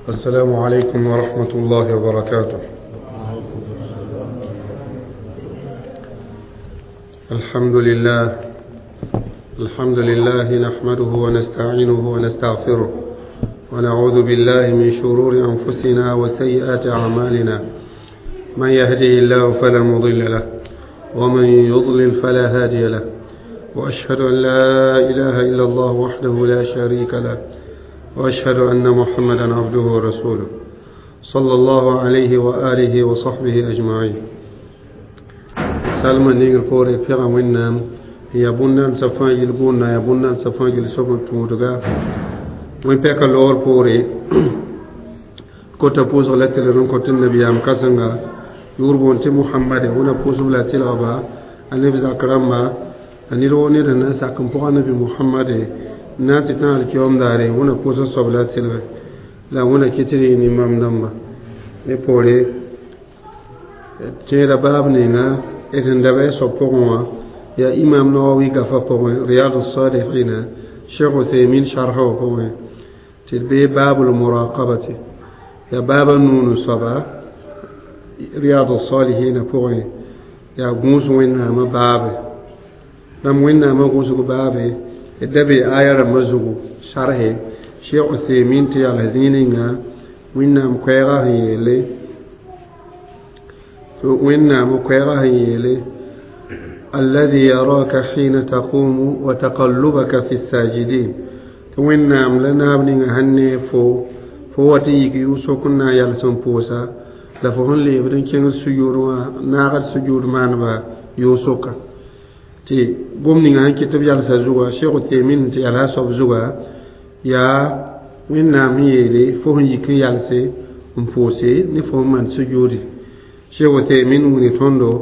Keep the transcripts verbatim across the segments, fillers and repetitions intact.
السلام عليكم ورحمة الله وبركاته. الحمد لله الحمد لله نحمده ونستعينه ونستغفره ونعوذ بالله من شرور أنفسنا وسيئات أعمالنا، من يهده الله فلا مضل له ومن يضلل فلا هادي له، وأشهد أن لا إله إلا الله وحده لا شريك له، وأشهد أن محمدا عبده ورسوله صلى الله عليه وآله وصحبه أجمعين. سلمى نيجر بوري بيغا وينام يا بونان سفان يلبونا يا بونان سفان يلسوبن تودغا وين بيكا لور بوري كوتا بوز غلطة لرون كوتن النبي أم كاسنغا يوربون تي محمد هنا بوز ولا تلغبا النبي زكرما أني رو نير الناس أكم بوغا نبي محمد ناتي تان الكيوم داري هنا بوز صبلا تلغ لا هنا كتري نمام دمبا نبوري تيرا باب نينا إذن دبي صبوغوا يا إمام نووي قفا بوغوا رياض الصالحين شيخ عثيمين شرحه بوغوا تلبي باب المراقبة يا باب النون صبا رياض الصالحين بوغوا يا غوس وين ما باب لم وين ما غوس باب دبي آية مزغو شرحه شيخ عثيمين تي على زينينا وين مكويغا هيلي وين مكويغا هيلي الذي يراك حين تقوم وتقلبك في الساجدين وين لنا بني هني فو فو تيجي يوسو كنا يلسون بوسا لفهن لي بدن كين سجود ناغر سجود مانبا يوسوكا تي قوم نيغا كتب يلسا زوا شيخ تيمين تي على صوب زوا يا وين نامي فهن يكن يلسي مفوسي نفهم من سجودي شيخ تيمين وني توندو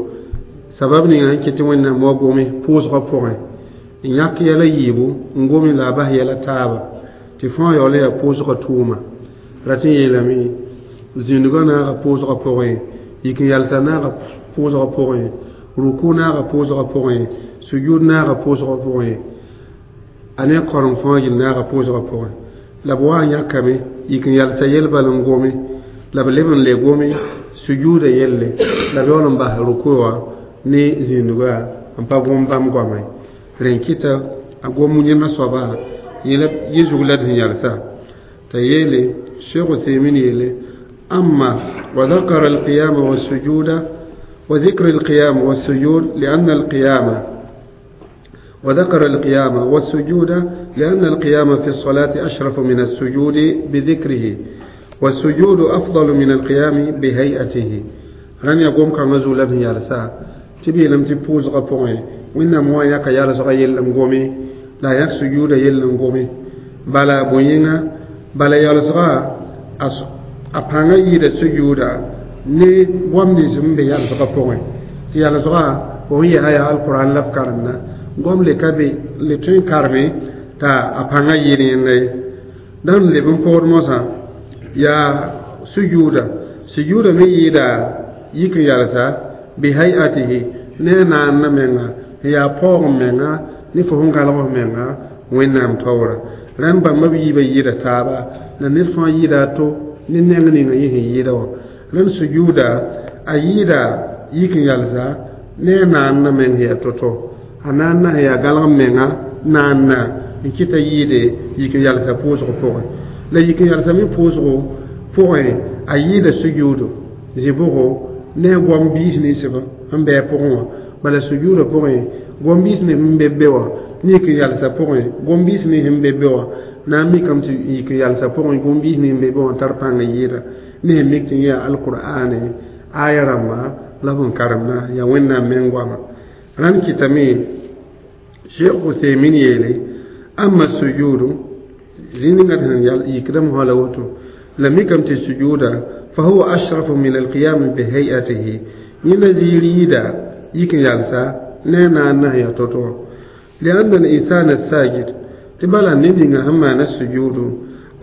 sabab ninga n ket wẽnnaam wa gome pʋʋsgã pʋgẽ n yãk yɛla yiibu n gome la a bas yɛla taaba tɩ fãa yaool n yaa pʋʋsgã tʋʋma rat n yeelame zĩndgã naaga pʋʋsgã pʋgẽ yik n yalsa naaga pʋʋsgã pʋgẽ ruku naaga pʋʋsgã pʋgẽ sujud naaga pʋʋsgã pʋgẽ a ne koreng fãa yel naaga pʋʋsgã pʋgẽ la b wa n yãkame yik n yalsa yel bal n gome la b leb n le gome sujuda yelle la b yaool n bas ruku wã ne zĩndga n pa gom bãmb goamã rẽ n kɩta a gom yẽnda soaba yẽ zug la d sẽn yalsa t'a yeele Cheikh Uthaymin yeele أما وذكر القيام والسجود وذكر القيام والسجود لأن القيام وذكر القيام والسجود لأن القيام في الصلاة أشرف من السجود بذكره والسجود أفضل من القيام بهيئته رن يقوم كما زول يالسا tɩ b yeelame tɩ pʋʋsgã pʋgẽ wẽnnaam wã yãka yalsgã yell n gome la a yãk sujuuda yell n gome bala bõe-yẽnga bala yalsgã a pãngã yɩɩda sujuuda ne goam nins n be yalsgã pʋgẽ tɩ yalsgã fo sẽn yaa yaa alquran la f karemda goam le ka be le tõe n kareme t'a a pãngã yɩɩd yẽnda ye dãn leb n pʋgd mosã yaa sujuuda sujuuda me yɩɩda yik n yalsa bihayatihi ne naanna menga yaa paoog menga ne fo sẽn galg f menga wẽnnaam taoora rãnd bãmba b yiibã yɩɩda taaba la ned fãa yɩɩda a to ne neng ninga yẽ sẽn yɩɩda wã rãnd sujuuda a yɩɩda yik n yalsa ne a naanna meng sẽn yaa to-to a naanna sẽn yaa galg menga naanna n kɩta yɩɩde yik n yalsa pʋʋsg pʋgẽ la yik n yalsa me pʋʋsgo pʋgẽ a yɩɩda sujuudo zĩ-bʋgo ne goam biis ninsb n bɩ a pʋgẽ wã bala sujuudã pʋgẽ goam biis ne sẽn be be wã ne yik n yalsã pʋgẽ goam biis ne sẽn be be wã na n mikame tɩ yik n yalsã pʋgẽ goam biis ne sẽn be be wã tar pãng n yɩɩda ne sẽn mik tɩ yã alqur'ane aya rãmba la b n karemda yaa wẽnnaam meng goama rãnd kɩtame Cheikh Uthaymin yeele amma sujudu zĩig ninga tɩ sẽn yikdame fãa la woto la mikame tɩ sujuuda فهو أشرف من القيام بهيئته يلا زيريدا يكن يالسا نانا نهي توتو لأن الإنسان الساجد تبالا نندنا هما السجود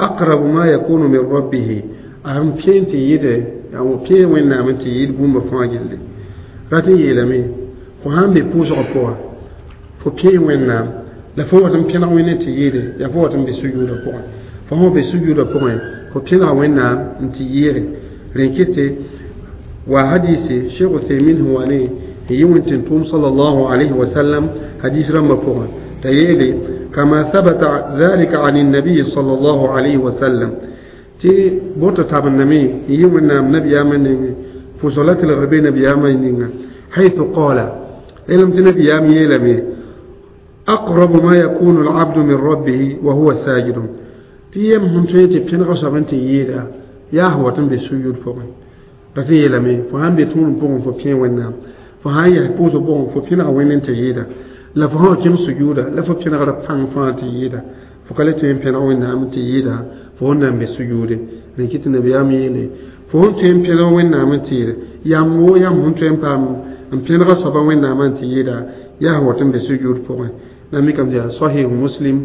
أقرب ما يكون من ربه أهم بين تيده أو بين وين نعم تيد بوم فاجل راتي يلمي فهم بيبوس أقوى فبين وين نعم لا فوتم بين وين تيده يا فوتم بسجود أقوى فهو بسجود أقوى Fo pẽnega Wẽnnaam n tɩ yɩɩge rẽn kɩtɩ wa hadisi Sheikh Uthaymin sẽn wa ne n yɩ wẽn-tẽn-tʋʋm sallallahu alayhi wa sallam hadis rãmbã pʋgẽ t'a yeele kama thabata dhalika an النبي صلى الله عليه وسلم tɩ boto tabendame n yɩ Wẽnnaam nabiyaamã nengẽ pʋsg la tɩlgr be nabiyaamã ninga حيث قال علم نبيام يلمي أقرب ما يكون العبد من ربه وهو ساجد تيم هم تيتي بين غصب انت يدا يا هو تم بسجود فوق رتي يلمي فهم بتون بون فو بين ونا فهم يا بوزو بون فو بين وين انت يدا لا فهم كم سجودا لا فو بين غرب فان فان تيدا فقالت تيم بين وين نام تيدا فهم نام بسجود لكن النبي يلي فهم تيم بين وين نام تيدا يا مو يا هم تيم بام n pẽnega soaba Wẽnnaamã n tɩ yɩɩda yaa wat n be sujud pʋgẽ la mikame tɩ yaa sahih Muslim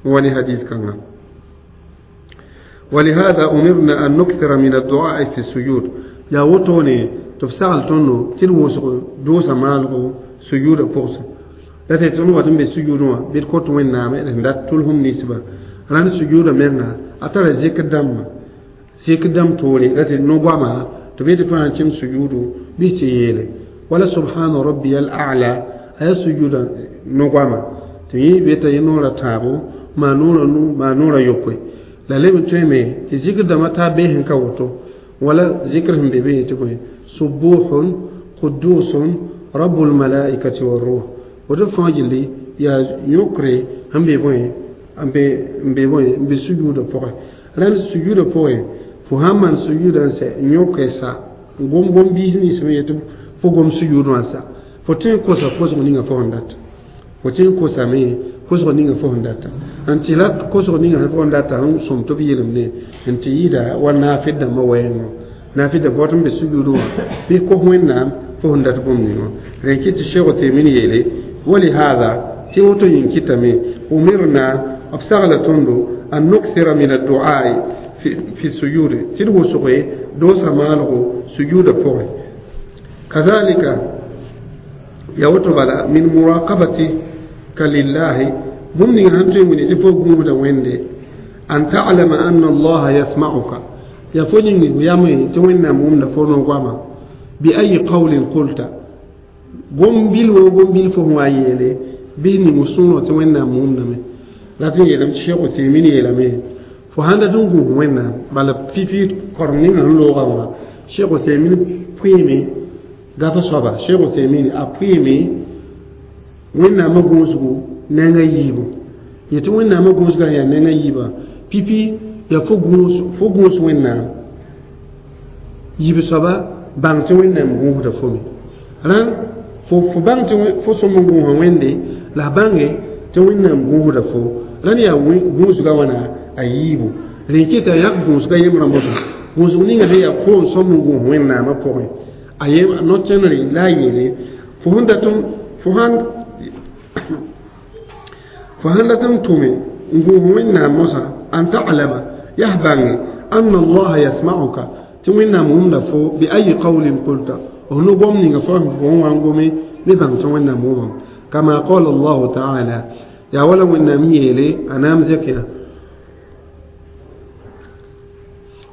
wa ne hadis kãnga. ولهذا أمرنا أن نكثر من الدعاء في السجود يا وتوني تفسال تونو تل وسق دوسا مالغو سجود بوس لا تتونو واتن بسجود بيت كوت وين نام dat tulhum nisba ran سجود menga atara zik dam zik dam tore rat no gwama to be to an cim sujudu bi ti yele wala subhana rabbiyal a'la ay sujuda no gwama to yi be ta yinora tabo ma nura nu ma nura yokwe la leb n tõe me tɩ zikr dãmbã taa bee sẽn ka woto wala zikr sẽn be be tɩ bõe subuhun qudusun rabbul malaikati warruh woto fãa gilli yaa yõkre sẽn be bõe n be n be bõe n be sujuudã pʋgẽ rãnd sujuudã pʋgẽ fo sãn maan sujuudã n sɛ n yõke sa n gom gom biis nins me yetɩ fo gom sujuud wã sa fo tõe n kosa kosg ninga fo sẽn data fo tõe n kosame kosg ninga fo sẽn data n tɩ la kosg ninga fo sẽn data sẽn sõm tɩ b yelemde n tɩ yɩɩda wa naafɩd dãmbã wɛɛngõ naafɩd dãmba wat n be sujuudẽ wã bɩ kos Wẽnnaam fo sẽn dat bũmb ningã rẽn kɩ tɩ Sheikh Uthaymin yeele ولهذا tɩ woto yĩng kɩtame umirna b sagla tõndo an nukthira min addu'ai fi sujud tɩ d wʋsge doosa maalgo sujuudã pʋgẽ كذلك ya woto bala min muraqabatika lillahi bũmb ning sãn tõe n wilg tɩ fo gũusda Wẽnde an ta'lama anna allaha yasma'uka ya fo yĩng yame tɩ Wẽnnaam wʋmda fo no-goama bi ayi qawlin qulta gom bil wo gom bil fo sẽn wa yeele bɩ ning sõorã tɩ Wẽnnaam wʋmdame rat n yeelame tɩ Sheikh Uthaymin yeelame fo sãn dat n gũus Wẽnnaam bala pipi korem ninga sẽn loogã wã Sheikh Uthaymin pʋɩɩme gaf soaba Sheikh Uthaymin a pʋɩɩme Wẽnnaamã gũusgu neng a yiibu yetɩ Wẽnnaamã gũusgã yaa neng a yiibã pipi yaa fo gũus fo gũus Wẽnnaam yiib soaba bãng tɩ Wẽnnaam gũusda fo me rãnd fo fo bãng tɩ fo sõm n gũusa Wẽnde la f bãnge tɩ Wẽnnaam gũusda fo rãnd yaa gũusga wãna a yiibu rẽ kɩta yak gũusga yembrã mosã gũusg ninga sẽn yaa fo n sõm n gũus Wẽnnaamã pʋgẽ a yem no-tẽnere la a yeele fo sẽn dat n fo sãn fo sãn dat n tʋme n gũus Wẽnnaam mosã an ta'lama yaa bãnge anna allaha yasma'uka tɩ Wẽnnaam wʋmda fo bi ayi qawlin qulta f no-gom ninga fo fo sẽn wa n gome bɩ bãng tɩ Wẽnnaam wʋmam kama qala allahu taala yaa wala Wẽnnaam yeele a naam zɛk yaa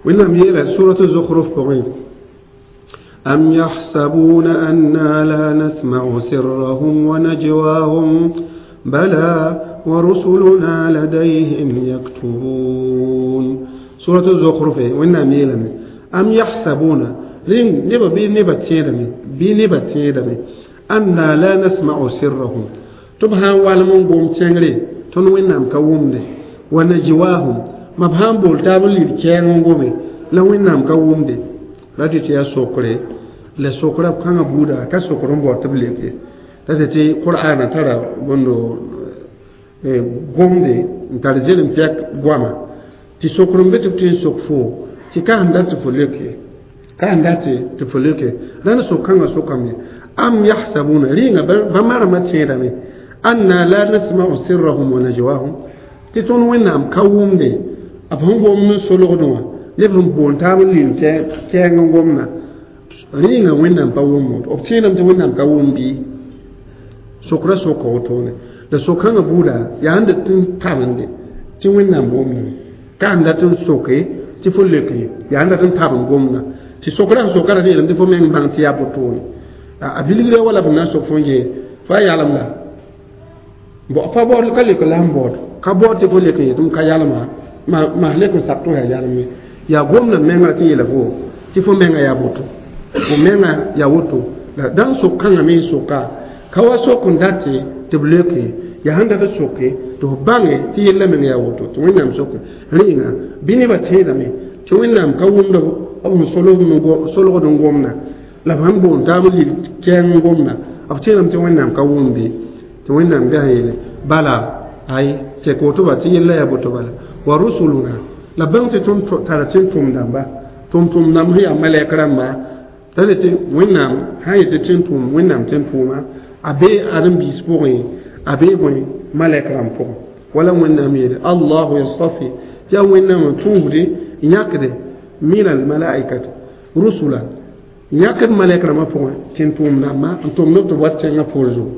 Wẽnnaam yeela surat Zukhruf pʋgẽ أم يحسبون أنا لا نسمع سرهم ونجواهم بلى ورسلنا لديهم يكتبون سورة الزخرف وإن ميلم أم يحسبون نبا بي نبا تيدمي بي نبا تيدمي أنا لا نسمع سرهم تبها والمون قوم تنغري تون وإنام كوم دي ونجواهم ما بهان بول تابل لكيان قومي la Wẽnnaam ka wʋmde la tɩ tɩ yaa sokre la sokra kãngã buuda ka sokr n bao tɩ b lek ye la tɩ tɩ qur'ana tara bõndo gomde n tar zelem pɛk goama tɩ sokr n be tɩ b tõe n sok fo tɩ ka sẽn dat tɩ fo lek ye ka sẽn dat tɩ fo lek ye rãnd sok-kãngã sokame am yahsabuna rɩɩnga ba maremã tẽedame anna la nasma'u sirrahum wa najwahum tɩ tõnd Wẽnnaam ka wʋmde b sẽn gom n solgdẽ wã neb sẽn boon taab n lim kɛɛng n gomna rɩɩnga Wẽnnaam pa wʋm b tẽedame tɩ Wẽnnaam ka wʋm bɩ sokra soka wotone la sok-kãngã buuda yaa n dat n tabende tɩ Wẽnnaam wʋmdame ka sẽn dat n soke Tɩ fo leok ye yaa n dat n tab n gomdã tɩ sokra sẽn soka ra yeelame tɩ fo meng bãng tɩ yaa botone a bilgre wala b na n sok fo n yee fo a yalem la pa baood ka leok la n baood ka baood tɩ fo lek n yetɩ m ka yalma ma lek n sak tɩ yaa yalem ye yaa gomdã menga tɩ yeela fo tɩ fo menga yaa boto fo menga yaa woto la dãn sok kãngã me n soka ka wa sok n date tɩ b leoke yaa sẽn dat n soke tɩ f bãnge tɩ yella meng yaa woto tɩ wẽnnaam soke rẽenga bɩ nebã tẽedame tɩ wẽnnaam ka wʋmd b sẽn solgd n gomda la b sẽn boond taab n lig kɛɛng n gomda b tẽedame tɩ wẽnnaam ka wʋmde tɩ wẽnnaam bɩ sẽn yeele bala ay sek woto ba tɩ yella yaa boto bala wa rusuluna la bãng tɩ tõnd tara tɩ tʋm dãmba tʋm-tʋm dãmb sẽn yaa malɛk rãmba t'a le tɩ wẽnnaam sã n yetɩ tɩ n tʋm wẽnnaam tɩ n tʋʋma a bee ãdem-biis pʋgẽ a bee bõe malɛk rãmb pʋgẽ wala wẽnnaam yeele allahu yastafi tɩ yaa wẽnnaam n tũusde n yãkde min almalaikati rusula n yãkd malɛk rãmbã pʋgẽ tɩ n tʋʋm dãmba n tʋmd b tɩ b wat tẽngã poor zugu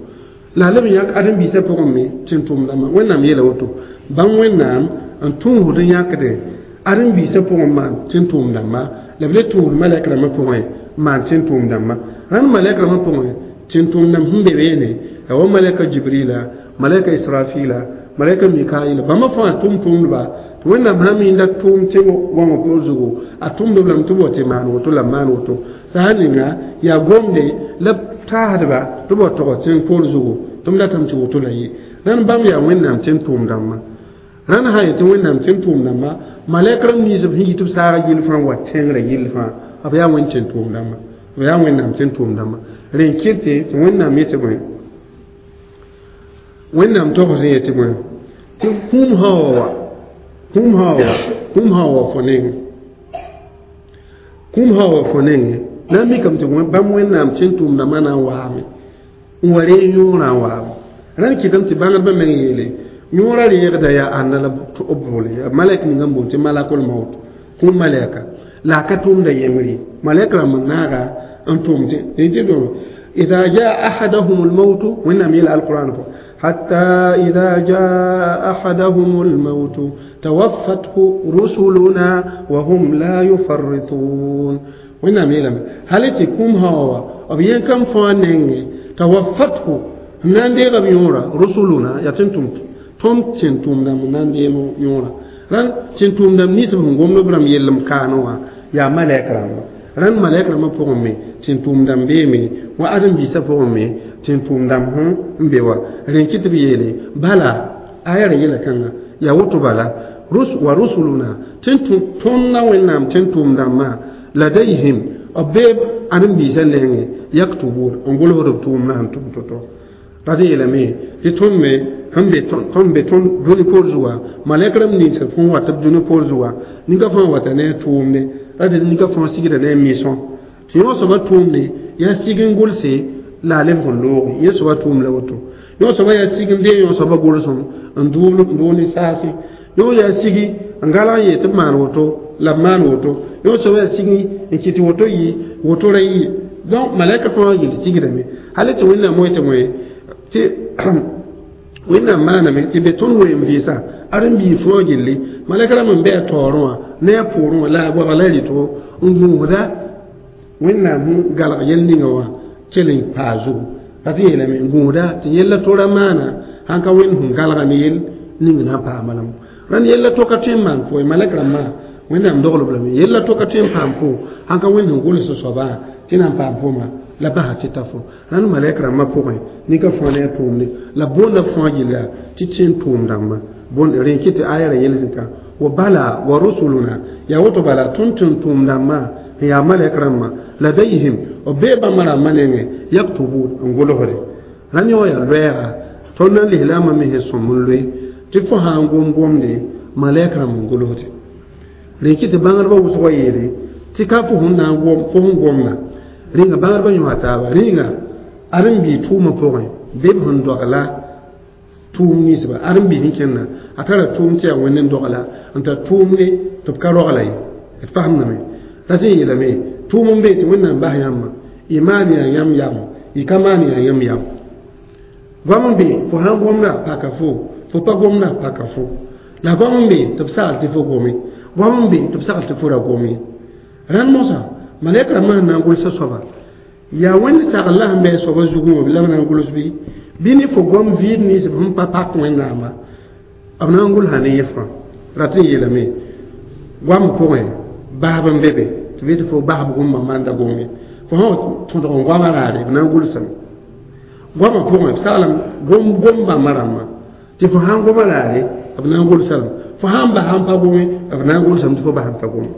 la leb n yãk ãdem-biisã pʋgẽ me tɩ n tʋʋm dãmba wẽnnaam yeela woto bãmb wẽnnaam n tũusd n yãkde ãdem-biisã pʋgẽ maan tɩ n tʋʋm dãmba la b le tũusd malɛk rãmbã pʋgẽ maan tɩ n tʋʋm dãmba rãnd malɛk rãmbã pʋgẽ tɩ n tʋʋm dãmb sẽn be beene ya wa malɛka jibrila malɛka israfila malɛka mikaila bãmba fãa tʋm-tʋmdba tɩ wẽnnaam sã mi n da tʋʋm tɩ wãngã poor zugu a tʋmdb lame tɩ b wa tɩ maan woto la b maan woto sã ninga yaa gomde la b taasdba tɩ b wa tog tẽng poor zugu tɩ m datame tɩ woto la ye rãnd bãmb yaa wẽnnaam tɩ n tʋʋm dãmbã rãnd sã yetɩ wẽnnaam tɩ n tʋʋm dãmba malɛk rãmb nins b sẽn yit b saaga gill fãa n wa tẽngrã gill fãa b yaa wẽnd tɩ n tʋʋm dãmba b yaa wẽnnaam tɩ n tʋʋm dãmba rẽ n kɩtɩ tɩ wẽnnaam yetɩ bõe wẽnnaam togs n yetɩ bõe tɩ kũum sã wa wa kũum sã wa kũum sã wa fo nengẽ kũum sã wa fo nengẽ na n mikame tɩ bãmb wẽnnaam tɩ n tʋʋm dãmbã na n waame n wa reeg yõorã n waame rãnd kɩtame tɩ bãngdbã meng yeele yõorã reegda yaa ãnna la b boole yaa malɛk ninga n boond tɩ malakol maut kũum malɛka la a ka tʋʋmda yembre ye malɛk rãmb n naaga n tʋʋm tɩ إذا جاء أحدهم الموت وإنما إلى القرآن حتى إذا جاء أحدهم الموت توفته رسلنا وهم لا يفرطون وإنما إلى هل تكون هوا أبين كم فانين توفته ناندي غبيورا رسلنا يتنتم تم تنتم دم ناندي يورا ران تنتم دم نيسب هم برام يلم كانوا يا ملائكة rãnd malɛk rãmbã pʋgẽ me tɩ n tʋʋm dãmb beeme wa ãdem-biisã pʋgẽ me tɩ n tʋʋm dãmb sẽn be wa rẽ kɩ tɩ b yeele bala aya ra yɛla kãnga yaa woto bala wa rusuluna tɩ n tõndã wẽnnaam tɩ n tʋʋm dãmbã ladayhim b bee ãdem-biisã nengẽ yaktubun n gʋlsd b tʋʋmdã sẽn tʋm to-to rat n yeelame tɩ tõnd me sẽn be tõnd be tõnd dũni poor zuga malɛk rãmb nins sẽn wat b dũni poor zuga ninga fãa wata ne a tʋʋmde rat ninga fãa sigda ne a misõ tɩ yõ soaba tʋʋmde yaa sig n gʋlse la a lebg n looge yẽ soaba tʋʋm la woto yõ soaba yaa sig n dee yõ soaba gʋlsem n dʋʋl ne saase yõ yaa sigi n galg n yee tɩ b maan woto la b maan woto yõ soaba yaa sigi n kɩt woto yɩ woto ra yɩ donc malɛka fãa yel sigdame hal tɩ wẽnnaam moe tɩ moe tɩ wẽnnaam maaname tɩ be tõnd weem vɩɩsã ãdem-biig fãa gilli malɛk rãmb n bɩ a taoorẽ wã ne a pʋʋrẽ wã la a goabg la a rɩtgo n gũusda wẽnnaam sẽn galg yel ninga wã kell n paa zugu rat n yeelame n gũusda tɩ yella tora maana sãn ka wẽnd sẽn galgame yel ning na n paama lame rãnd yella to ka tõe n maan fo ye malɛk rãmbã wẽnnaam doglb lame yella to ka tõe n paam fo sãn ka wẽnd sẽn gʋls soabã tɩ na n paam foma la basa tɩ ta fo rãnd malɛk rãmbã pʋgẽ nin-ka fãa ne a tʋʋmde la boonda b fãa gilla tɩ tɩ n tʋʋm dãmbã bõn rẽ kɩ tɩ aya ra yels ka wa bala wa rusuluna yaa woto bala tõnd tɩ n tʋʋm dãmbã n yaa malɛk rãmbã ladayhim b bee bãmba rãmbã nengẽ yaktubun n gʋlsde rãnd yõ yaa loɛɛga tõnd na n lislaambã me sẽn sõm n loe tɩ fo sã n gom gomde malɛk rãmb n gʋlsde rẽ kɩ tɩ bãngdbã wʋsgã yeele tɩ ka fo sẽn na n gom fo sẽn gomda rẽnga bãngdbã yõa taaba rẽnga ãdem-biig tʋʋmã pʋgẽ bɩ b sẽn dogla tʋʋm ninsba ãdem-biig sẽn kẽnna a tara tʋʋm tɩ yaa wẽnd n dogla n tar tʋʋmde tɩ b ka rogla ye d fasemdame rat n yeelame tʋʋm n be tɩ wẽnnaam bas yãmbã y maan yaa yãmb yam y ka maan yaa yãmb yam goam n be fo sãn gomda paka fo fo pa gomda paka fo la goam n be tɩ b sagl tɩ fo gome goam n be tɩ b sagl tɩ fo ra gom ye rãnd mosã malɛk rãmbã sẽn na n gʋlsa soaba yaa wẽnd sagl la sẽn bɩ a soabã zugẽ wã la b na n gʋls bɩ bɩ ne fo goam vɩɩd nins b sẽn pa pak wẽnnaamã b na n gʋlsa ne yẽ fãa rat n yeelame goam pʋgẽ basb n be be tɩ bɩ tɩ fo basb gomba manda gome fo sã tõdg n goamã raare b na n gʋlsame goamã pʋgẽ b saglem gom gom bãmba rãmbã tɩ fo sãn goma raare b na n gʋlsame fo sãn bas n pa gome b na n gʋlsame tɩ fo bas n pa gome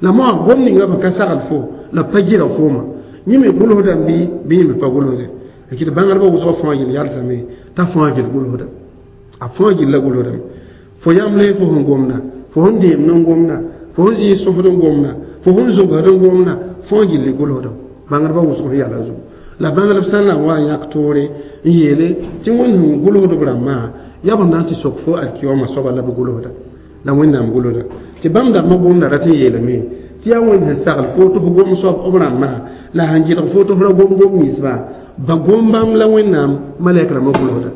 la moa gom ninga b ka sagl fo la pa gɩra fooma yẽ me gʋlsdame bɩ bɩ yẽ me pa gʋlsde tɩ bãngdbã wʋsg fãa yel yalsame t'a fãa gil gʋlsda a fãa gilla gʋlsdame fo yãmb fo sẽn gomda fo sẽn deemd n gomda fo sẽn zɩɩ sõsd n gomda fo sẽn zogsd n gomda fãa gilli gʋlsda bãngdbã wʋsg sẽn yala zugu la bãngdb sã n na n wa n yãk toore n yeele tɩ wẽnd sẽn gʋlsdb rãmbã yaa b na n tɩ sok fo alkiyoma soaba la b gʋlsda la wẽnnaam gʋlsda tɩ bãmb dãmbã gomda rat n yeelame tɩ yaa wẽnd sẽn sagl fo tɩ f gom soab b rãmbã la sẽn gɩdg fo tɩ f ra gom gom ninsba ba gom bãmb la wẽnnaam malɛk rãmbã gʋlsda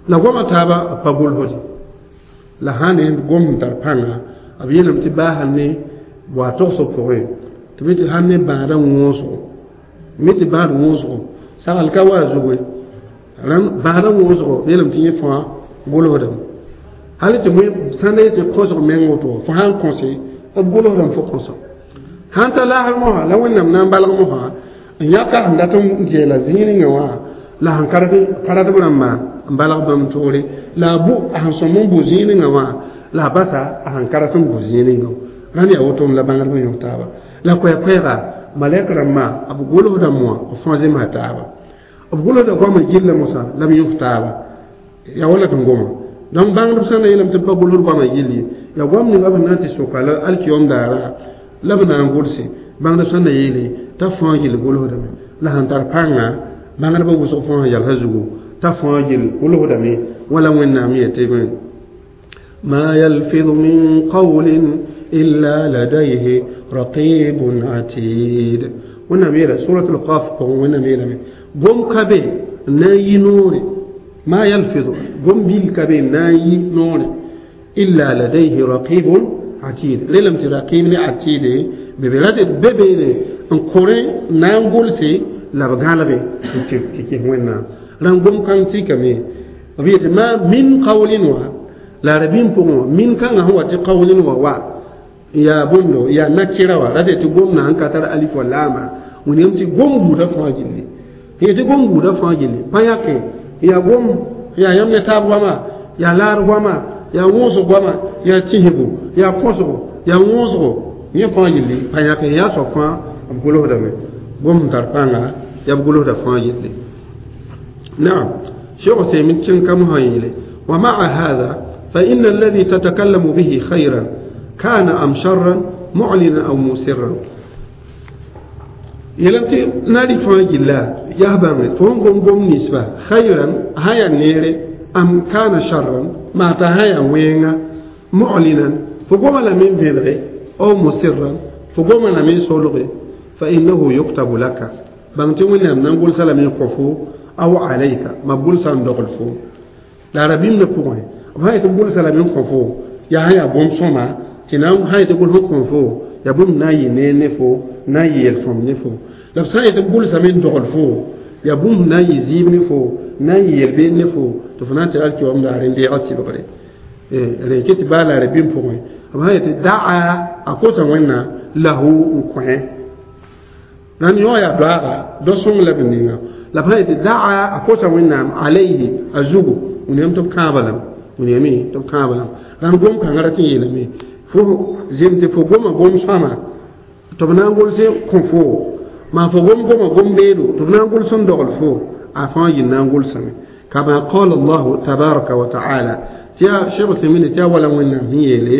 la goamã taaba b pa gʋlsde la sã ne gom sẽn tar pãnga b yeelame tɩ baa sãn ne wa togsg pʋgẽ tɩ bɩ tɩ sãn ne bãadã wõosgo me tɩ bãad wõosgo sagl ka wa a zugu rãmb bãadã wõosgo b yeelame tɩ yẽ fãa gʋlsdame hal tɩ sãn da yetɩ kõsg meng woto fo sãn kõse b gʋlsdame fo kõsa sãn ta laasg mosã la wẽnnaam na n balg mosã n yãka sẽn dat n geela zĩig ninga wã la sẽn karatb rãmbã n balg bãmb toore la a bu a sẽn sõm n bu zĩig ninga wã la a basa a sẽn karat n bu zĩig ninga rãnd yaa woto la bãngdbã yõk taaba la koɛɛ-koɛɛga malɛk rãmbã b gʋlsda moa b fãa zemsa taaba b gʋlsda goamã gilla mosã la b yõk taaba yaa wala tɩ n goma donc bãngdb sã na yeelame tɩ b pa gʋlsd goamã gill ye yaa goam ninga b na n tɩ soka la alkiyom daara la b na n gʋlse bãngdb sã na yeele t'a fãa gill gʋlsdame la sẽn tar pãnga bãngdbã wʋsg fãa sẽn yalsã zugu t'a fãa gill gʋlsdame wala wẽnnaam yetɩ ما يلفظ من قول إلا لديه رقيب عتيد wẽnnaam yeela سورة القاف pʋgẽ wẽnnaam yeelame gom ka be n na n yi noore ما يلفظ gom bil ka be n na n yi noore إلا لديه رقيب عتيد relame tɩ رقيب ne عتيد be be rat be beene n kõ na n gʋlse la b gãlge n tɩ kɩs wẽnnaam rãn gom kãng tikame b yetɩ ما من قول wã la rabim pʋgẽ wã min kãngã sẽn wa tɩ قول wa wa yaa bõndo yaa nakira wã rat tɩ gom na sẽn ka tar alif wa laama wẽnnaam tɩ gom buudã fãa gilli tɩ gom buudã fãa gilli pa yãke yaa gom yaa yãmb ne taab goama yaa laar goama yaa wõosg goama yaa tĩsgo yaa kõsgo yaa wõosgo yẽ fãa gilli pa yãke yaa soab fãa b gʋlsdame gom sẽn tar pãnga yaa b gʋlsda fãa gilli نعم شيخ عثيمين كن كم هايلة ومع هذا فإن الذي تتكلم به خيرا كان أم شرا معلنا أو مسرا يلمتي نادي فاج الله يهبم فون قوم قوم نسبة خيرا هيا نيري أم كان شرا ما تهيا وينغا معلنا فقوم من فيدغي أو مسرا فقوم من سولغي فإنه يكتب لك بانتي وين نقول سلام يقفو أو عليك ما بقول سان دغل فو لا ربيم نكوه ما يتقول سلام يقفو يا هيا بوم سوما tɩ na sã yetɩ gʋls n kõ fo yaa bũmb na n yɩ neer ne fo na n yeel sõm ne fo la b sã n yetɩ gʋlsame n dogl fo yaa bũmb na n yɩ zɩɩb ne fo na n yɩ yel-beed ne fo tɩ fo na n tɩ alkiwam daare n deega sɩbgre rẽ ket tɩ baa la rabim pʋgẽ b sã yetɩ daa a kosa wẽnna lahu n kõ rãnd yõ yaa doaaga do-sõng la b ninga la b sã yetɩ daa a kosa wẽnnaam alayhi a zugu wẽnnaam tɩ b kãaba lame wẽnnaame tɩ b kãaba lame rãnd gom kãngã rat n yeelame fo zem tɩ fo goma gom sõama tɩ b na n gʋls kõ fo maa fo gom goma gom beedo tɩ b na n gʋls n dogl fo a fãa yɩl na n gʋlsame كما قال الله تبارك وتعالى تيا شيخ ثمين تيا ولا وين هي لي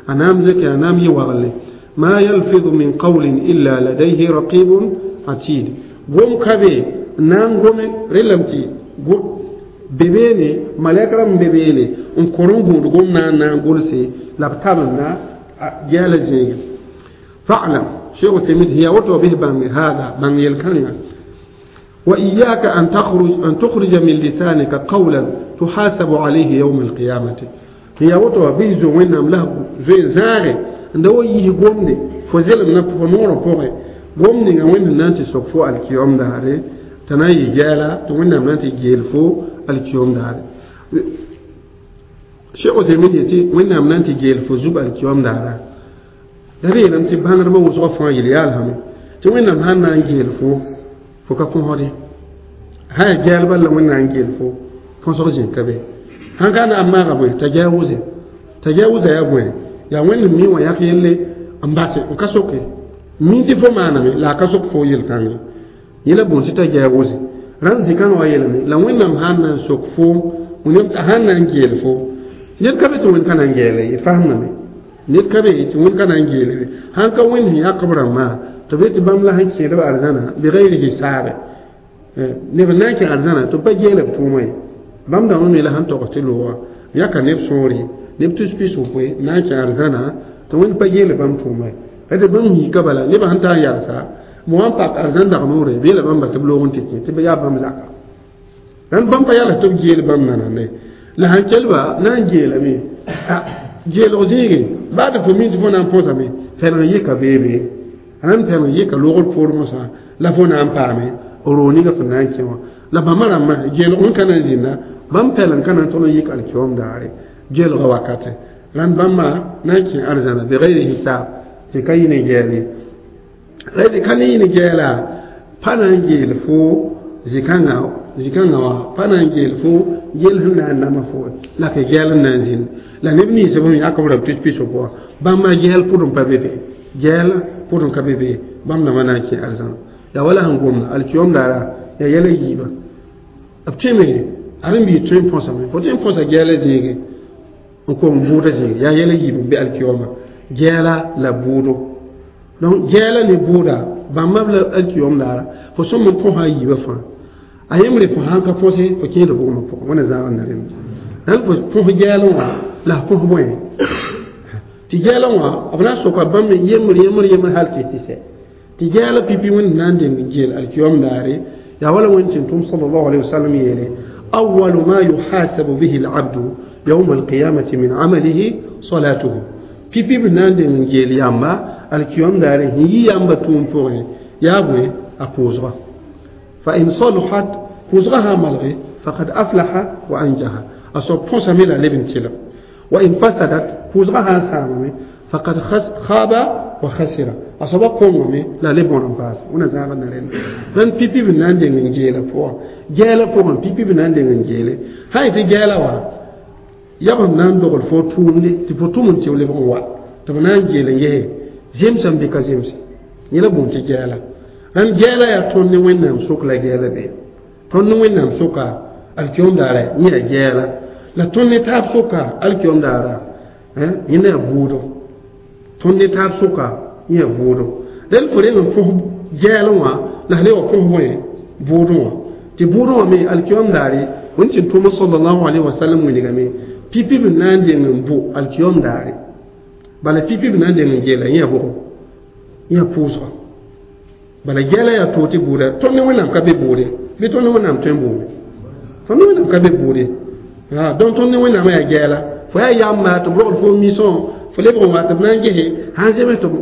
أنام زكي أنام يوغلي ما يلفظ من قول إلا لديه رقيب عتيد قوم كبي نام قوم رلمتي bebene malɛk rãmb bebeene n kõ n gũud gom na n na n gʋlse la b tabend gɛɛla zẽege fa'lam sheikh uthaymin hiya woto bɩs bãng hada bãng yel-kãnga وإياك أن تخرج أن تخرج من لسانك قولا تحاسب عليه يوم القيامة هي وتو بيزو وين له زي زاغي n da wa yis gomde fo zelem na fo noorã pʋgẽ gom ninga wẽnd na n tɩ sok fo alkiyom daare t'a na n yɩ gɛɛla tɩ wẽnnaam na n tɩ geel fo alkiyom daare Cheikh Othemin yetɩ wẽnnaam na n tɩ geel fo zug alkiyom daara la b yeelame tɩ bãngdbã wʋsgã fãa yel yaalsame tɩ wẽnnaam sãn na n geel fo fo ka kõsde sã yaa gɛɛl bal la wẽnnaam n geel fo põsg zĩ ka be sãn ka na n maaga bõe t'a gɛɛ wʋse t'a gɛɛ wʋsa yaa bõe yaa wẽnd mi wã yak yelle n base n ka soke mi tɩ fo maaname la a ka sok fo yel-kãngẽ yẽ la bõn tɩ t'a gɛɛ wʋse rãnd zĩ-kãngã wa yeelame la wẽnnaam sãn na n sok foom sãn na n geel fo ned ka be tɩ wẽnd ka na n geele ye fasemdame ned ka be tɩ wẽnd ka na n geele sãn ka wẽnd sẽn yak b rãmbã tɩ be tɩ bãmb la sẽn kẽedb arzãna bigayr hisaabe neb n na n kẽ arzãna tɩ b pa geele b tʋʋmã ye bãmb dãmbã me la sẽn togs tɩ looga yãka neb sõore neb tus pis wʋkoe na n kẽ arzãna tɩ wẽnd pa geele bãmb tʋʋmã ye tɩ bãmb yiika bala nebã sẽn tar n yalsa mo wã n pak arzãn dag noore b yeela bãmba tɩ b loog n tɩ kẽ tɩ b yaa bãmb zaka rãnd bãmb pa yals tɩ b geel bãmb nanane la sãn kelba na n geelame geelg zĩige baa tɩ fo mi tɩ fo na n põsame pɛleng yɩka beebe rãnd pɛleng yɩka loogr poor mosã la fo na n paame roog ninga fo na n kẽ wã la bãmba rãmbã geelg sẽn ka na n zĩnda bãmb pɛleng ka na n tõd n yɩk alkiom daare geelga wakate rãnd bãmba na n kẽ arzãna bigayri hisaab tɩ ka yɩ ne gɛɛl ye la tɩ ka ne yɩ ne gɛɛla pa na n geel fo zĩ-kãngã zĩ-kãngã wã pa na n geel fo geel sẽn na n nama fo la ka gɛɛl n na n zĩnd la neb ninsã b sẽn yak b rãmb tus pis pʋgã bãmba gɛɛl pʋd n pa be be gɛɛl pʋd n ka be be bãmb dãmbã na n kẽ arzãna yaa wala sẽn gomda alkiyom daara yaa yɛla yiiba b tõeme aren-biig tõe n põsame fo tõe n põsa gɛɛla zĩige n kom bʋʋda zĩige yaa yɛla yiib n be alkiyoma gɛɛla la bʋʋdo donc gɛɛla ne bʋʋda bãmba b la alkiyom daara fo sõm n põsa a yiibã fãa a yembre fo sãn ka põse fo kẽed bʋgmã pʋgẽ wẽna zãag n na rẽnd rãnd fo põs gɛɛlẽ wã la f põs bõe tɩ gɛɛlẽ wã b na n soka bãmb yembr yembr yembr hal tɩ tɩ sɛ tɩ gɛɛla pipi wẽnd na n deng geel alkiyom daare yaa wala wẽnd tɩ tʋm sallallahu alaihi wasallam yeele أول ما يحاسب به العبد يوم القيامة من عمله صلاته pipi b na n deng geel yamba alkiyom daare sẽn yi yamba tʋʋm pʋgẽ yaa bõe a pʋʋsga فإن صلحت pʋʋsga sã n malge فقد أفلح وأنجح a soab põsame la leb n tɩlg وإن فسدت pʋʋsga sã n sãamame فقد خاب وخسر a soaba kõngame la leb bõn n paase wẽna zãag n na rẽnda rãnd pipi b na n deng n geela pʋgã gɛɛla pʋgẽ pipi b na n deng n geele sã n tɩ gɛɛla wã yab n na n dogl fo tʋʋmde tɩ fo tʋm n tɩ b lebg n wa tɩ b na n geel n gese zemsã n bɩ ka zemse yẽ la bũmb tɩ gɛɛla rãnd gɛɛla yaa tõnd ne wẽnnaam sok la gɛɛla be tõnd ne wẽnnaam soka alkiyom daara yẽ yaa gɛɛla la tõnd ne taab soka alkiyom daara yẽ na yaa bʋʋdo tõnd ne taab soka yẽ yaa bʋʋdo dẽn fo reng n põs gɛɛlẽ wã la f le wa põs bõe bʋʋdẽ wã tɩ bʋʋdẽ wã me alkiyom daare wẽnd tɩ tʋm sallallahu alaihi wasallam wilgame pipi b na n deng n bʋ alkiyom daare bala pipi b na n deng n geela yẽ yaa bʋgo yẽ yaa pʋʋsga bala gɛɛla yaa toog tɩ bʋʋda tõnd ne wẽnnaam ka be bʋʋde bɩ tõnd ne wẽnnaam tõe n bʋʋme tõnd ne wẽnnaam ka be bʋʋde donc tõnd ne wẽnnaamã yaa gɛɛla fo yaa yamba tɩ b rogl fo misõ fo lebg n wa tɩ b na n gese sãn zems tɩ b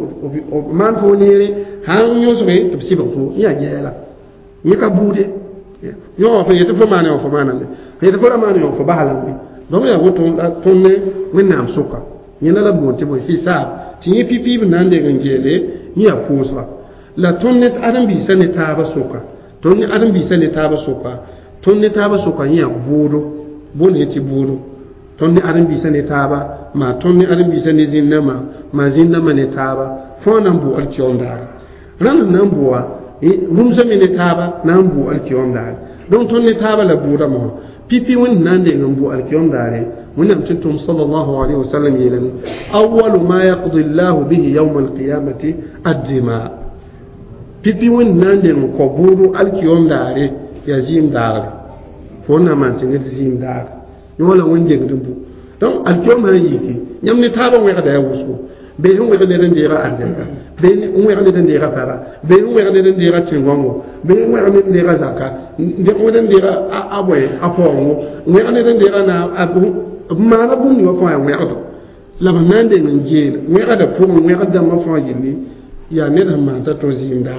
maan fo neere sãn yõsge tɩ b sɩbg fo yẽ yaa gɛɛla yẽ ka bʋʋde yõ wã fo yetɩ fo maane wã fo maaname fo yetɩ fo ra maane wã fo bas lame donc yaa woto la tõnd ne wẽnnaam sʋka yẽ la la boond tɩ bõe hisaab tɩ yẽ pipi b na n deng n geele yẽ yaa pʋʋsga la tõnd ne ãdem-biisã ne taabã sʋka tõnd ne ãdem-biisã ne taabã sʋka tõnd ne taabã sʋka yẽ yaa bʋʋdo boond yẽ tɩ bʋʋdo tõnd ne ãdem-biisã ne taaba maa tõnd ne ãdem-biisã ne zĩn-dãmbã maa zĩn-dãmbã ne taaba fãa na n bʋ alkiyom daare rãnd n na n bʋa rũmsã me ne taaba na n bʋ alkiyom daare donc tõnd ne taaba la bʋʋda mosã pipi wẽnd na n deng n bʋ alkiyom daare wẽnnaam tɩ tʋm sallallahu alaihi wasallam yeelame awalu ma yaqdi llahu bihi yawma alqiyamati addima pipi wẽnd na n deng n kõ bʋʋdo alkiyom daare yaa zɩɩm daagre fo na maan tɩ ned zɩɩm daagre yõ la wẽnd dengd n bʋ donc alkiyom sã n yiki yãmb ne taabã wẽgda yaa wʋsgo bee sẽn wẽg ned n deega arzɛka bee n wẽg ned n deega paba bee n wẽg ned n deega tẽn-gãngo bee n wẽg ned n deega zaka wẽg n deega a bõe a paoongo wẽg ned n deega na b maana bũmb ninga fãa yaa wẽgdo La b na n deng n geel wẽgda pʋgẽ wẽgd dãmbã fãa gilli yaa ned sẽn maan t'a to zɩɩmda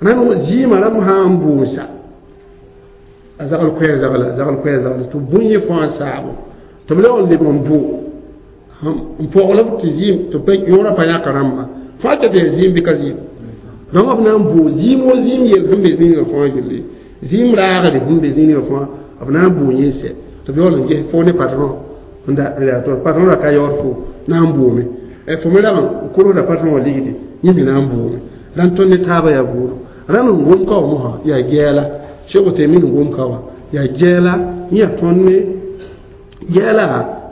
rãnd zɩɩmã rãmb sã n buusa a zagl koɛɛ zagla zagl koɛɛ zagla tɩ bũn yẽ fãa saabo tɩ b lebg n leb n bʋ n pɔgl b tɩ zɩɩm tɩ yõorã pa yãk rãmba fãa tɩ tɩ yaa zɩɩm bɩ ka zɩɩm donc b na n bʋ zɩɩm wo zɩɩm yel sẽn be zĩigã fãa gilli zɩɩm raagre sẽn be zĩigã fãa b na n bʋ yẽ sɛ tɩ b yaool n ges fo ne patron n da to patron ra ka yaood fo na n bʋʋme fo me rag n kolsda patron wã ligdi yẽ me na n bʋʋme rãnd tõnd ne taabã yaa buudo rãnd n gom ka wã mosã yaa gɛɛla Cheikh Uthaymin n gom ka wã yaa gɛɛla yẽ yaa tõnd ne gɛɛla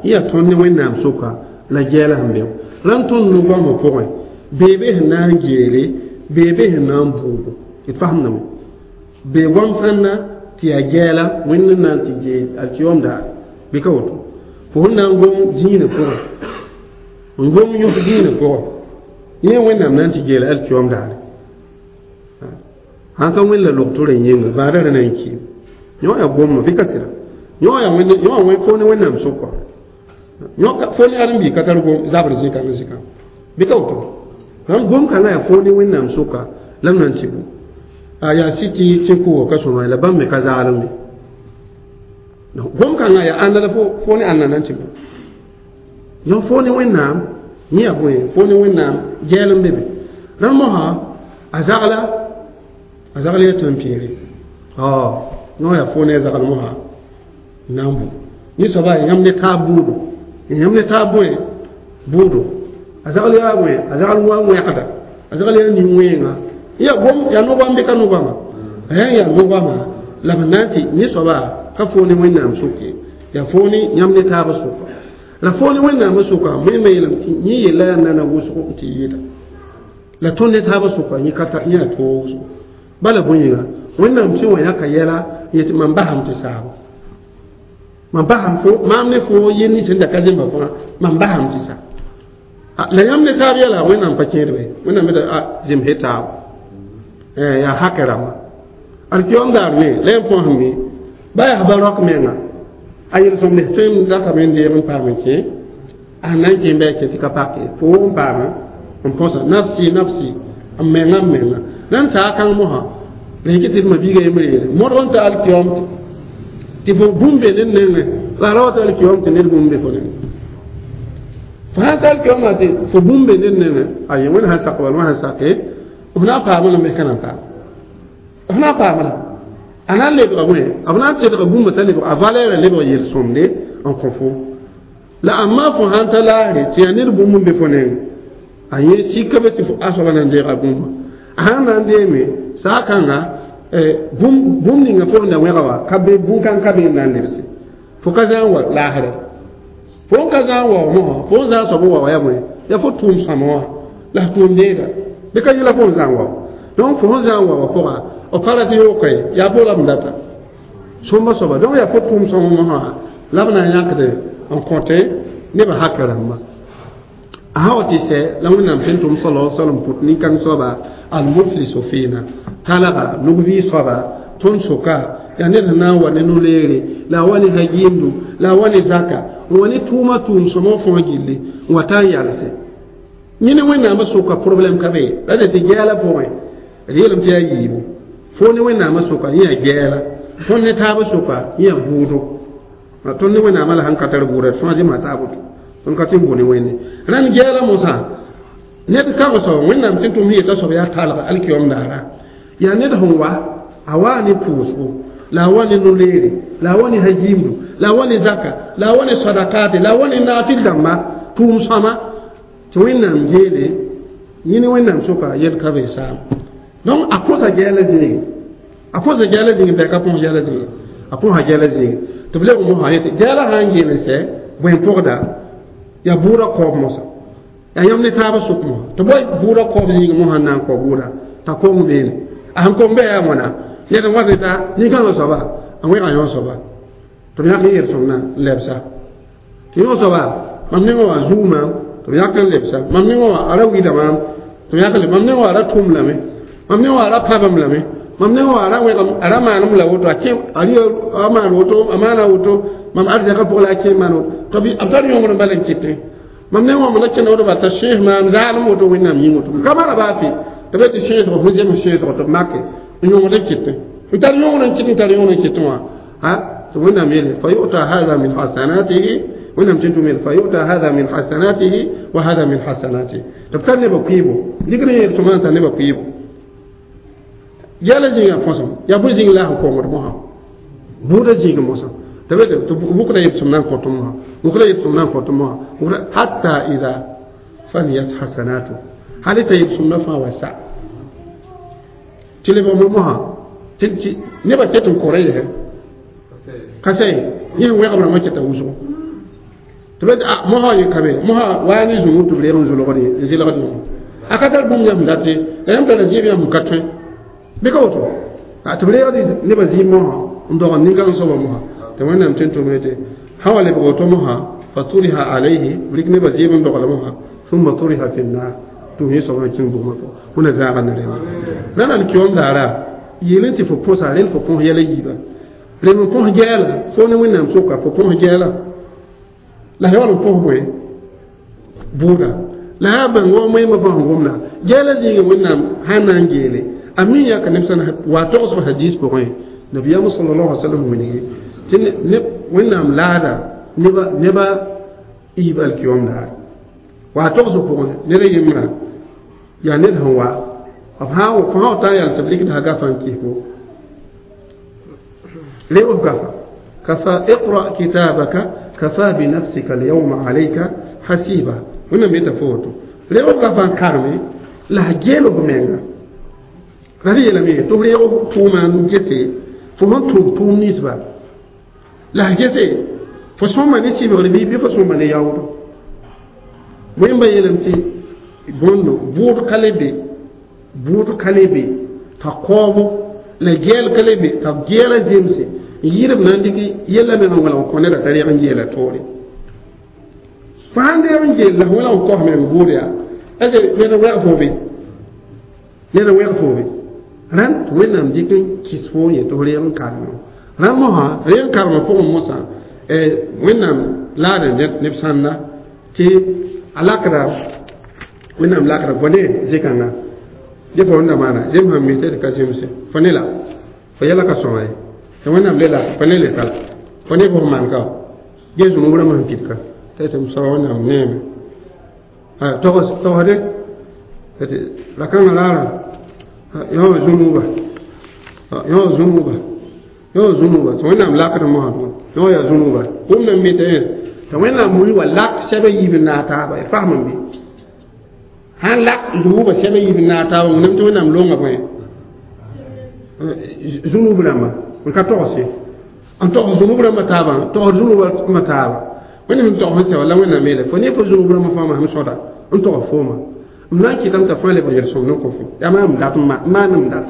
yẽ yaa tõnd ne Wẽnnaam sʋka la gɛɛla sẽn be rãnd tõnd no-goamã pʋgẽ beebe sẽn na n geele beebe sẽn na n buugo d fasemdame bee goam sãnda tɩ yaa gɛɛla Wẽnd n na n tɩ geel alkiyom daar bɩ ka woto fo sẽn na n gom dĩinã pʋgẽ n gom yõs dĩinã pʋgẽ yẽ Wẽnnaam na n tɩ geela alkiyom daare sãn ka wẽnd la log-tʋr n yẽnga bãadã rã na n kiim yõ yaa gomma bɩ ka sɩda yõ yaa wẽnd yõ fo ne Wẽnnaam sʋka yõ fo ne ãdem-biig ka tar gom zabr zĩkã zĩkã bɩ ka woto rãmb gom kãngã yaa fo ne Wẽnnaam sʋka la b na n tɩ bũ a yaa sɩ tɩ tẽn-kʋʋgã ka sõma la bãmb me ka zaalem ye gom kãngã yaa ãnda la fo ne ãnda na n tɩ bũ yõ fo ne Wẽnnaam yẽ yaa bõe fo ne Wẽnnaam gɛɛl n be be rãmb mosã a zagla a zagl yaa tãn-pĩiri yõ yaa fo ne a zagl mosã n na n bũ yẽ soaba yãmb ne taab buudo yãmb ne taab bõe buudo a zagl yaa bõe a zagl wa wẽgda a zagl yaa nin-wẽenga yaa gom yaa no-goam bɩ ka no-goama yaa no-goama la b na n tɩ yẽ soaba ka fo ne Wẽnnaam sʋk ye yaa fo ne yãmb ne taabã sʋka la fo ne Wẽnnaamã sʋka wẽnnaamã yeelame tɩ yẽ yella yaa nana wʋsg n tɩ yɩɩda la tõnd ne taabã sʋka yẽ ka tar yẽ yaa toog wʋsgo bala bõe-yĩnga Wẽnnaam sẽn wa yãka yɛla n yetɩ mam basam tɩ saabo mam basam fo maam ne fo yel nins sẽn da ka zemba fãa mam basam tɩ sa la yãmb ne taab yɛla Wẽnnaam pa kẽedbe Wẽnnaam da zemse taabo yaa hakɛ rãmba alkiyom daar me la yãmb fãa sẽn mi ba yaa ba rok menga a yel-sõmd tõe n datame n deeg n paam n kẽ a sẽn na n kẽ bɩ a kẽ tɩ ka pake fo n paama n põsa nafsi nafsi n menga n menga la n saa kãng mosã rẽk tɩ d ma biiga yembre yeele modg n ta alkiyom tɩ fo bũmb be ned nengẽ la ra wa ta alkiyom tɩ ned bũmb be fo nengẽ fo sãn ta alkiyomã tɩ fo bũmb be ned nengẽ aye Wẽnd sãn sak wala wã sãn sake f na n paamã lame ka na n paam f na n paamã la a na n lebga bõe b na n tẽdga bũmba t'a lebg a valɛɛrã lebg yel-sõmde n kõ fo la amma fo sãn ta laasre tɩ yaa ned bũmb n be fo nengẽ a yẽ sika be tɩ a soaba na n deega bũmba a sãn na n deeme saa kãnga bũmb ninga fo sẽn da wẽga wa ka be bũn-kãng ka be n na n lebse fo ka zã n wa laasrã fo n ka zã n wa mosã fo n zã n soab n wa wa yaa bõe yaa fo tʋʋm sõma wã la f tʋʋm deega bɩ ka yẽla fo n zã n wa donc fo sẽn zã n wa wã pʋga b pa rat yooka ye yaa bo la b data sõmba soaba donc yaa fo tʋʋm sõma mosã la b na n yãkd n kõte nebã hakɛ rãmba a sã wa tɩ sɛ la Wẽnnaam sẽn tʋm sala salam pʋt nin-kãng soaba almuflisu fiina talga nug-vɩɩ soaba tõnd sʋka yaa ned sẽn na n wa ne no-leere la a wa ne hagiimdo la a wa ne zaka n wa ne tʋʋma tʋʋm sõma fãa gilli n wa taa n yalse yẽ ne Wẽnnaamã sʋka problème ka be la de tɩ gɛɛla pʋgẽ d yeelame tɩ yaa yiibu fo ne Wẽnnaamã sʋka yẽ yaa gɛɛla tõnd ne taabã sʋka yẽ yaa bʋʋdo tõnd ne Wẽnnaamã la sãn ka tar bʋʋda d fãa zẽma taab woto tõnd ka tɩ n bʋ ne Wẽnde rãnd gɛɛla mosã ned kãng soab Wẽnnaam tɩ tʋm yeta soab yaa talga alkiyom daara yaa ned sẽn wa a waa ne pʋʋsgo la a wa ne no-leere la a wa ne hagiimdo la a wa ne zaka la a wa ne sadakate la a wa ne naafɩl dãmba tʋʋm sõma tɩ Wẽnnaam geele yẽ ne Wẽnnaam sʋka yel ka be saam donc a kõsa gɛɛla zĩige a kõsa gɛɛla zĩige bɩ a ka põs gɛɛla zĩige a põsa gɛɛla zĩige tɩ b lebg mosã yetɩ gɛɛla sã n geel n sɛ bõe pʋgda yaa bʋʋda kaoob mosã yaa yãmb ne taabã sʋk mosã tɩ bõe bʋʋda kaoob zĩig mosã n na n kao bʋʋda t'a kong beene a sẽn kong bɩ yaa wãna ned n wa ne taa nin-kãngã soaba a wẽga yõ soaba tɩ b yãk n yel-sõmdã n lebsa tɩ yõ soaba mam nengã wã zuu maam tɩ b yãk n lebsa mam nengã wã a ra wilda maam tɩ b yãk n mam nengã wã a ra tʋm lame mam nengã wã a ra pãbam lame mam nengã wã a ra wẽgam a ra maanem la woto a kẽ a maan woto a maana woto mam arzɛkã pʋgã la a kẽ maan woto tɩ b tar yõngr n bal n kɩtẽ Mam ne wã na kẽnd ba t'a sẽes maam zaalem woto wẽnnaam yĩng woto ka mara baa fɩ tɩ be tɩ sẽesg fo zems sẽesg tɩ b make n yõgd n kɩtẽ n tar yõgd n kɩt n tar yõgd n kɩtẽ wã a tɩ wẽnnaam yeele fa yu'ta hada min hasanatihi wẽnnaam tɩ tʋm yeele fa yu'ta hada min hasanatihi wa hada min hasanatihi tɩ b tar nebã kʋɩɩbo dɩk n yeel sõma n tar nebã kʋɩɩbo gɛɛla zĩigã põsem yaa bõe zĩig la a sẽn kongd mosã buudã zĩig mosã tɩ be tɩ bʋkda yebsem na n kõt mosã bʋkda yebsem na n kõt mosã hatta ida faniyat hasanatu hal t'a yebsem na fãa wa sa tɩ lebg mosã tɩ nebã ket n kõ yɛsɛ ka sɛ yẽ sẽn wẽgb rãmbã keta wʋsgo tɩ be mosã yẽ ka be mosã waa ne zũnu tɩ b reeg n zʋlgd n zɩlgd yẽ a ka tar bũmb yãmb date la yãmb tara zɩɩb yãmb ka tõe bɩ ka woto tɩ b reegd nebã zɩɩb mosã n dog n nin-kãng soaba mosã tɩ wẽnnaam tɩ n tʋm tɩ sã wa lebg woto mosã fa turiha alayhi b rɩk nebã zɩɩb n dogl mosã ثم طرح في النار tɩ yẽ soabã kẽng bugmã pʋgẽ wẽna zaaga ne rẽnda la nan kiom daara yeel tɩ fo põsa rel fo põs yɛla yiiba rem n põs gɛɛla fo ne wẽnnaam soka fo põs gɛɛla la yaool n põs bõe bʋʋda la yaa bãng wa moẽmã fãa sẽn gomda gɛɛla zĩigã wẽnnaam sãn na n geele a mi yãka neb sã wa togs hadis pʋgẽ nabiyaam sallallahu alaihi wasallam wilgi tɩ wẽnnaam laada neba neba yiib alkiyom daar wa togs pʋgẽ ned a yembra yaa ned sẽn wa b sã fo sã ta n yal tɩ b rɩkd gafa n kɩs fo reeb gafa kafa iqra kitabaka kafa binafsika alyawma alayka hasiba wẽnnaam yeta fo woto reeb gafa n karme la a geel f menga la d yeelame tɩ f reeg tʋʋma n gese fo sẽn tʋʋm tʋʋm ninsba la a gese fo sõma ne sɩbgr bɩ bɩ fo sõma ne yaood wẽmba yeelame tɩ bõndo bʋʋd ka le be bʋʋd ka le be t'a kaoobo la gɛɛl ka le be t'a gɛɛla zemse n yɩɩd b na n dɩk yella meng n wẽlg n kõ neda t'a reg n geela toore fo sãn deeg n geel la f wẽlg n kos meng bʋʋd yaa est ned n wɛg fo be ned n wɛg fo be rãnd tɩ wẽnnaam dɩk n kɩs fo n yet tɩ f reeg n karme rãnd mosã reeg n karmã pʋgẽ mosã wẽnnaam laada neb sãnda tɩ a lakda wẽnnaam lakda fo ne zĩ-kãnga dẽ fo wẽnda maana zem sãn mi tɩ ka zemse fo ne la fo yɛla ka sõma ye tɩ wẽnnaam le la fo ne le tala fo ne fo maan ka ge zũnub rãmbã sẽn pid ka tɩ tɩ soaba wẽnnaam neeme togsde tɩ ra-kãngã raara yõ zũnuba yõ zũnuba yõ zũnuba tɩ wẽnnaam lakd mosã yõ yaa zũnuba bũmb nan mi tɩ tɩ wẽnnaam mui wa lak sɛba yiib n naag taaba y fasem bɩ sãn lak zũnuba sɛba yiib n naag taaba wẽnnaam tɩ wẽnnaam longa bõe zũnub rãmba n ka togs ye n togs zũnub rãmbã taabã togs zũnub rãmbã taaba wẽnnaam sẽn togs n sɛba la wẽnnaam yeele fo ne fo zũnub rãmbã fãa masem sõda n togs fooma m na n kɩtame t'a fãa lebg yel-sõmd n kõ fo yaa maam dat n maan m dat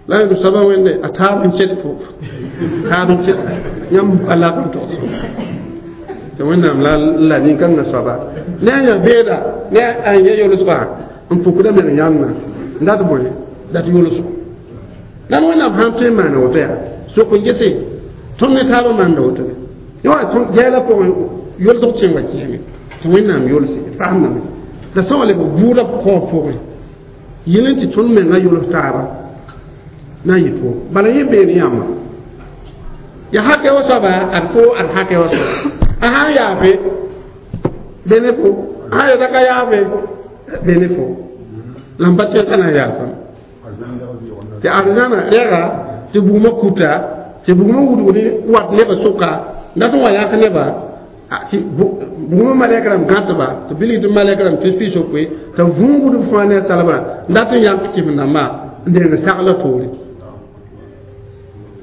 la yẽnd soaba wẽnde a taab n ket fo taab n ket yãmb a lak n togs tɩ wẽnnaam la la nin-kãngã soaba ne a yã beeda ne a yã yolsgã n pukda meng yãnna n dat bõe dat yolsgo la wẽnnaam sãn tõe n maana woto yaa sok n gese tõnd ne taabã maanda woto be gɛɛla pʋgẽ yolsg tẽ wa kẽeme tɩ wẽnnaam yolse d fasemdame la sã wa lebg bʋʋda kaoog pʋgẽ yel n tɩ tõnd mengã yols taaba na n yɩ tʋʋm bala yẽ beene yãmba ya hakɛ wa soaba ad fo ad hakɛ wa soaba a sãn yaafe bene fo a sãn yeta ka yaafe bene fo la n pa tẽn ka na n yaafame tɩ arzãna rɛga tɩ bugmã kuta tɩ bugmã wudg ne wat nebã sʋka dat n wa yãk neba tɩ bugmã malɛk rãmb gãtba tɩ bilg tɩ malɛk rãmb tus piis-yopoe t'a vũugd b fãa ne a salbrã n dat n yãk kɩsem-dãmbã n deng sagla toore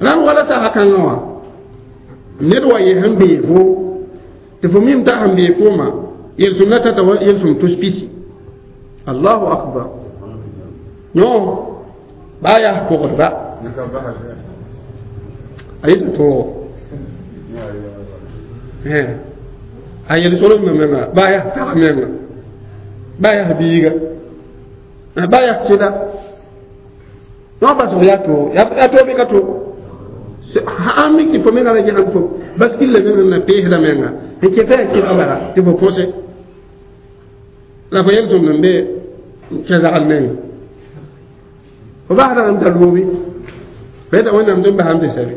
rãnd wala sasa kãngã wã ned wa yɩ sẽn bee fo tɩ fo mim t'a sẽn bee foomã yel-sõm la tata wa yel-sõm tus pisi allahu akbar yõ baa yaa pʋgdba a yeta toogo a yel-solmã menga baa yaa pag menga baa yaa biiga baa yaa sɩda yõ basg yaa toog yaa toog bɩ ka toog sãn mik tɩ fo menga la gesem fo Bas killa menga na pesda menga n keta yaa kɩlg bala tɩ fo põse la fo yel-sõmd n be kẽ zagl menga fo basdame t'a loobi fo yeta wẽnnaam tɩ n basam tɩ sɛbe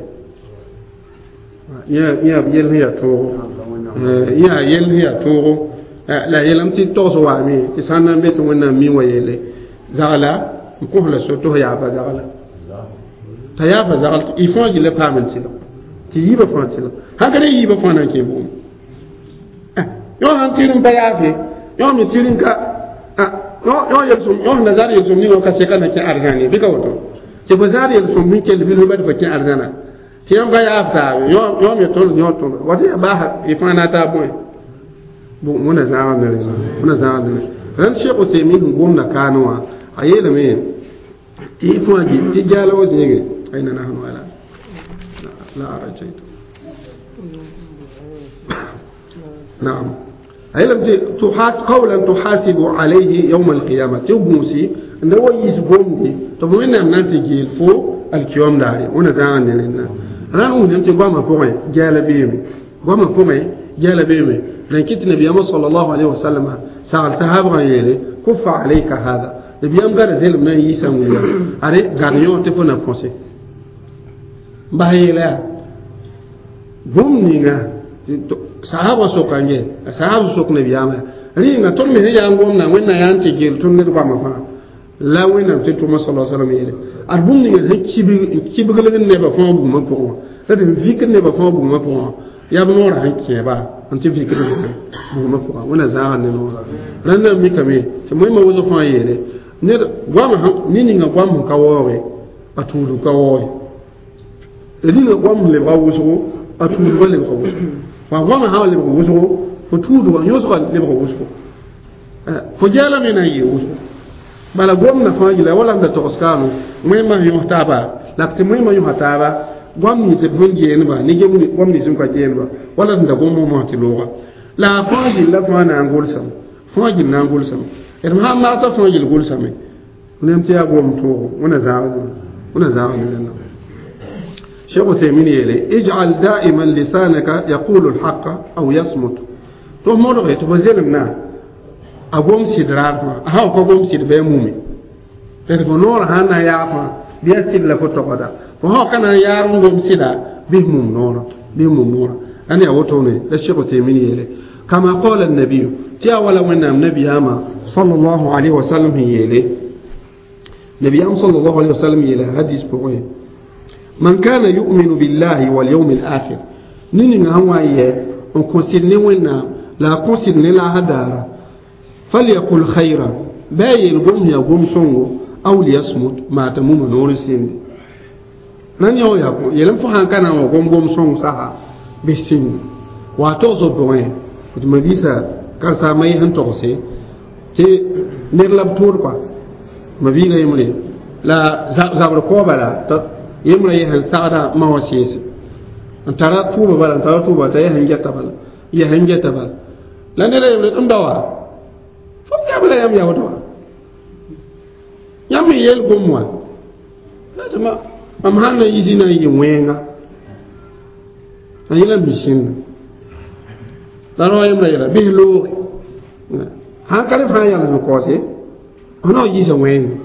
yã yel sẽn yaa toogo yaa yel sẽn yaa toogo la yeelame tɩ togs waame tɩ sã n na n be tɩ wẽnnaam mi wa yeele zagla n kos la so tɩ f yaafa zagla t'a yaafa zagl y fãa gilla paam n tɩlg tɩ yiibã fãa tɩlg sãn ka ne yiibã fãa na n kẽ bʋʋm yõ sãn tɩr n pa yaafe yõ me tɩr n ka yõ yel-sõm yõ sẽn da zar yel-sõm ninga ka seka na kẽ arzãn bɩ ka woto tɩ fo zar yel-sõm sẽn kell bilf ba tɩ fo kẽ arzãna tɩ yãmb ka yaaf taabe yõ me tõnd yõ tõnd wa tɩ yaa baasa y fãa na taab bõe wẽna zãagd ne rẽ wẽna zãagd ne rẽnd Cheikh Uthaymin sẽn gomda kaane wã a yeelame tɩ fãa tɩ jaala wa zĩige ayna nahnu ala la arajaytu نعم أيلم تحاس قولا تحاسب عليه يوم القيامة تبوسي أنه يسبوم دي تبوين أن نتجيل فو الكيوم داري ونزعنا لنا ران أون تي قام فوقي جال بيمي قام فوقي جال بيمي لكن النبي صلى الله عليه وسلم سأل تهاب غيري كف عليك هذا النبي قال زي من يسمى أري غاريون تفنا فونسي باهي bũmb ninga sahaba sokã ye sahab sok nabiyaamã rĩnga tõnd me sẽn yaa n gomdã wẽnna yaa n tɩ gel tõnd ned goamã fãa la wẽnnaam tɩ tʋma sala salam yeele ad bũmb ninga sẽn kibglg nebã fãa bugmã pʋgẽ wã la tɩ vikd nebã fãa bugmã pʋgẽ wã yaa b noorã sẽn kẽeba n tɩ vikd bugmã pʋgã wẽnna zãagd ne noorã rãndã mikame tɩ moẽmã wʋsg fãa yeele ned goam ne ninga goam sẽn ka waooge a tuudg ka waooge ninga goam sẽn lebga wʋsgo a tuudgã lebga wʋsgo wa goamã sã n lebg wʋsgo fo tuudgã yõsgã lebg wʋsgo fo jaala me na n yɩ wʋsgo bala gomdã fãa gila wala m da togs kaame wẽmã yõs taaba la tɩ wẽmã yõsa taaba goam nins b sẽn geenba ne goam nins n ka geenba wala d da gom mosã tɩ looga la a fãa gilla fãa na n gʋlsame fãa gill na n gʋlsame d sãn maag t'a fãa gill gʋlsame nem tɩ yaa gom toogo wẽna zãagd wẽna zãagd ne شيخ عثيمين يلي اجعل دائما لسانك يقول الحق أو يصمت تو مودغي تو بزيلم نا أقوم سيدرار ما ها أقوم سيد بيمومي تلفونور هانا يا بيا سيد لفتوغدا فهو كان يارون قوم سيدا بهم نورا بهم نورا أنا أوتوني الشيخ عثيمين يلي كما قال النبي تيا ولا من النبي أما صلى الله عليه وسلم يلي نبي صلى الله عليه وسلم يلي حديث بقوي من كان يؤمن بالله واليوم الآخر نين هو on considère ونا لا considère لا هدار فليقل خيرا باي القوم يا قوم سونغو أو ليصمت ما تموم نور سند نان يو يا يلم فهان كان قوم قوم سونغ سها بسند واتوزو بوين مبيسا كان سامي هن توسي تي نيرلاب تور با مبيغا يمري لا زابر كوبا yemra ye sẽn sagda ma wã sẽese n tara tʋʋba bala n tara tʋʋba t'a ya sẽn geta bala ya sẽn geta bala la neda yembre n da wa fo yam la yãmb yaood wa yãmb n yeel gom wã tɩ mam sãn na yisi na n yɩ wẽenga a yẽla n bi sẽnda la rao yembrã yeela bɩs looge sãn ka rẽ fãa yals n kaoose f na n yiisa wẽenga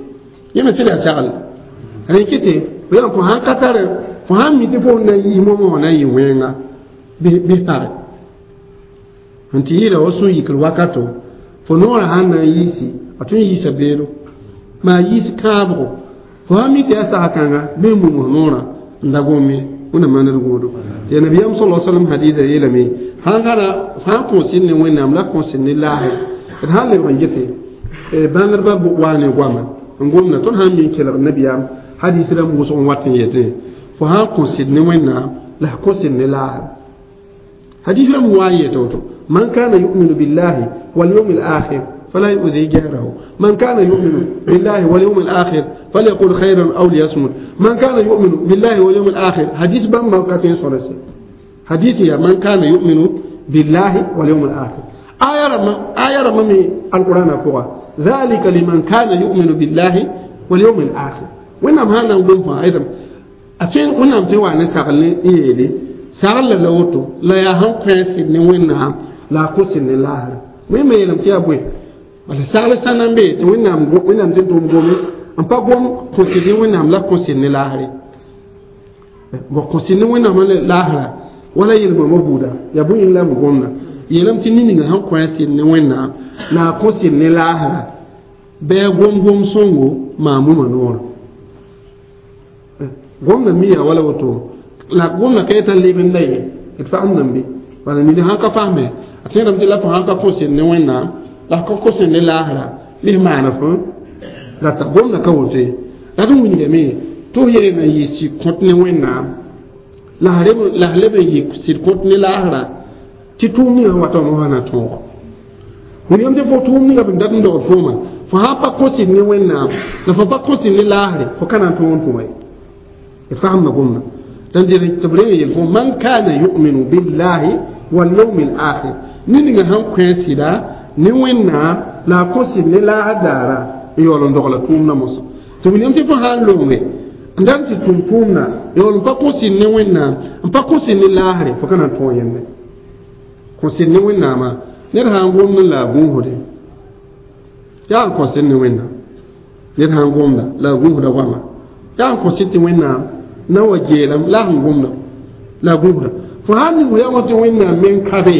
yẽ me sẽd yaa sagl rẽ kɩtɩ yãmb fo sãn ka tar fo sãn mi tɩ fo na yis moamã wã na n yɩ wẽenga bɩ page n tɩ yɩɩda wa sũ-yikr wakato fo noorã sãn na n yiisi a tõe n yiisa beedo maa yiis kãabgo fo sãn mi tɩ yaa sasa-kãnga bɩ n mum f noorã n da gome wẽnna maand goodo tɩ nabiyaam sala salam hadiisa yeelame sãn gãna sãn kõs ne wẽnnaam la kõs ne laase d sãn lebg n gese bãngdbã waa ne goama n gomda tõnd sãn mi n kelg nabiyaam hadis rãmb wʋsg n wat n yetẽ fo sãn kõs ne wẽnnaam la f kõs ne laase hadis rãmb wa n yet woto man kana yuminu billahi walyawm alakhir فلا يؤذي جاره من كان يؤمن بالله واليوم الآخر فليقل خيرا أو ليصمت من كان يؤمن بالله واليوم الآخر حديث بام ما كاتين سورسي حديث يا من كان يؤمن بالله واليوم الآخر آية رمى آية رمى من القرآن فوق ذلك لمن كان يؤمن بالله واليوم الآخر وين ما هنا نقوم فا أيضا أتين وين ما توا نسأل إيه Sagl la la woto la yaa sẽn kõ a sɩd ne Wẽnnaam la a kõ sɩd ne laasra. Wẽnnaam yeelame tɩ yaa bõe? Bala sagl sã na n be tɩ Wẽnnaam Wẽnnaam tɩ tʋm gome n pa gom kõ sɩd ne Wẽnnaam la kõ sɩd ne laasre. Bon, kõ sɩd ne Wẽnnaam la laasra wala yel-bãmba buuda yaa bõe yĩng la b gomda yeelame tɩ ned-ninga sẽn kõ a sɩd ne Wẽnnaam la a kõ sɩd ne laasra bɩ a gom gom sõngo maamumã noorã. Gomda mi yaa wala woto la gomda ka yetã leb n la ye d fagemdame bɩ bala ned sãn ka fasme a tẽedame tɩ la fo sãn ka kõ sɩd ne Wẽnnaam la f ka kõ sɩd ne laasra bɩ f maana fõ rata gomda ka woto ye la d wilgame tɩ f yeelame n yɩ sɩd kõt ne Wẽnnaam la f leb n yɩ sɩd kõt ne laasra tɩ tʋʋm ninga sẽn wata wã mosã na tõogo. Wilgame tɩ fo tʋʋm ninga b dat n dogd fooma fo sãn pa kõ sɩd ne Wẽnnaam la fo pa kõ sɩd ne laasre fo ka na n tõog n tʋma ye. D fagemda gomda dan tɩ b reng yel fo man kana yuminu billahi walyawmi alakhir ned ninga sẽn kõ a sɩda ne Wẽnnaam la a kõ sɩd ne laasr daara n yaool n dogla tʋʋmdã mosã. Tɩ wilgame tɩ fo sã n longe n dat n tɩ tʋm tʋʋmda yaool n pa kõ sɩd ne Wẽnnaam n pa kõ sɩd ne laasre fo ka na n tõog yẽnde kõ sɩd ne Wẽnnaamã ned sã n gomd la a gũusde yaa n kõ sɩd ne Wẽnnaam ned sã n gomda la a gũusda goama yaa n kõ sɩd tɩ Wẽnnaam na wa geelame la sẽn gomda la a gũusda fo sãn ning yaam tɩ Wẽnnaam meng ka be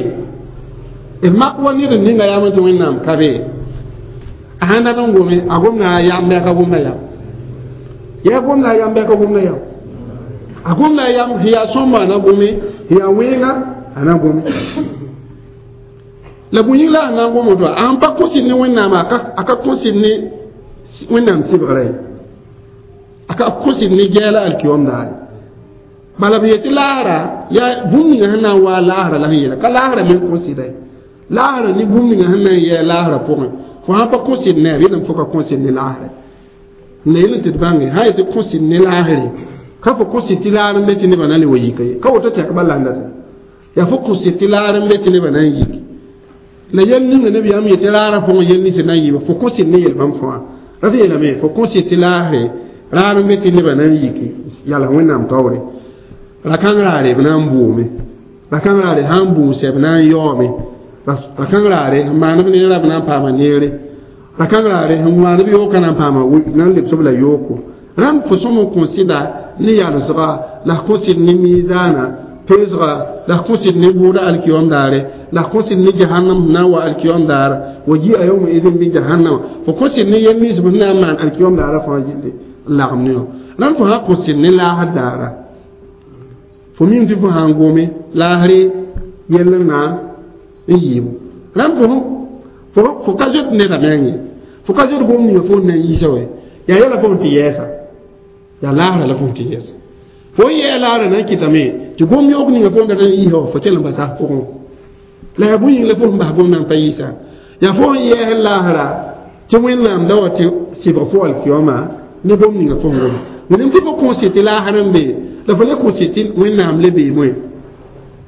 d mak wa ned n ninga yaam tɩ Wẽnnaam ka be a sãn dat n gome a gomda a yam bɩ a ka gomda yam yaa gomda a yam bɩ a ka gomda yam a gomda a yam sẽn yaa sõmba a na gome sẽn yaa wẽenga a na gome la bõe yĩng la a na n gom woto a sẽn pa kõ sɩd ne Wẽnnaam a ka kõ sɩd ne Wẽnnaam sɩbgrã ye a ka kõ sɩd ne gɛɛla alkiyom daare bala b yetɩ laasra yaa bũmb ninga sẽn na n waa laasra la sẽn yeela ka laasra meng kõ sɩda ye laasra ne bũmb ninga sẽn na n yɛɛ laasra pʋgẽ fo sãn pa kõ sɩd ne a yeelame fo ka kõ sɩd ne laasra n la yel n tɩ d bãnge sã yetɩ kõ sɩd ne laasre ka fo kõ sɩd tɩ laar n be tɩ nebã na le wa yika ye ka woto tɛk bala n data yaa fo kõ sɩd tɩ laar n be tɩ nebã na n yik la yɛl ninga nabiyaam yetɩ raarã pʋgẽ yel nins na n yɩɩba fo kõ sɩd ne yel-bãmb fãa rat yeelame fo kõ sɩd tɩ laasre raar n be tɩ nebã na n yiki yals Wẽnnaam taoore ra-kãng raare b na n bʋʋme ra-kãng raare sã n bʋʋsɛ b na n yaoome ra-kãng raare sẽn maand b neerã b na n paama neere ra-kãng raare sẽn maand b yooka na n paama na n lebs b la yooko rãmb fo sõm n kõ sɩda ne yalsga la f kõ sɩd ne miizaana peesga la f kõ sɩd ne bʋʋda alkiyom daare la f kõ sɩd ne jahannam sẽn na n wa alkiyom daara wa ji'a yawma idin bi jahannama fo kõ sɩd ne yel nins b sẽn na n maan alkiyom daara fãa gilli n lagem ne wã rãmb fo sã kõ sɩd ne laasr daara fo mim tɩ fo sã n gome laasre yell n na n yɩɩbo rãmb fo fo ka zoet neda meng ye fo ka zoet gom ninga fo n na n yiisa wɛ yaa yɛla fo n tɩ yɛɛsa yaa laasra la fo n tɩ yɛɛsa fo n yɛɛ laasra na n kɩtame tɩ gom yoog ninga fo n dat n yiisa wã fo kell n basa pʋgẽ la yaa bõe yĩng la fo sẽn bas gomdã n pa yiisa yaa fo n yɛɛs laasra tɩ Wẽnnaam da wa tɩ sɩbg fo alkiyoma ne gom ninga fo n goma wẽnnaam tɩ fo kõ sɩd tɩ laasr n be la fo le kõ sɩd tɩ Wẽnnaam le beemẽ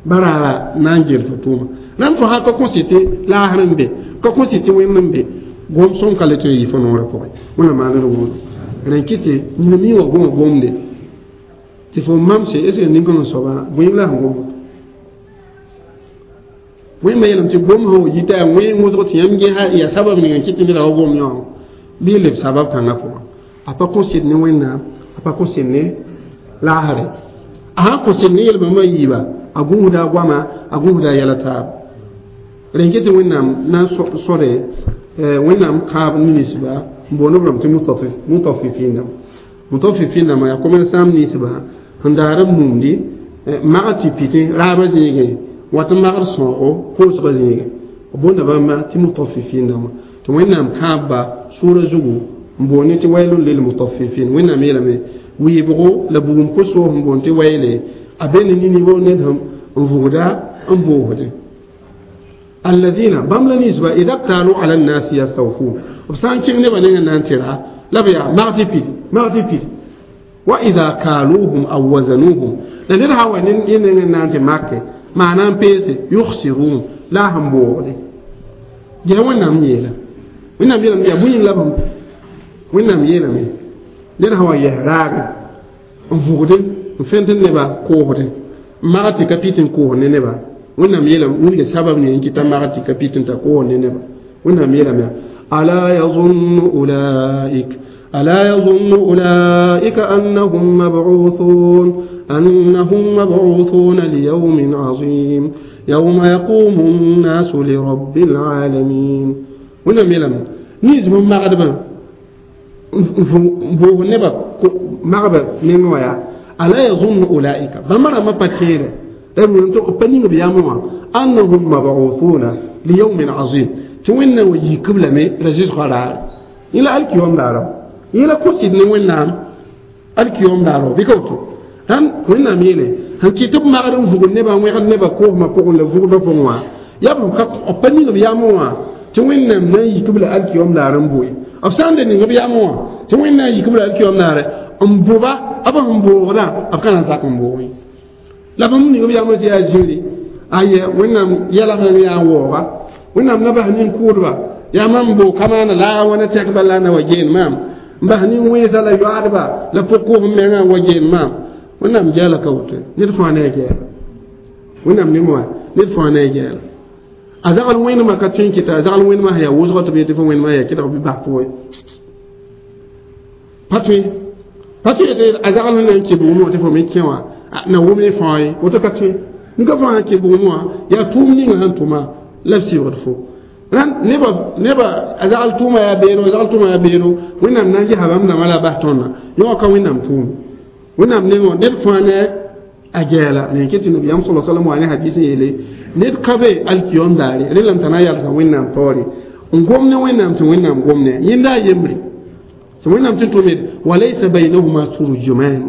baraara na n gel fo tʋʋma rãmb fo sã ka kõ sɩd tɩ laasr n be ka kõ sɩd tɩ Wẽnd n be gom sõm ka le tɩ n yɩ fo noorã pʋgẽ Wẽnnaam maand d wʋʋdo rẽn kɩ tɩ nina mi wã goma gomde tɩ fo mamse est ce que nin-kãngã soaba bõe la sẽn gom Wẽnnaam yeelame tɩ gom sẽn wa yita yaa wẽng wʋsg tɩ yãmb ges yaa sabab ninga n kɩt tɩ neda wa gom yã bɩ leb sabab kãngã pʋgã a pa kõ sɩd ne Wẽnnaam a pa kõ sɩd ne laasre a sãn kõ sɩd ne yel-bãmba yiiba a gũusda a goama a gũusda a yɛla taab rẽn kɩ tɩ Wẽnnaam na n sode Wẽnnaam kãab ninsba n boond b rãmb tɩ mutafifin dãmb mutafifin dãmbã yaa commerçant ninsba sẽn daar b mumdi magd tɩ pitẽ raabã zĩigẽ wat n magd sõogo koosgã zĩigẽ b boonda bãmba tɩ mutafifin dãmbã tɩ Wẽnnaam kãabba sʋʋra zugu n boond tɩ wailun lilmutaffifin Wẽnnaam yeelame wɩɩbgo la bugum ko-soos n boond tɩ wayle a be ne ninibo ned sẽn n vʋgda n boosdẽ alladina bãmb la ninsba ida ktalu ala nnasi yastawfun b sã n kẽng nebã nengã na n tɩ ra la b yaa mag tɩ pid mag tɩ pid wa ida kaluhum aw wazanuhum la ned sã wa ne nengẽ na n tɩ make maana n peese yugsirun la a sẽn boogde ges Wẽnnaam yeela Wẽnnaam yeelame yaa bõe yĩng la b Wẽnnaam yeelame ned sã wa yɛs raage n vʋgde n fẽnd nebã koosdẽ maga tɩ ka pit n koos ne neba wẽnnaam yeelame wilga sabab ne n kɩta maga tɩ ka pit n ta koos ne neba wẽnnaam yeelame alaa yazunnu ulaik ألا يظن أولئك أنهم مبعوثون أنهم مبعوثون ليوم عظيم يوم يقوم الناس لرب العالمين wẽnnaam yeelame nins bãmb magdbã n vʋʋg nebã magba meng wã yaa ala yazunnu ulaika bãmba rãmbã pa tẽedɛ pa ning b yam wã annahum mabuthuna liyawmin azim tɩ wẽnnaam wa yik-b lame ra zɩsgã raare yẽ la alkiyom daara yẽ la kosɩd ne wẽnnaam alkiyom daara bɩ ka woto rãnd wẽnnaam yeele sẽn kɩt tɩ b magd n vugd nebã n wẽgd nebã koosmã pʋgẽ la vugdã pʋgẽ wã yaa b pa ning b yam wã tɩ wẽnnaam na n yik-b la alkiyom daar n boe b sã n de ning b yam wã tɩ wẽnnaam yik-b la alkiyom daare n boba b sẽn boogdã b ka na n zak n boogẽ la bãmb ning b yam tɩ yaa zĩri aye wẽnnaam yɛlgẽ yaa n waooga wẽnnaam na bas nin-kʋʋdba yaa mam boo ka maana la a wãna tɛkba la na wa geen maam n bas nin-wẽnsã la yoaadba la pʋg-koos mengã n wa geen maam wẽnnaam gɛɛla ka woto ned fãa ne a gɛɛla wẽnnaam ne wã ned fãa ne a gɛɛla a zagl wẽnemã ka tõe n kɩta a zagl wẽnemã sẽn yaa wʋsgã tɩ b yetɩ fo wẽnemã yaa kɩdg bɩ bas fo pa tõe pa tõe tɩ a zagl sẽn na n kɩ bʋgmẽ wã tɩ fo me kẽ wã na wʋm ne fãa ye woto ka tõe n ka fãa sẽn kɩ bʋgmẽ wã yaa tʋʋm ninga sẽn tʋma la b sɩbgd fo rãnd neba neba a zagl tʋʋma yaa beero a zagl tʋʋma yaa beero wẽnnaam na n gesa bãmb dãmbã la a bas tõndã yõ wã ka wẽnnaam tʋʋm wẽnnaam nengẽ ned fãa ne a gɛɛla ne kɩ tɩ nabiyaam sala salam wa ne hadis n yeele ned ka be alkiyom daare rẽlame t'a na n yalsa wẽnnaam taoore n gom ne wẽnnaam tɩ wẽnnaam gom ne yẽnda a yembre tɩ wẽnnaam tɩ tʋmed walaysa baynahuma turjuman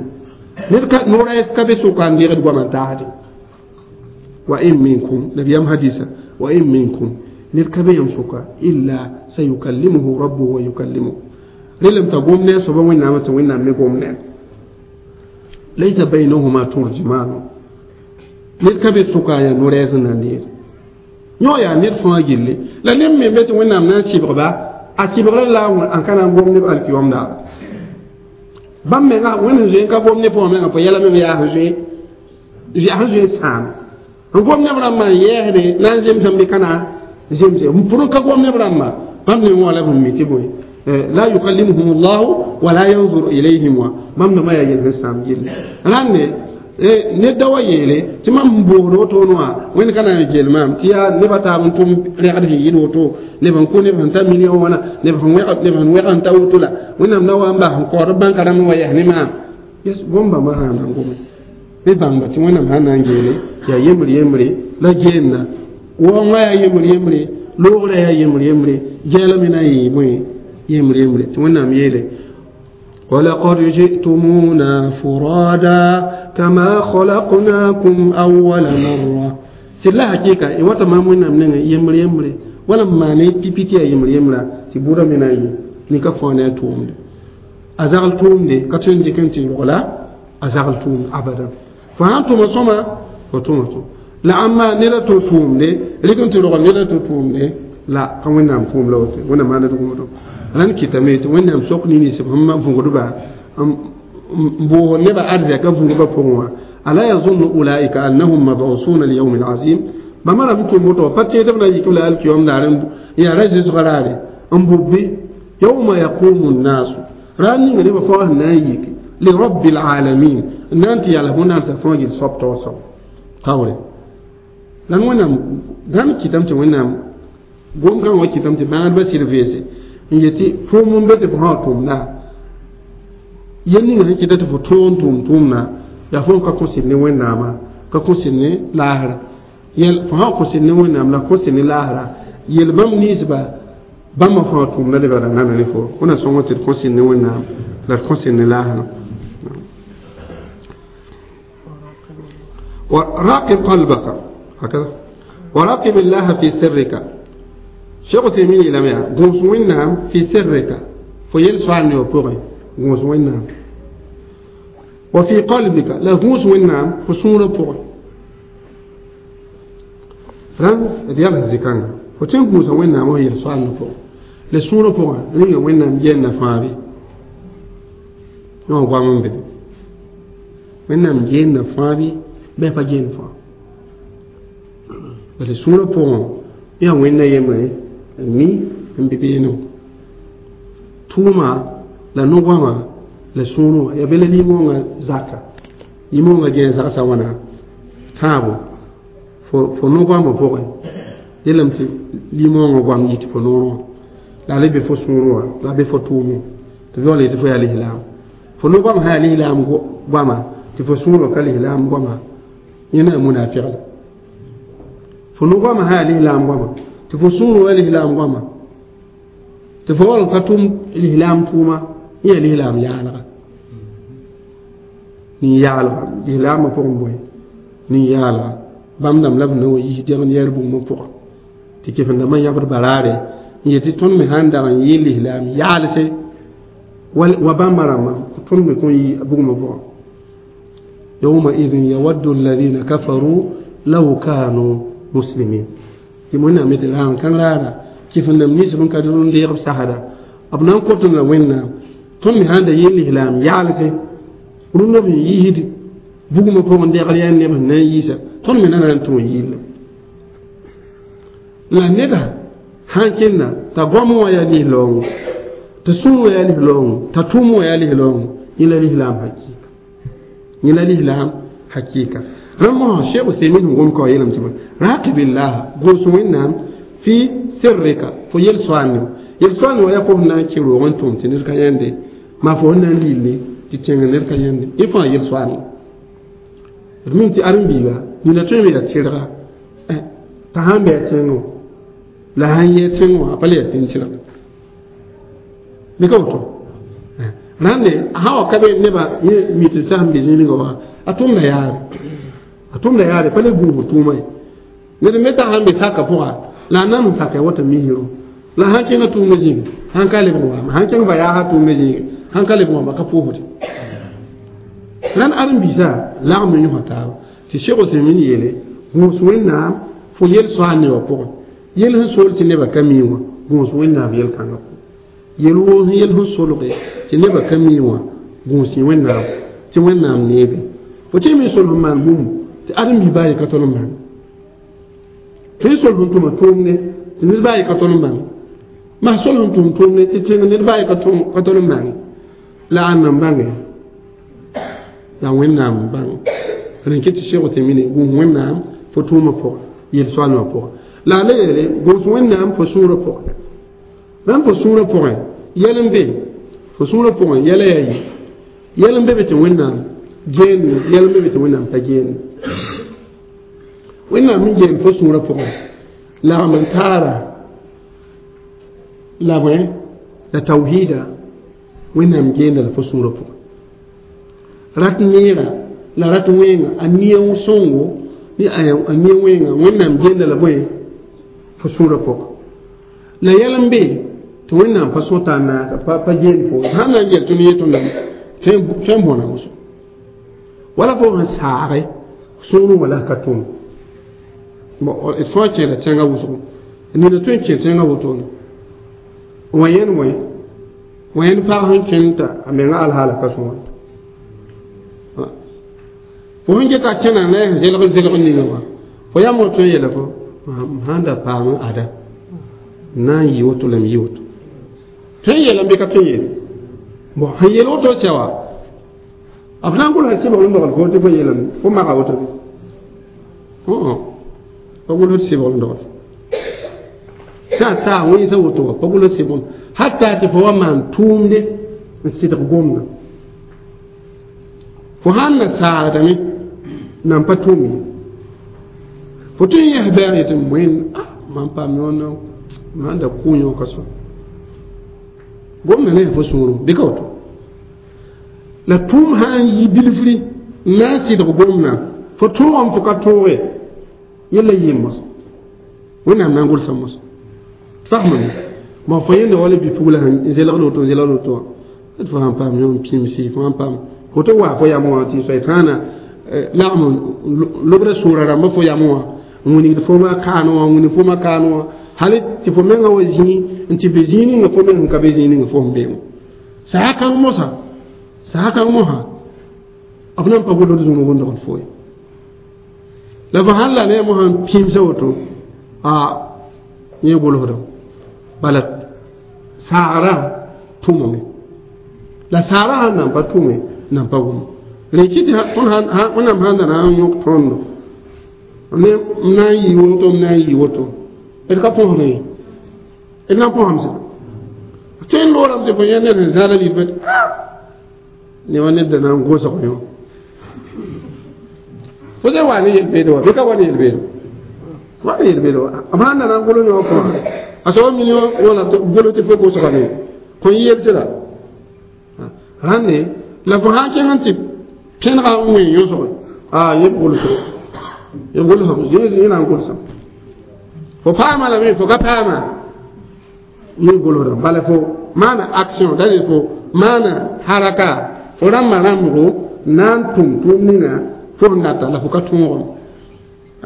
ned ka noora ka be sʋka n deegd goama n taasde wa in minkum nabiyaam hadisa wa in minkum ned ka be yãmb sʋka illa sayukallimuhu rabbuhu wa yukallimuhu rẽlame t'a gom ne a soaba wẽnnaamã tɩ wẽnnaam me gom ne laysa baynahuma turjuman ned ka be sʋka yaa no-rɛɛs n na n deed yõ yaa ned fãa gilli la neb me be tɩ wẽnnaam na n sɩbgba a sɩbgrã la n ka na n gom neb alkiyom daar bãmb menga wẽnd sẽn zoe n ka gom ne pʋgã menga fo yɛla mem yaa sẽn zoe yaa sẽn zoe n sãam n gom neb rãmbã n yɛɛsde na n zemsem bɩ ka na zemse n pʋr n ka gom neb rãmbã bãmb ne wã la b mi tɩ bõe la yukallimuhum llahu wala yanzuru ilayhim wa bãmb dãmbã yaa yel sẽn sãam gilli rãnde ned da wa yeele tɩ mam n boosd woto wã wẽnd ka na n gel maam tɩ yaa nebã taab n tʋm rɛgd sẽn yɩl woto neb n kʋ neb sẽn ta million wãna neb sẽn wẽg neb sẽn wẽg n ta woto la wẽnnaam na wa n bas n kaood b bãnka rãmb wa yɛs ne maam yes gom bãmba sã n na n gome b bãngba tɩ wẽnnaam sã n na n geele yaa yembr yembre la geenna waoongã yaa yembr yembre loogrã yaa yembr yembre gɛɛla me na n yɩ bõe yembr yembre tɩ wẽnnaam yeele ولقد جئتمونا فرادا كما خلقناكم أول مرة سلا حقيقة إيواتا ما موينا منين يمر يمر ولا ما ني بي بي تي يمر يمر تبورا من أي نيكا فانا توم أزغل توم دي كاتون دي كنتي ولا أزغل توم أبدا فأنتم صما وتوم توم لا أما نلا توم دي لكن تلوغ نلا توم دي لا كم نام توم لو ونا ما ندوم rãnd kɩtame tɩ wẽnnaam sok nins sẽn vũgdba n boog nebã arzɛka vũgdbã pʋgẽ wã ala yazunnu ulaika annahum mabusuna liyawmin azim bãmba rãmb tʋm woto pa tẽed b na yik la alkiyom daar yaa ra zɩsgã raare n bʋbbe yawma yaqumu nnasu raar ninga nebã fãa sẽn na n yik lirabbi lalamin n na n tɩ yals wẽnnaam sã fãa gil soab taoor soab taoore la wẽnnaam rãnd kɩtame tɩ wẽnnaam gom-kãngã wa kɩtame tɩ bãadbã sɩd veese n yetɩ tʋʋm n be tɩ fo sã tʋmda yel ninga sẽn kɩta tɩ fo tõog n tʋʋm tʋʋmda yaa fo n ka kõsd ne wẽnnaamã ka kõsd ne laasra yel fo sã kõsd ne wẽnnaam la kõsd ne laasra yel bãmb ninsba bãmba fãa tʋʋmda lebgra nana ne fo wẽna sõng tɩ d kõsd ne wẽnnaam la d kõsd ne laasrã وراقب قلبك هكذا وراقب الله في سرك شيخ تيمين إلى ميا غوس وينام في سرك فيل سؤال نيو غوس وينام وفي قلبك لا غوس وينام فسورة بوغي ران ديال الزكان فتن غوس وينام وهي سؤال نيو لسورة بوغي رين وينام جنة فابي نو غوامن بي وينام جنة فابي Bɩ pa geend fo bala sũurã pʋgẽ yaa wẽnna yembre n mi n be beene tʋʋma la no-goamã la sũurẽ wã yaa be la limongã zaka limongã gẽe zagsã wãna tãabo fo no-goamã pʋgẽ yelame tɩ limongã goam yɩ tɩ fo noorẽ wã la a le be fo sũurẽ wã la a be fo tʋʋmẽ tɩ yaool yetɩ fo yaa lislaam fo no-goam sã yaa lislaam goama tɩ fo sũurã ka lislaam goama yẽ na munafɩgla fo no-goamã sã yaa lislaam goama tɩ fo sũurẽ wa lislaam goama tɩ fo wall ka tʋm lislaam tʋʋma yẽ yaa lislaam yaalga nin-yaalga lislaamã pʋgẽ bõe nin-yaalga bãmb dãmb la b na wa yis dẽgd yɛɛr bũmb pʋga tɩ kefendãmbã yãbd baraare n yetɩ tõnd me sãn dag n yɩ lislaam yaalse wa bãmba rãmbã tõnd me kõn yɩ bugmã pʋgã يومئذ يود الذين كفروا لو كانوا مسلمين tɩ wẽnnaam yetɩ raam kãng raara kɩf-n-dãmb nins b n ka rũn deeg b sasda b na n kot la wẽnnaam tõnd me sãn da yɩ lislaam yaalse rũndã b sẽn yiisd bugmã pʋgẽ degr yaa neb sẽn na n yiisa tõnd me na na n tũ n yɩlla la neda sãn kẽnda t'a goam wã yaa lislaoongo t'a sũur wã yaa lislaoongo t'a tʋʋm wã yaa lislaoongo yẽ la lislaam hakɩɩka yẽ la lislaam hakɩɩka rãmb Cheikh Useymin sẽn gom ka wa yeelame tɩ raqibillah gʋls wẽnnaam fi sirrika fo yel soaane yel soaane wa yaa fo sẽn na n kẽ roog n tʋm tɩ ned ka yãnde maa fo sẽn na n lille tɩ tẽng ned ka yãnde yẽ fãa yel soaane d mim tɩ ãdem-biiga nina tõe n yaa tɩrga t'a sãn bɩ a tẽngẽ la sãn yɩ tẽng wã a pa le yaa tẽn-tɩrga bɩ ka woto rãnde sã wa ka be nebã yẽ mi tɩ sas n be zĩnigã wã a tʋmda yaare a tʋmda yaare pa le gũusd tʋʋma ye ned me t'a sãn be saka pʋga la a nan n saka wata misro la sãn kẽngã tʋʋmdã zĩige sãn ka lebg waame sãn kẽng va-yaasã tʋʋmdã zĩige sãn ka lebg waame ka pʋʋsde rãnd ãdem-biisã lagm n yõsa taaba tɩ Cheikh Useymin yeele gũus wẽnnaam fo yel soaal nebã pʋgẽ yel sẽn sool tɩ nebã ka mi wã gũus wẽnnaam yel-kãngã pʋgẽ yel woo sẽn yel sẽn solge tɩ nebã ka mi wã gũus wẽnnaam tɩ wẽnnaam neebe fo tɩ me sol sẽn maan bũmb tɩ ãdem-bi baa ye ka tol n bãng tõe sol sẽn tʋma tʋʋmde tɩ ned baa ye ka tol n bãng maa sol sẽn tʋm tʋʋmde tɩ tẽng ned baa ye ka tol n bãng la ãnna n bãnge la wẽnnaam n bãng rẽn kɩ tɩ Cheikh Useymin gũus wẽnnaam fo tʋʋmã pʋgẽ yel-soaalmã pʋgẽ la a le yeele gũus wẽnnaam fo sũurã pʋgẽ rãmb fo sũurã pʋgẽ yɛl n be fo sũurã pʋgẽ yɛla yaa yi yɛl n be be tɩ wẽnnaam geende yɛl n be be tɩ wẽnnaam pa geende wẽnnaam n geen fo sũurã pʋgẽ lagm n taara la bõe la tawhiida wẽnnaam geenda la fo sũurã pʋgẽ rat neera la rat wẽenga a nia sõngo ne a nia wẽenga wẽnnaam geenda la bõe fo sũurã pʋgẽ la yɛl n be tɩ wẽnnaam pa sõta n naaka pa geen fo sãn na n gel tõnd yetõndame tõe n bõna wʋsgo wala fo sẽn saage sũurẽ wala ka tʋm d fãa kẽera tẽngã wʋsgo nina tõe n kẽ tẽngã wotone wã yẽnd wẽ wã yẽnd pag sẽn kẽnd t'a a menga alhaala ka sõa fo sẽn geta kẽna la sẽn zelg zelg ninga wã fo yam wa tõe n yeela fo m sãn da paam ada n na n yɩ woto la m yɩ woto tõe n yeelame bɩ ka tõe n yeele bon sẽn yeel woto sɛ wa b na n gʋlsa sɩbgr n dogl fo tɩ fo yeelame fo maga woto bɩ pa gʋls sɩbgr n dogl sã saa wẽnsa woto wa pa gʋls sɩbgr hatta tɩ fo wa maan tʋʋmde n sɩdg gomda fo sãn na saagdame nan pa tʋʋm ye fo tõe n yɛs bɛɛg yetɩ wẽnd mam paam yõnd mam da kʋʋ yõ ka so gomda ne fo sũurẽ bɩ ka woto la tʋʋm sã n yi bilfri n na n sɩdg gomdã fo tõogame fo ka tõoge yella yɩ mos wẽnnaam na n gʋlsa mos fasmame ma fo yẽnda wala bi-pugla sẽn zelgd woto n zelgd woto wã d fo sãn paam yõ n pĩmsi fo sãn paam woto waa fo yam wã tɩ soaytãana lagm lobda sũurã rãmbã fo yam wã n wilgd fo ma kaane wã n wilg fo ma kaane wã hal tɩ fo menga wa zĩig n tɩ be zĩig ninga fo meng sẽn ka be zĩig ninga fo sẽn be wã saa kãng mosã saa kãng mosã b na n pa gʋlsd zũnug n dogl fo ye La fo sãn la ne mo sãn pĩmsa woto a yẽ gʋlsdem bala saagrã tʋmame la saagrã sãn nan pa tʋme nan pa wʋm rẽ kɩ tɩ wẽnnaam sãn da na n yõk tõndo ne m na n yɩ woto m na n yɩ woto d ka põsd ye d na n põsam sẽda tõe n loorame tɩ fo yẽ ned sẽn zãada lidbã ne wa ned da na n gosg yõ fo zẽ wa ne yel-beede wa bɩ ka wa ne yel-beede wa ne yel-beede wa b sãn da na n golo yõ pʋgã a soaba min wãna golo tɩ fo gosgame kõn yelsda rãnde la fo sãn kẽng n tɩ pẽnega n wẽ yõsge a yẽ b gʋlsg yẽ gʋlsg yẽ na n gʋlsem fo paama lame fo ka paama yẽ gʋlsdame bala fo maana action da fo maana haraka fo rãmbã rãmbgo na n tʋm tʋʋm ninga fo sẽn data la fo ka tõogame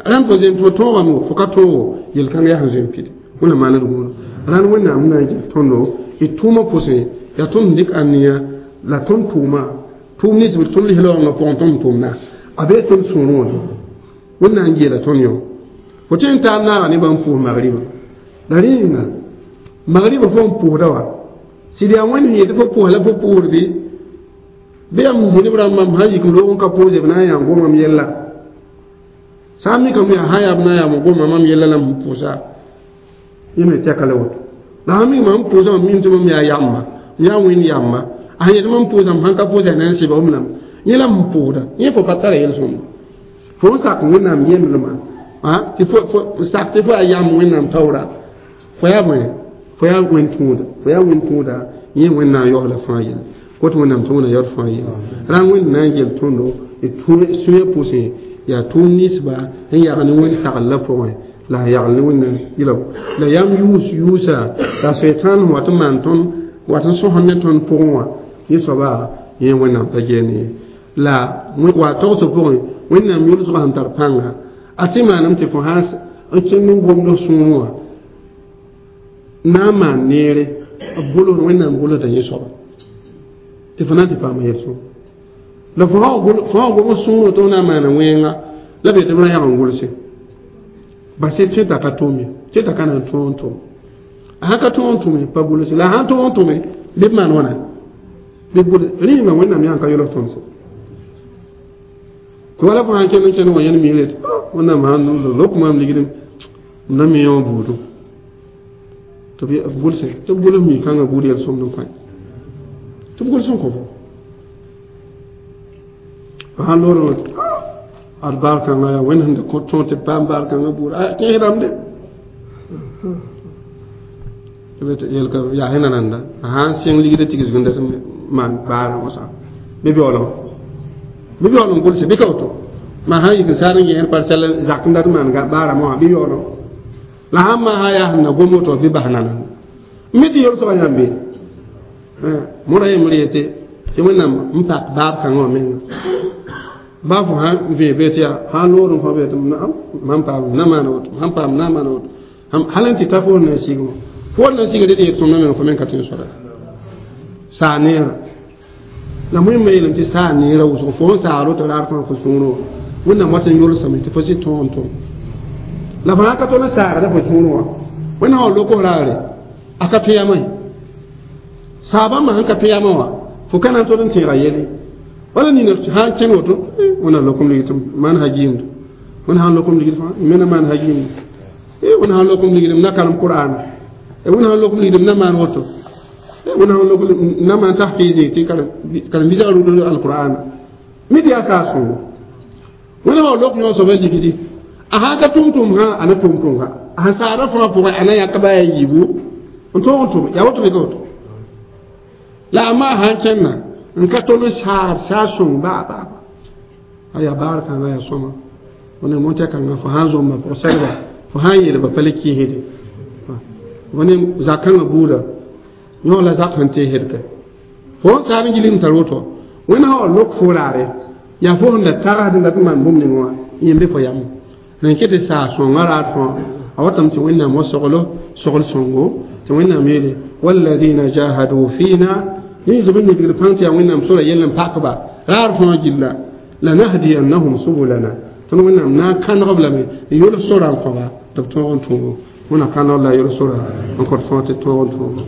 rãmb fo zem fo tõogame fo ka tõogo yel-kãng yaa sẽn zoe n pid wẽnna maand gũuda rãnd wẽnnaam na n gel tõndo d tʋʋmã pʋsẽ yaa tõnd dɩk aniya la tõnd tʋʋma tʋʋm nins b tõnd lis-laoongã pʋgẽ tõnd tʋmda a bee tõnd sũurẽ wã wẽnnaam n geela tõnd yõ fo tõe n taab naaga ne bãmb pʋʋs magriba la rẽ yĩnga magriba fo n pʋʋsda wa sɩd yaa wẽnd sẽn yetɩ fo pʋʋs la fo pʋʋsd bɩ bɩ yaa m zĩnb rãmbã m sãn yik m loog n ka pʋʋse b na n yaa gomam yella sã n mikame yaa sã yaa b na n yaa m goma mam yella la m pʋʋsa yẽ me tɛka la woto la sãn mik mam pʋʋsã mam mim tɩ mam yaa yamba m yaa wẽnd yamba a sẽn yetɩ mam pʋʋsa m sãn ka pʋʋsa na n sɩba m lame yẽ la m pʋʋsda yẽ fo pa tara yel-sõmda fo n sak wẽnnaam yemdmã tɩ fo sak tɩ fo yaa yam wẽnnaam taoora fo yaa bõe fo yaa wẽn tũuda fo yaa wẽn tũuda yẽ wẽnnaam yaoosla fãa yelle kot wẽnnaam tɩ wẽnna yaood fãa yelle rãn wẽnd na n gel tõndo d sũyã pʋsẽ yaa tʋʋm ninsba n yag ne wẽnd sagl la pʋgẽ la a yagl ne wẽnnaam yɩla la yam yʋʋs yʋʋsa la soetãan sẽn wat n maan tõnd wat n sõsd ne tõnd pʋgẽ wã yẽ soaba yẽ wẽnnaam pa geene ye la wa togsg pʋgẽ wẽnnaam yʋlsgã sẽn tar pãnga a tɩ maaname tɩ fo sãn n kẽng n gomd sũurẽ wã na n maan neere b gʋls wẽnnaam gʋlsda yẽ soaba tɩ fo na n tɩ paama yel-sõm la fo sã gom sũurẽ tɩ f na n maana wẽnga la b yetɩ b ra yag n gʋlse bas tɩ t'a ka tʋʋm ye tɩ t'a ka na n tõog n tʋm a sãn ka tõog n tʋme pa gʋlse la a sãn tõog n tʋme bɩ b maan wãna bɩ b gʋls rĩimã wẽnnaam yaa n ka yʋls tõnd sã wala fo sãn kẽnd n kẽnd wã yẽnd miirã tɩ wẽnnaam sãn lok maam ligd m na me yõ buudu tɩ b gʋlse tɩ b gʋls mi-kãngã buud yel-sõmd n kõ tɩ b gʋls n kõ fo fo sãn loor ad baar kãngã yaa wẽnd sẽn da tõog tɩ b paam baar kãngã buud kẽesdame de yelka yaa sẽn na nanda a sãn sẽng ligdã tigsg n dat n maan baarã wãsa bɩ beoolem bɩ beool n gʋlse bɩ ka woto maa sãn yik n saar n gẽer parsɛl zak n dat n maan baarã mosã bɩ beoolem la sãn maa sã yaa sẽn na gom woto bɩ bas nananda mi tɩ yel-soaba yãmb be moda yembr yetɩ tɩ wẽnnaam n pak baab kãngã wã menga baa fo sãn vẽe bee tɩ yaa sãn loor n fõ bee tɩ mam paam na maana woto sãn paam na maana woto hal n tɩ ta fo na n sig wã fo na n sigd d yet tõndã meng fo meng ka tõe n soada saa neerã la wẽmba yeelame tɩ saa neerã wʋsg fo n saag woto raar fãa fo sũurẽ wã wẽnnaam wat n yolsame tɩ fo sɩ tõog n tʋm la fo sãn ka tõnd n saagda fo sũurẽ wã wẽnnaam wã lok raare a ka tõe yamã ye saabãmbã sẽn ka tõe yamã wã fo ka na n tod n tẽega yele wala nina sãn kẽng woto wẽnnaam lokom ligd tɩ maan hagiimd wẽnd sãn lokom ligd fãa m me na maan hagiimd wẽnd sãn lokom ligd m na karem qur'ana wẽnd sãn lokom ligd m na maan woto wẽnd sãn lokom na maan tahfiiz tɩ karen-biisã rʋd alqur'ana mi tɩ yaa saar sõngo wẽnnaam wa lok yõ soaba ligdi a sãn ka tʋm tʋm sã a na tʋm tʋm ka a sẽn saara fãa pʋgẽ a na yãk ba yaa yiibu n tõog n tʋme yaa woto bɩ ka woto la a maa sãn kẽnna n ka tol n saar saar sõng baa baa a yaa baar kãngã yaa sõma wẽnnaam montã kãngã fo sãn zomba pʋg segba fo sãn yeelba pa le kɩɩsde wẽne zak-kãngã buuda yõ la zak sẽn teesd ka fo n saar n gilg n tar woto wẽnd sã wa lok fo raare yaa fo sẽn da tagsd n dat n maan bũmb ning wã yẽ be fo yam rẽn ket tɩ saa sõngã raar fãa a watame tɩ wẽnnaam wa soglo sogl sõngo tɩ wẽnnaam yeele walladina jahadu fina yẽ zob n nidgd pãng tɩ yaa wẽnnaam sora yell n pakba raar fãa gilla lanahdiyannahum subulana Tõnd Wẽnnaam na n kãneg b lame n yʋls sora n kõ-ba tɩ b tõog n tõogo. Wẽnna kãneg la yʋls sora n kõt fãa tɩ tõog n tõogo.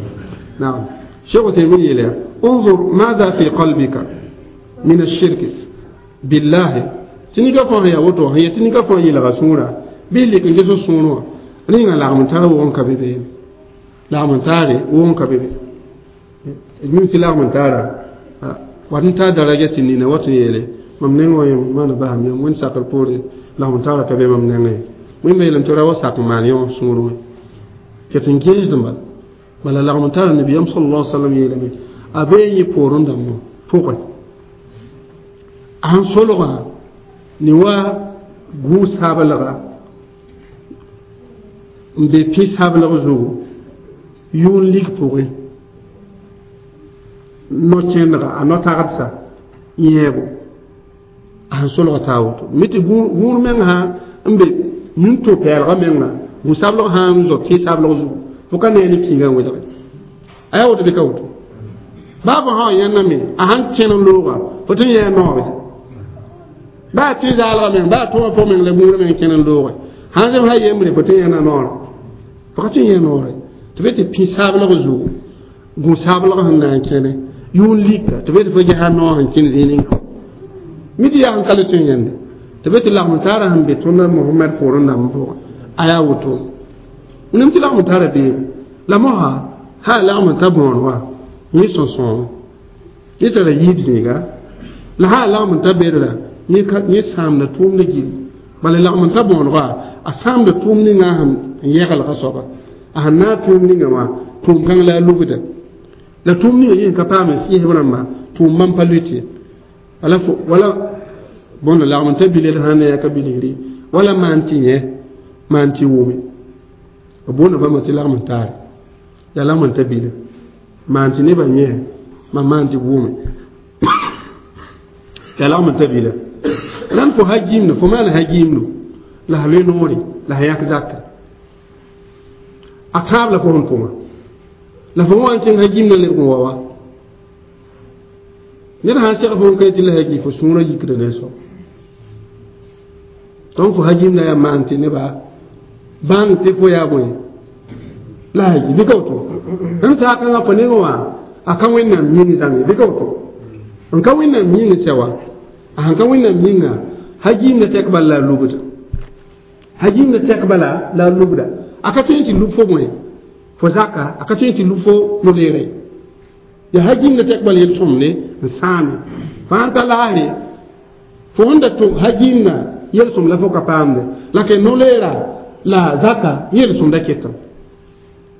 Naam. Cheikh Uthaymin yeela انظر ماذا في قلبك من الشرك بالله tɩ nika fãa sẽn yaa woto sẽn yet tɩ nika fãa yeelga sũurã bɩ lek n ges sũur wã rẽnga lagm n tar wʋg n ka be be lagm n taare wʋg n ka be be mim tɩ lagm n taara wat n taa daraja tɩ nina wat n yeele mam neng wã yẽ maana basam yãmb wẽnd sakr poore lagm n taara ka be mam nengẽ wẽnda yeelame tɩ ra wa sak n maan yõ sũur wã ket n gẽesd bal bala lagm n taara nabiyaam sallallahu alaihi wasallam yeelame a bee yẽ poorẽ dãmbã pʋgẽ a sẽn solgã ne wa gũus-sablga n be pĩ-sablg zugu yʋʋn lig pʋgẽ no-kẽndga a no-tagdsa yẽebo a sẽn solga taa woto mi tɩ gũur meng sã n be nin-tũ-pɛɛlgã menga gũ-sablg sã n zo pĩ-sablg zugu fo ka nee ne pĩigã n welge a yaa woto bɩ ka woto baa fo sã wa yẽndame a sãn kẽn n looga fo tɩ n yɛɛ noore baa tɩ zaalgã meng baa tʋma pʋg meng la gũur meng kẽn n looge sãn zem sã yembre fo tɩ n yẽna noorã fo ka tɩ n yẽ noore tɩ be tɩ pĩ-sablg zugu gũ-sablg sẽn na n kẽne yʋʋn lika tɩ be tɩ fo gesa noor sẽn kẽn zĩig ninga mi tɩ yaa sẽn ka le tõe n yẽnde tɩ be tɩ lagm taara sẽn be tõnd Mohamɛd poorẽ dãmb pʋgẽ a yaa woto nem tɩ lagm taara beebe la mosa sã lagm n ta bõor wã yẽ sõsõo yẽ tara yiib zĩiga la sã lagm n ta bedra yẽ sãamda tʋʋmda gilli bala lagm n ta bõonega a sãamda tʋʋm ninga sẽn yɛglga soaba a sẽn naag tʋʋm ninga wã tʋʋm kãng la a lugda la tʋʋm ninga yẽ ka paam n sɩɩsb rãmba tʋʋm bãmb pa lut ye wala wala bõn lagm n ta biled sã ne yaa ka bilgri wala maan tɩ yẽ maan tɩ wʋme b boonda bãmba tɩ lagm n taare yaa lagm n ta bila maan tɩ nebã yẽ mam maan tɩ wʋme yaa lagm n ta bila rãnd fo ha-gimdo fo maan ha-gimdo la f loe noore la f yãk zakre a tãab la fo sẽn tʋma la fo wa n kẽng ha-gimdã lebg n wa wa ned sãn seg fo n ka tɩ la ha-gi fo sũurã yikda ne soab donc fo ha-gimdã yaa maan tɩ neba bãng tɩ fo yaa bõe la ha-gi bɩ ka woto rẽnd saakãngã fo nengẽ wã a ka Wẽnnaam yĩng zãnge bɩ ka woto n ka Wẽnnaam yĩng sɛ wa a sẽn ka Wẽnnaam yĩnga ha-gimdã tɛk bala la a lubda ha-gimdã tɛk bala la a lubda a ka tõe n tɩ lub fo bõe fo zaka a ka tõe n tɩ lub fo no-leere yaa ha-gimdã tɛk bala yel-sõmde n sãame fãa n ta laasre fo sẽn da tʋ ha-gimdã yel-sõm la fo ka paamde la ke no-leera la zaka yel-sõmda ketame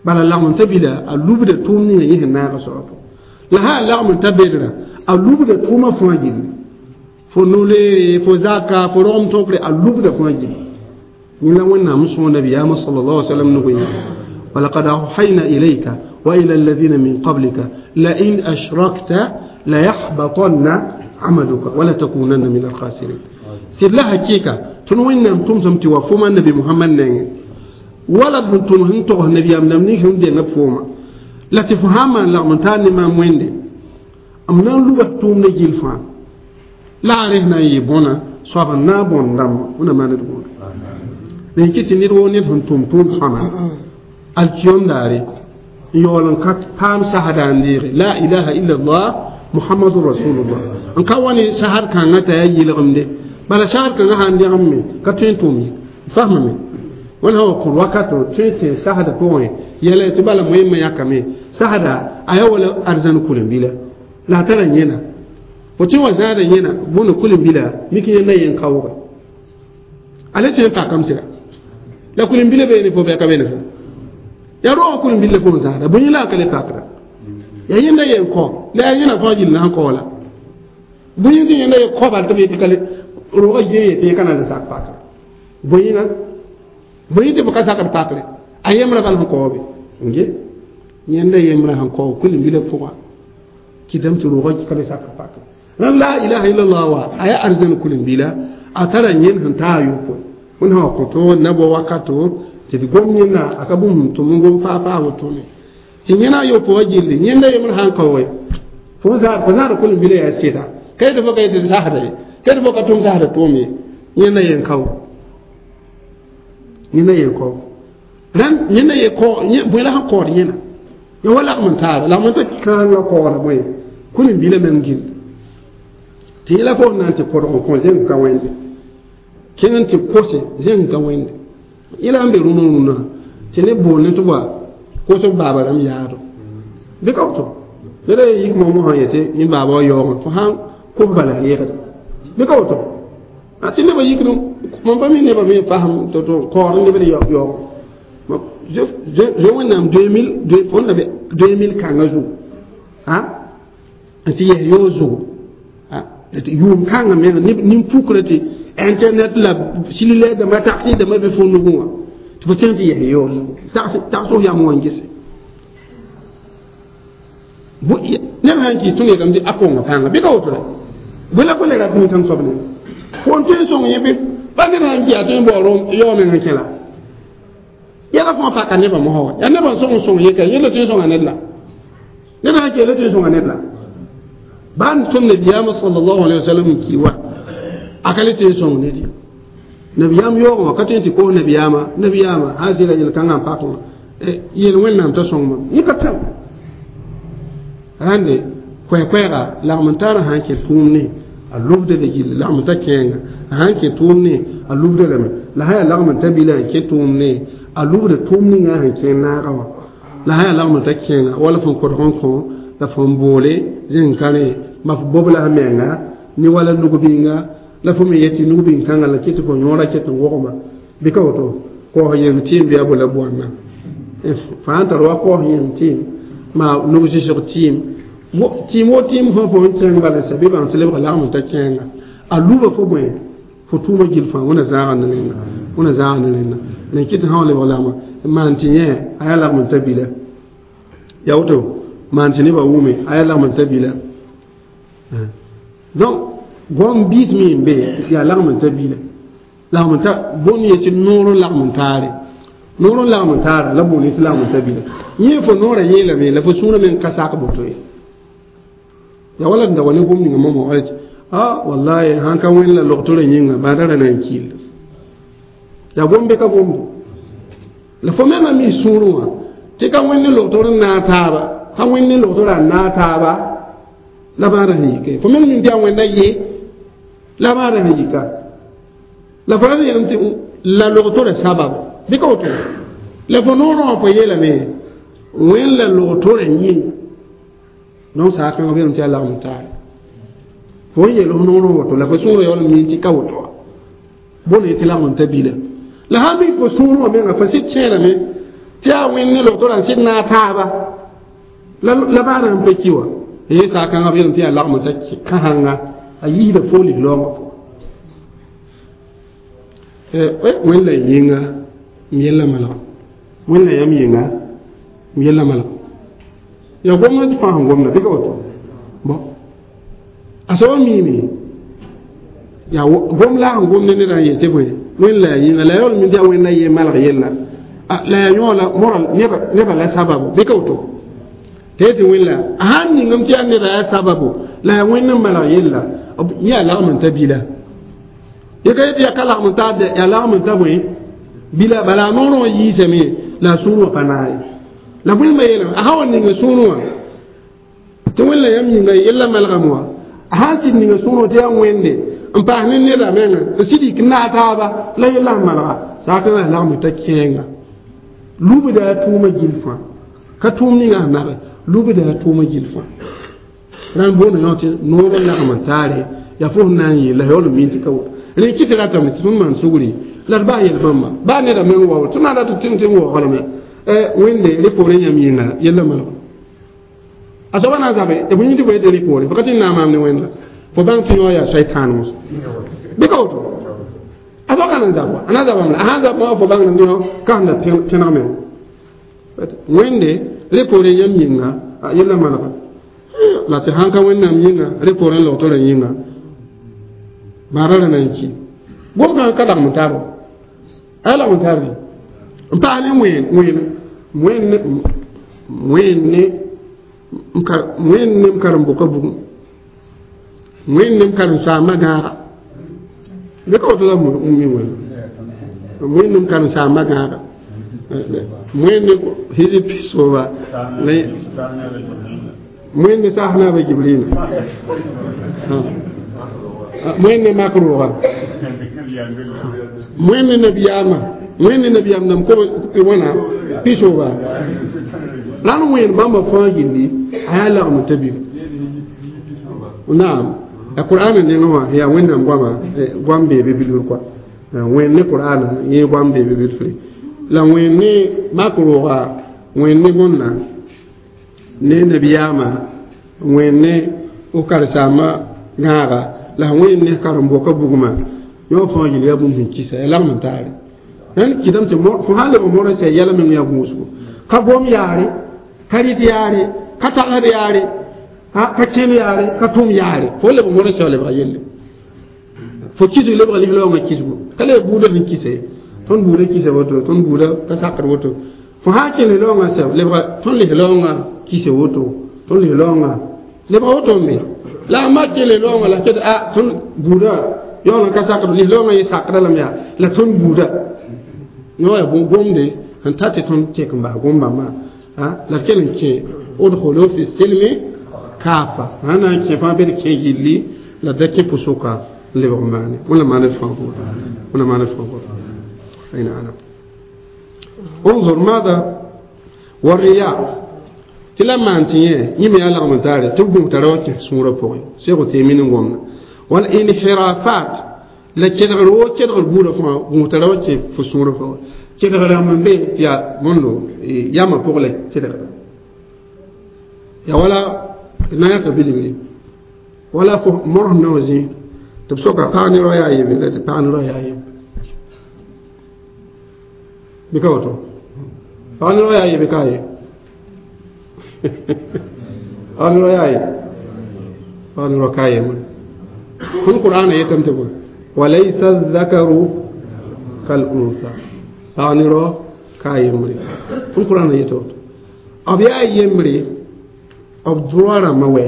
bala lagm n ta bila a lubda tʋʋm ninga yẽ sẽn naag soaba pʋgẽ la sã lagm n ta bedra a lubda tʋʋmã fãa gilli fo no-leere fo zaka fo rogem tõkre a lubda fãa gilli yẽ la Wẽnnaam n sõog nabiyaamã sallallahu alaihi wasallam nug yẽ ولقد أوحينا إليك وإلى الذين من قبلك لئن أشركت ليحبطن عملك ولا تكونن من الخاسرين سيد لها كيكا تنوين تمسم توفوما النبي محمد نين ولا تم هنتو النبي أم نمني هم دي نفوما لا تفهم لا من تاني ما مويندي أم نلو توم نجيل فان لا رهنا يبونا صوابا نابون دم ونا ما ندبون لكن تنير ونير هنتم توم سما الكيوم داري يولن كات بام سهدان ديري لا إله إلا الله محمد رسول الله ان كواني سهر كان تا يلغم دي بلا سهر كان هان دي امي كاتين تومي فهمني وين هو كل وقت تين سهد بوين يلا تبلا مهم يا كمي سهد ايا ولا ارزان كولن بلا لا ترى ينا وتي وزاد ينا بون كولن بلا ميكي ينا ين كاوغا على تين تا كم سيرا لا كولن بلا بين فو بيا كبين فو ya ro kulin bille fo zara bun ila kale takra ya yenda yen ko la yena fo jil na ko la bun yin yenda ye ko bal tabi kale ro ga ye te kana da sak pakra bun yin bun yin te ka sak pakra ayemra bal ko be nge yenda yemra han ko kulin bille fo kidam tu ro ga kale sak pakra ran la ilaha illallah wa aya arzan kulin bila atara yen han ta yu ko won ha ko to nabo wakato tɩ d gom yẽnda a ka bũmb tʋm n gom faa faa wotone tɩ yẽna a yopoa gilli yẽnda yembr sãn kaooge fo zãad fo zãad kolem-bila yaa sɩda ka yetɩ fo ka yetɩ d sasda ye ka yetɩ fo ka tʋm sasda tʋʋm ye Yẽnda yen kao yẽnda yen kao rãnd yẽnda ye kao bõe la sẽn kaood yẽna ya wa lagm n taaba lagm n ta kãangã kaooda bõe kũnim-bilã meng gill tɩ yẽla fo na n tɩ kodg n kõ zẽng ka wẽnde kẽng n tɩ kose zẽng ka wẽnde yẽla sẽn be rũnã rũnã tɩ neb boond tɩ wa kosb baaba rãmb yaado bɩ ka woto neda ye yik momo sã yetɩ yẽ baaba wa yaoogẽ fo sãn kos bala yẽgda bɩ ka woto tɩ nebã yikd mam pa mi nebã me fasem to to kaood n lebd yaoog zoe wẽnnaam deux mille fo na deux mille kãngã zugu a n tɩ yɛs yoog zugu yʋʋm kãngã menga nin-pukrã tɩ internet la cellulaire dãmba tagsɩ dãmbã be fo nugẽ wã tɩ fo kẽng tɩ yɛs yoog zugu tags f yam wã n gese ned sãn kɩ tõnd yeelame tɩ a konga pãnga bɩ ka woto ra bõe la fo le rat nin-kãng soab ne fo n tõe n sõng yẽ bɩ pa ned sãn kɩ yaa tõe n baoor yaoog meng n kẽ la yɛla fãa paka nebã mosã wa yaa nebã n sõng n sõng yeka yẽ la tõe n sõnga ned la ned sãn kɩ la tõe n sõnga ned la baa tõnd nabiyaamã sallallahu alaihi wasallam n ki wa a ka le tõe n sõng ned ye nabiyaam yaoogẽ wã ka tõe n tɩ koos nabiyaamã nabiyaamã sã zɩla yel-kãngã n pak wã yel wẽnnaam t'a sõng mam yẽ ka tão rãnde koɛɛ-koɛɛga lagm n taarã sã n kẽ tʋʋm ne a lubda la gilli lagm n ta kẽenga a sãn kẽ tʋʋm ne a lubda lame la sã yaa lagm n ta bila n kẽ tʋʋm ne a lubda tʋʋm ninga sẽn kẽ naaga wã la sã yaa lagm n ta kẽenga wala fõn kodg n kõ la fõn boole zẽng ka rẽ ma f bob la menga ne wala nug-bĩnga la fo me yetɩ nug-bĩn-kãngã la kɩ tɩ fo yõora ket n wogma bɩ ka woto kaoos yem tɩɩm bɩ a bo la boanna fãa n tar wa kaoos yem tɩɩm maa nug-zɩsg tɩɩm tɩɩm wo tɩɩm fõ fo n kẽng bala sɛ bɩ bãng tɩ lebga lagm n ta kẽenga a luba fo bõe fo tʋʋma gill fãa wẽna zaaga ne rẽnna wẽna zaaga ne rẽnna la kɩ tɩ sã wa lebg lagma maan tɩ yẽ a yaa lagm n ta bila ya woto maan tɩ nebã wʋme a yaa lagm n ta bila donc gom biis me n be yaa lagm n ta bila lagm n ta bõn ye tɩ noor n lagm n taare noor n lagm n taara la boond tɩ lagm n ta bila yẽ fo noorã yeelame la fo sũurã meng ka sak boto ye ya wala d da wa ne gom ninga momo wala ah wallahi sãn ka wẽnd la logtorã yĩnga baada ra na n kiil ya gom be ka gomdo la fo menga mi sũurẽ wã tɩ ka wẽnd ne logtor n naag taaba ka wẽnd ne logtorã n naag taaba la baada sẽn yike fo meng min tɩ yaa wẽnda ye la baada sẽn yika la fo ra yeelame tɩ la logtorã sababu bɩ ka woto la fo noorã wã fo yeelame wẽnd la logtorã yĩnga donc saakãngã b yeelame tɩ yaa lagm taare fo n yeel f noorã woto la fo sũurã yaool n mi tɩ ka woto wa bõne tɩ lagm n ta bila la sãn bɩ fo sũurẽ wã menga fo sɩd kẽerame tɩ yaa wẽnd ne logtorã n sɩd naag taaba la baada sẽn pa ki wa ye saakãngã b yeelame tɩ yaa lagm n ta kãsãnga a yiisda fo lig-laoongã pʋgã wẽnd la yĩnga m yella malga wẽnd la yam yĩnga m yella malga ya gomna tɩ fãa sẽn gomda bɩ ka woto bon a soaba miime yaa gom la sẽn gomd neda n yetɩ bõe wẽnd la yaa yĩnga la yaool min tɩ yaa wẽnda ye malg yella la yaa yõ la moral neba la sababu bɩ ka woto tɩ yetɩ wẽnd la a sãn ningame tɩ yaa neda yaa sababu la yaa wẽnd n malg yella yẽ yaa lagm n ta bila ye ka yetɩ yaa ka lagm n ta yaa lagm n ta bõe bila bala a noorã wã yiisame la a sũur wã pa naag ye la bõe yeelame a sã wa ninga sũurẽ wã tɩ wẽnd la yãmb yĩnga yella malgame wã a sã n sɩd ninga sũurẽ tɩ yaa wẽnde n paas ne neda menga n sɩd yik naag taaba la yella sẽn malga saakã lagm ta kẽenga lubda a tʋʋma gill fãa ka tʋʋm ninga sẽn nage lubda a tʋʋma gill fãa rãnd boonda yõ tɩ noor n lagm n taare yaa fo sẽn na n yeel la yaool n min tɩ ka woto rẽ kɩ tɩ ratame tɩ tõnd maan sugri la d baa yel bãmba baa neda meng wa tɩ na rat tɩ tɩ n waoograme wẽnde rẽ poorẽ yãmb yĩnga yella malga a soaba na n zabe tɩ bõe tɩ fo yetɩ rẽ poore fo ka tɩ n na n maam ne wẽnda fo bãng tɩ yõ yaa shaitan mos bɩ ka woto a soa ka na n zab wa a na n zabame la a sã n zab wã fo bãng yõ ka sẽn da pẽneg meng wẽnde rẽ poorẽ yãmb yĩnga yella malga la tɩ sãn ka wẽnnaam yĩnga rẽ poorẽ logtorã yĩnga baara ra na n ki gom kãngã ka lagm n tar a yaa lagm n tar n paas ne wẽen wẽen wẽnd wẽnd ne wẽnd ne m karen-bʋka bugum wẽnd ne m karen-saambã gãaga Bɩ ka woto la mi wẽn wẽnnaam karen-saambã gãaga wẽnd hizib pisooba wẽnd saas naaba Jibrila wẽnd mak rooga wẽnd nabiyaamã wẽnd nabiyaam nam ko wãna pisooba la n wẽnd bãmba fãa gilli a yaa lagm t'a bib naam a qur'ana nengẽ wã yaa wẽnnaam goama goam bee be bilfr kɔa wẽnd ne qur'ana yẽ goam bee be bilfre la wẽnd ne mak rooga wẽnd ne bõnna ne nabiyaamã wẽnd ne f karen-saambã gãaga la wẽnd ne karen-boka bugmã yõ fãa gil yaa bũmb sẽn kisa ya lagm n taare rẽnd kɩtame tɩ fo sã n lebg modã sã yɛla meng yaa gũusgo ka gom yaare ka rɩt yaare ka tagsd yaare ka kẽn yaare ka tʋm yaare fo lebg modã sã lebga yelle fo kisg lebga lis-raoongã kisgo ka leb buudã sẽn kisa ye tõnd buudã kisa woto tõnd buudã ka sakd woto fo sã n kẽ lis-raoongã sɛb lebga tõnd lis-raoongã kisa woto tõnd lis-raoongã lebga woto n be la a mak kẽ lis-raoongã la ket a tõnd buudã yaool n ka sakd lis-raoongã yẽ sakda lame yaa la tõnd buudã yõ yaa gomde sẽn ta tɩ tõnd kẽk n bas gom-bãmbã la d kell n kẽ udkhulu fi silmi kaafa sã na n kẽ fãa bɩ d kẽ gilli la da kẽ pʋsʋka n lebg n maane wẽnnaam maan d fãa pʋgẽ wẽnnaam maan d fãa pʋgẽ أين أنا انظر ماذا والرياء tɩ la maan tɩ yẽ yẽ me yaa lagm n taare tɩ b gũus tara wa kẽs sũurã pʋgẽ seg teemin n gomda wal inhirafat la kedgr wo kedgr buudã fãa gũus tara wa kẽ fo sũurã pʋgẽ kedg rãmb n be tɩ yaa bõndo yamã pʋg la kedgda yaa wala na yãka bilgre wala fo mors nao zĩ tɩ b soka pag ne rao yaa yebe la tɩ pag ne rao yaa yembre bɩ ka woto pag ne rao yaa yebe ka ye pag ne rao yaa ye pag ne rao ka yembre tõnd qur'aana yetame tɩ bõe walaysa zakaru kal unsa pag ne rao ka yembre tõnd qur'aana yeta woto b yaa yembre b droit rãmbã wɛ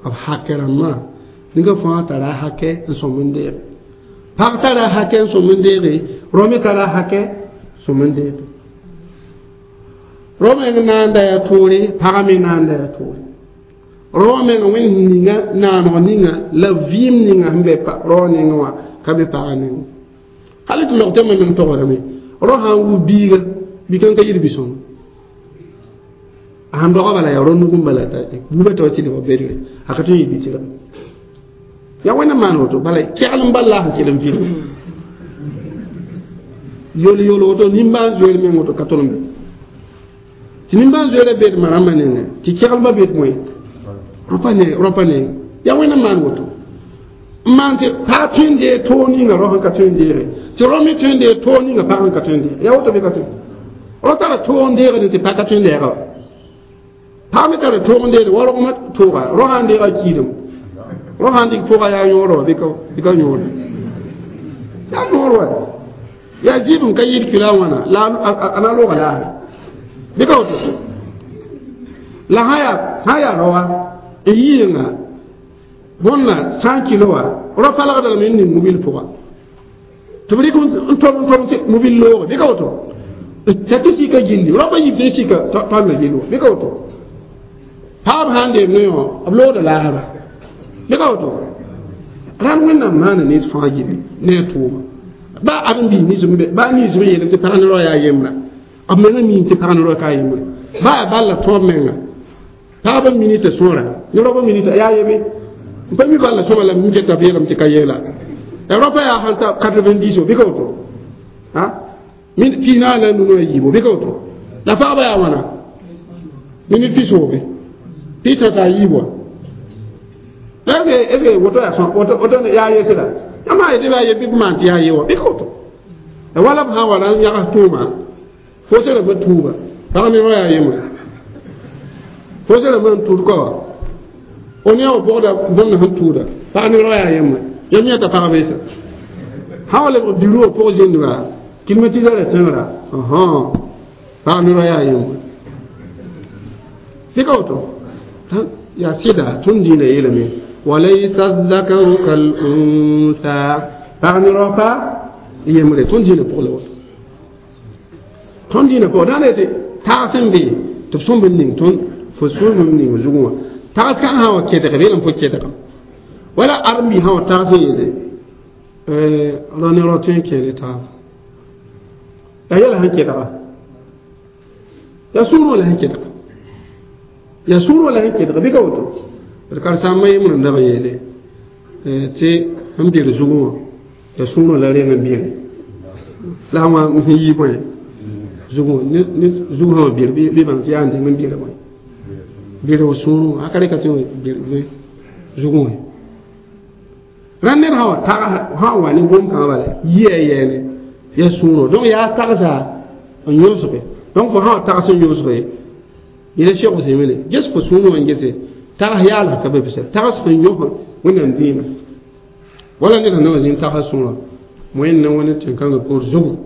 b hakɛ rãmbã ninga fãa tara a hakɛ n sõm n deege pag tara a hakɛ n sõm n deege rao me tara a hakɛ sõm n deege rao meng na n da yaa toore pagã me na n da yaa toore rao meng wẽnd ninga naaneg ninga la vɩɩm ninga sẽn be rao nengẽ wã ka be pagã nengẽ hal tɩ log tɩ meng togsdame rao sã n wu biiga bi-kãng ka yir bi-sõng a sãn doga bala yaa rao nug n bala t'a buudã t'a wa tɩ lebg bedre a ka tõe n yɩ bi-tɩrg yaa wẽnnaam maan woto bala kegl n bal la a sẽn kell n vɩlg yol yol woto nimbãan-zoeer meng woto ka tol n be tɩ nimbãan-zoeerã beed ma rãmbã nengẽ tɩ keglbã beed moẽ rõpa ne rõpa neng yaa wẽnnaam maan woto n maan tɩ pag tõe n dee toog ninga rao sẽn ka tõe n deege tɩ rao me tõe n dee toog ninga pag sẽn ka tõe n deege yaa woto bɩ ka tõe rao tara toog n deegd tɩ pag ka tõe n deega wa pag me tara toog n deegd wa rogmã tooga rao sã n deega kiidem rao sã n dɩk pʋga yaa yõor wa bɩ ka yõore yaa noor wa yaa zɩɩbem ka yɩɩd kila wãna la a na looga laare bɩ ka woto la sã yaa sã yaa raoa n yɩɩnga bõnna cent kilo wã rao palgda lame n ning mobil pʋga tɩ b rɩk n tob n tob mobil looge bɩ ka woto t'a tɩ sika gilli rao pa yib tɩ sika tõnd gill wa bɩ ka woto paab sã n deem ne wã b loogda laasra bɩ ka woto rãnd wẽnnaam maana ned fãa gilli ne a tʋʋma ba ãdem-biis nins n be ba nins b yeelame tɩ pag ne rao yaa yembra b menga miime tɩ pag ne rao ka yembre ba yaa bal la tõog menga pagbã minita sõora ne raobã minita yaa yebe n pa mi bal la sõma la mi keta b yeelame tɩ ka yeela rao pa yaa sãn ta quatre-vingt-dix bɩ ka woto pis naas la nu a yiibo bɩ ka woto la pagba yaa wãna minit pisoobe pɩ tã t'a yiib wa est ce que woto yaa woto woto yaa yesra yãmb sã yetɩ bɩ a ye bɩ b maan tɩ yaa ye wa bɩ ka woto wala b sã n wa ra n yãgs tʋʋma fo sẽn rãmbã tuuba pag ne rao yaa yembre fo sẽn rãmbã n tʋʋd ka wa o ne wa pʋgda bõmd sẽn tʋʋda pag ne rao yaa yembre yãmb yãta pag beesa sã wa lebg bureau wã pʋg zĩndba climatiseur a tẽngra pag ne rao yaa yembre tɩ ka woto yaa sɩda tõnd dĩinã yeelame وليس الذكر كالأنثى pag ne raopa yembre tõnd dĩinã pʋg la woto tõnd dĩinã pʋgã dãn tɩ tags n be tɩ b sõmb n ning tõnd fo sõmb n ning zugẽ wã tags kãng sã wa kɛdg beelem fo kɛdgem wala ãrem-bi sã wa tags n yeele rao ne rao tõe n kẽe ne taaba la yɛla sẽn kɛdga yaa sũurẽ la sẽn kɛdga yaa sũurẽ la sẽn kɛdga bɩ ka woto d karen-saambã yembr n dag n yeele tɩ n bir zugẽ wã yaa sũurẽ la reng n bire la wã n yi bõe zugẽ ne zug sã wã bir bɩ bãng tɩ yaa n deng n bira bõe bira f sũurẽ a ka reka tɩ bir zugẽ wã rãnd ned sã wa tag sã wa ne gom-kãngã bala yɩa yɛɛne yaa sũurẽ donc yaa tagsa n yõsge donc fo sã wa tags n yõsge yẽla Cheikh Ousmine ges fo sũurẽ wã n gese tags yaal ka be bisa tags sẽn yõs wẽnnaam dĩimã wala ned sẽn na wa zĩnd tagsa sũurã wẽnd na wẽnd tẽn-kãngã poor zugu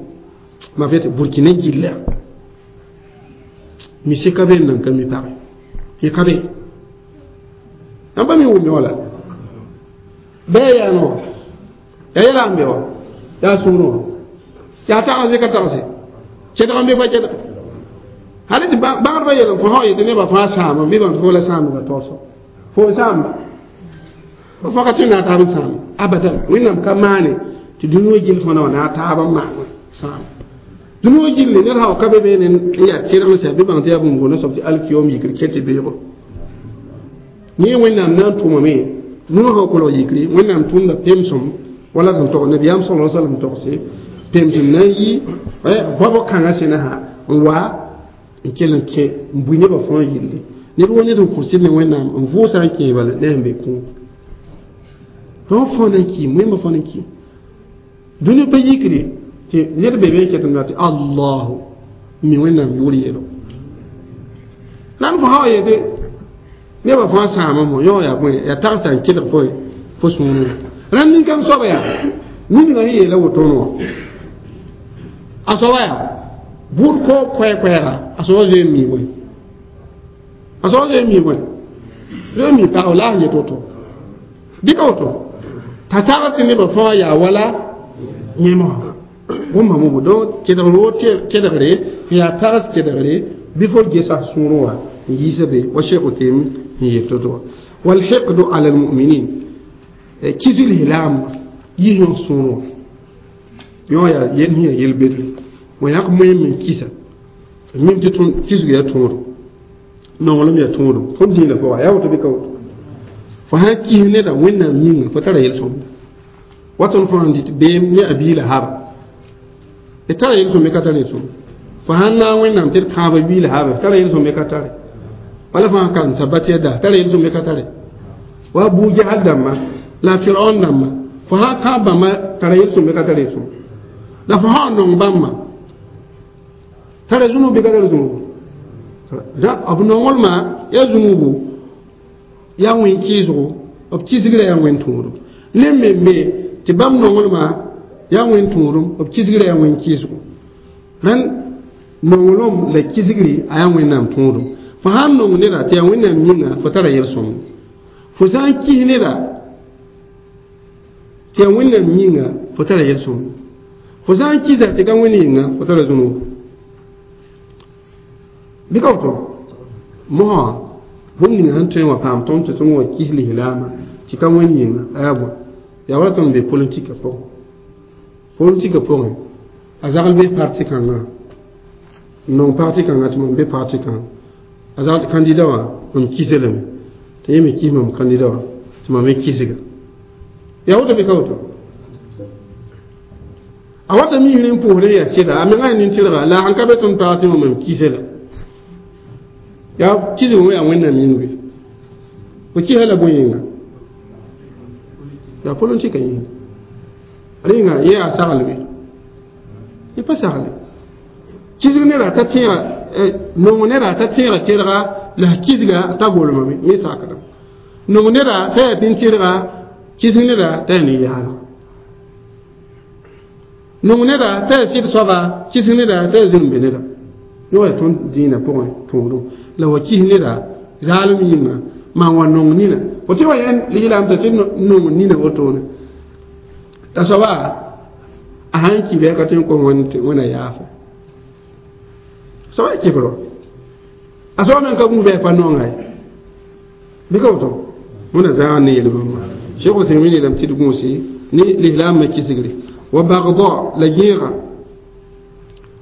ma fɩ tɩ Burkina gilla misi ka be n nan ka mi page y ka be ãmba mi wʋmẽ wala bɩ yaa no yaa yɛla n be wa yaa sũurẽ wã yaa tags ka tagse kɛdg n be fa kɛdg hal tɩ bãgdbã yel fo sã yetɩ nebã fãa sãama bɩ bãng tɩ fo la sãambã taoosɔ fo n sãamba fo faka tɩ na taab n sãam abadan wẽnnaam ka maane tɩ dũni wã gill fõna wã na taab n maan sãam dũni wã gilli ned sã wa ka be beene n yaa tẽrg n sɛ bɩ bãng tɩ yaa bũmb boonã soab tɩ alkiyom yikr kẽ tɩ beoogo yẽ wẽnnaam na n tʋmame nũnu sã kolg yikri wẽnnaam tʋmda pemsem wala sẽn tog nabiyaam sala sallam togse pemsem na n yi goabg kãngã sẽna sã n wa n kell n kẽ n bui nebã fãa yille ned wa ned n kõ sɩd ne wẽnnaam n vʋʋsa n kẽe bala ne sẽn be kũum donc fãa na n kiim wẽmba fãa na n kiim dũni pa yikre tɩ ned be be n ket n tɩ allahu n mi wẽnnaam yʋʋr yeelo la n fo sã wa yetɩ nebã fãa sãama mo yõ yaa bõe yaa tagsa n kelg fo fo sũurẽ rãnd nin-kãng soaba yaa ninga sẽn yeela wotone wã a soaba yaa bʋʋd koog koɛɛ-koɛɛga a soaba zoe n mii bõe a soaba zoe n mii bõe zoe n mii pagb la a sẽn yet woto bɩ ka woto t'a tags tɩ nebã fãa yaa wala yẽmga bũmba mobo donc kedgr wo kedgre n yaa tags kedgre bɩ fo gesa sũurẽ wã n yiisa be wa Cheikh Utemin n yel to-to wã والحقد على المؤمنين kisg lislaam yis yõ sũurẽ wã yõ yaa yel sẽn yaa yel-bedre wã yãk moẽm n kisa mim tɩ kisg yaa tõodum nonglem yaa tõodum tõnd dĩinã pʋga yaa woto bɩ ka woto fo sã n kis neda wẽnnaam yĩnga fo tara yel-sõmda wa tõnd fãa n dɩt beem ne a biila haba d tara yel-sõm ka tar yel-sõm fo sãn naag wẽnnaam tɩ d kãaba biila haba tara yel-sõm ka tare wala fãa kan tabat yada tara yel-sõm ka tare wa Abu Jahal dãmba la Firaun dãmba fo sã kãab bãmba tara yel-sõm ka tar yel-sõm la fo sã n nong bãmba tara zũnub bɩ ka tar zũnubu b nonglmã yaa zũnubu yaa wẽn kɩɩsgo b kisgra yaa wẽn tõodum ne me me tɩ bãmb nonglmã yaa wẽn tõodum b kisgra yaa wẽn kɩɩsgo rãnd nonglem la kisgri a yaa wẽnnaam tõodum fo sã n nong neda tɩ yaa wẽnnaam yĩnga fo tara yel-sõmd fo sã n kis neda tɩ yaa wẽnnaam yĩnga fo tara yel-sõmd fo sã n kisa tɩ ka wẽnd yĩnga fo tara zũnub bɩ ka woto mosã bũmb ninga sẽn tõe n wã paam tõnd tɩ tõnd wa kis lislaamã tɩ ka wẽnd yĩnga a yaa bõe yaa wala tõnd be politika pʋgẽ politika pʋgẽ a zagl be parti kãngã n nong parti kãngã tɩ mam be parti kãngã a zagl kandida wã mam kisa lame tɩ yẽ me kis mam kandida wã tɩ mam me kisga yaa woto bɩ ka woto a wata misr n pʋʋsd n yaa sɩda a menga nin-tɩrga la a sẽn ka be tõnd parti wã mam kisa la yaa kisg wã yaa wẽnnaam yĩng be fo kisa la bõe yĩnga yaa politika yĩnga rẽnga yẽ yaa saglbe yẽ pa sagle kisg neda t'a tẽega nong neda t'a tẽega tɩrga la kisga t'a golmame yẽ sakdame nong neda t'a yaa nin-tɩrga kisg neda t'a yaa nin-yaalg nong neda t'a yaa sɩd soaba kisg neda t'a yaa zĩm-be neda yõ yaa tõnd dĩinã pʋgẽ tõodum la wa kis neda zaalem yĩnga maan wa nong nina fo tɩ wa yẽnd lislaam t'a tɩ nong nina wotone t'a soaba a sãn ki bɩ a ka tõe n kos wẽna yaafo soaba kɩfro a soaba meng ka gũus bɩ a pa nonga ye bɩ ka woto wẽna zãag ne yel-bãmba Cheikh Uthaymin yeelame tɩ d gũusi ne lislaambã kisgre wa bagda la gẽega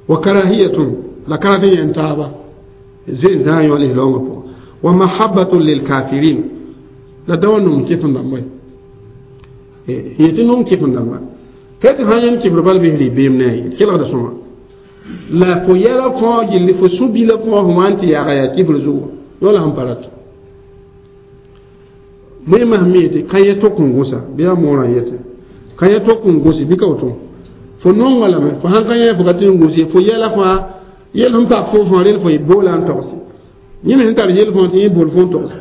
wa karahiyatun la ka rat n yẽn taaba zoe zãag yõ lislaoongã pʋgã wa mahabbatun lilkafirin la da wa nong kɩf n dãmba ye yetɩ nong kɩf n dãmba ka tɩ sã yẽnd kɩfr bal bɩ rɩ beem ne a yeel kelgda sõma la fo yɛla fãa gilli fo sũ-bila fãa fo wa n tɩ yaga yaa kɩfr zugu yõ la sẽn pa rat moẽmã sẽn mi yetɩ ka yɛ tok n gũsa bɩ yaa moorã yetẽ ka yɛ tok n gũsi bɩ ka woto fo nonga lame fo sãn ka yẽ fo ka tɩ n gũs ye fo yɛla fãa yel sẽn pak fo fãa rel fo boola n togs yẽ me sẽn tar yel fãa tɩ yẽ bool fo n togs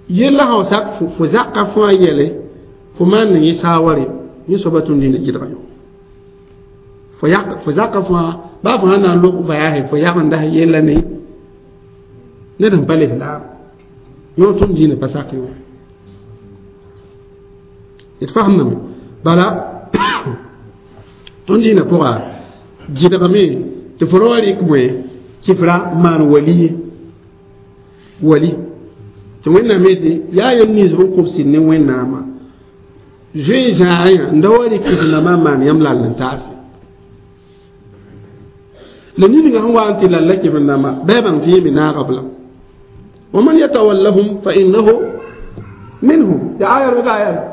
yella sã sak fo zaka fãa yɛle fo maan ne yẽ saaware yẽ soaba tũnd dĩnã gɩdga yõ fo yak fo zaka fãa baa fo sãn na n lok voyage fo yagenda yella ne ned sẽn pa lislaam yõ tõnd dĩinã pa sak yõ d fasemdame bala tõnd dĩinã pʋga gɩdgame tɩ fo ra wa rɩk bõe kɩfra maan wali ye wali tɩ wẽnnaam yetɩ yaa yel nins b n kʋb sɩd ne wẽnnaamã zoe zãagã n da wa rɩk kɩf-rãmbã n maan yãmb lall n taase la ninga sẽn wa n tɩ lalla kɩf-rãmbã bɩ a bãng tɩ yẽ me naaga b lam ومن يتولهم فإنه منهم يا آية بك آية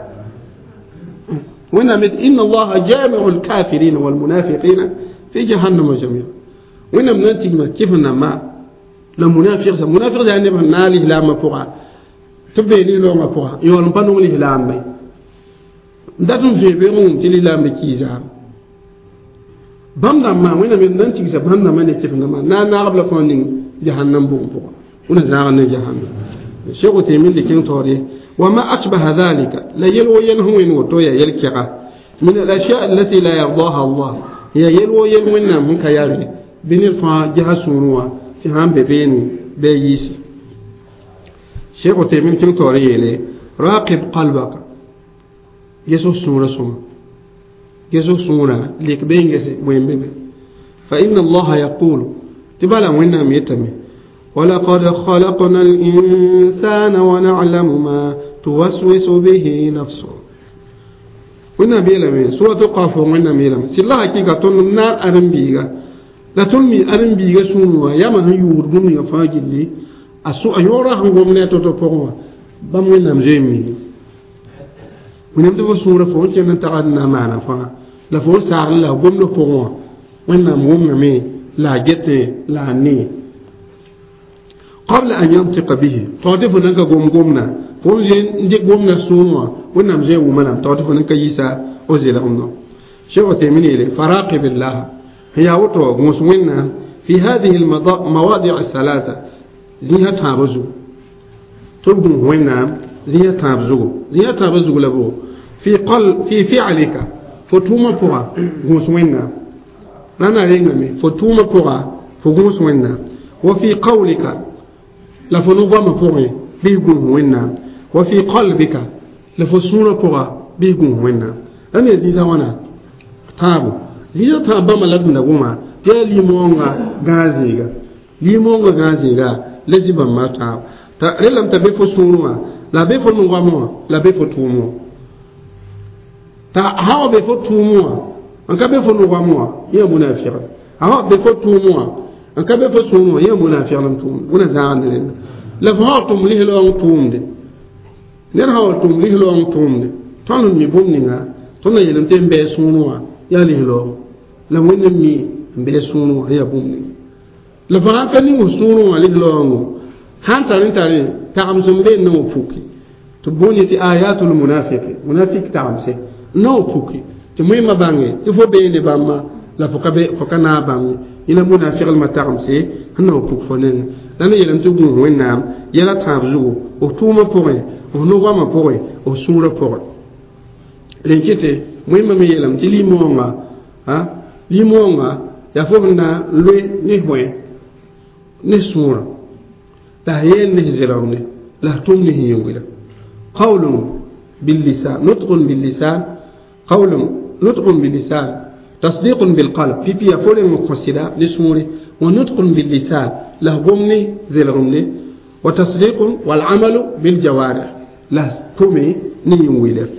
وإن إن الله جامع الكافرين والمنافقين في جهنم جميعا وإن من تجمع كيف ما لا منافق منافق يعني نالي لا ما فوق تبي لي لو ما فوق يولم بانو لي لا ما داتم في بيرون تلي لا مكيزا بام ما وين من نتيجة بام ما نكيف ما نا نا قبل فونين جهنم بوم فوق ونزاغنا جهنم الشيخ تيمين لكن توري وما أشبه ذلك لا يلو ينهو وتويا يلكغا من الأشياء التي لا يرضاها الله هي يلو يلونا من كياري بين الفا جهة سونوا تهام ببين بيس الشيخ تيمين كن توري لي راقب قلبك يسوع سورة سوما يسوع سورة لك بين جس وين بين فإن الله يقول تبالا وين ميتمي ولقد خلقنا الإنسان ونعلم ما توسوس به نفسه وين بيلمي سورة قاف وين بيلمي سلا حقيقة تون نار أرم بيغا لا تون مي أرم بيغا سونوا يا ما هيور بني فاجلي أسو أيورا هم قمنا تتوقعوا بام وين نمزيمي وين تبغى سورة فوق كنا تقعدنا معنا فا لا فوق سار لا قمنا فوق وين نموم مي لا جت لا ني قبل أن ينطق به تعرف أنك قوم قومنا فوزين ندي قومنا سونوا ونم زي ومنام تعرف أنك يسا أزيل أمنا شو تيمني لي فراقب الله هي وتو مسوينا في هذه المواضع الثلاثة زيها تابزو تبدو وينا زيها تابزو زيها تابزو لبو في قل في فعلك فتوما بوا مسوينا أنا رينغمي فتوما بوا فغوسوينا وفي قولك la fo no-goamã pʋgẽ bɩ gũus wẽnnaam wa fi qalbika la fo sũurã pʋga bɩ gũus wẽnnaam la ne zĩisã wãna tãabo zĩisã tãab bãmba la d da goma tɩ yaa limoongã gãag zĩiga limoongã gãag zĩiga la zĩ bãmba tãabo t'a relame t'a be fo sũurẽ wã la be fo no-goamẽ wã la be fo tʋʋm wã t'a sã wa be fo tʋʋm wã n ka be fo no-goamẽ wã yã munafiqd sã wa be fo tʋʋm wã n ka be fo sũurẽ wã yã munafiqd n tʋʋmd wẽna zãagd rẽnda la fo sã tʋm lislaoong tʋʋmde ned sã wa tʋm lislaoong tʋʋmde tõnd n mi bũmb ninga tõnd na yeelame tɩ n bɩ sũurẽ wã yaa lislaoong la wẽnd n mi n bɩ sũurẽ wã yaa bũmb ninga la fo sãn ka ning f sũurẽ wã lislaoongo sãn tar n tare tagems n be n na wa puki tɩ boond tɩ ayatul munafiqi munafik tagemse n na wa puki tɩ moẽmã bãnge tɩ fo beene bãmba la fo ka fo ka naag bãmb ye ina munafiqlmã tagemse sẽn na wa puk fo nengẽ la na yeelame tɩ gũus wẽnnaam yɛla tãab zugu f tʋʋmã pʋgẽ f no-goamã pʋgẽ f sũurã pʋgẽ rẽn kɩtɩ wẽmba me yeelame tɩ limoongã limoongã yaa fo b na n loe ne bõe ne sũurã la a yeel ne zelgmde la a tʋm ne yĩngwila قول باللسان نطق باللسان قول نطق باللسان تصديق بالقلب في بي فولي مقصدا نسوري ونطق باللسان له غمني ذي الغمني وتصديق والعمل بالجوارح له تومي نيويلف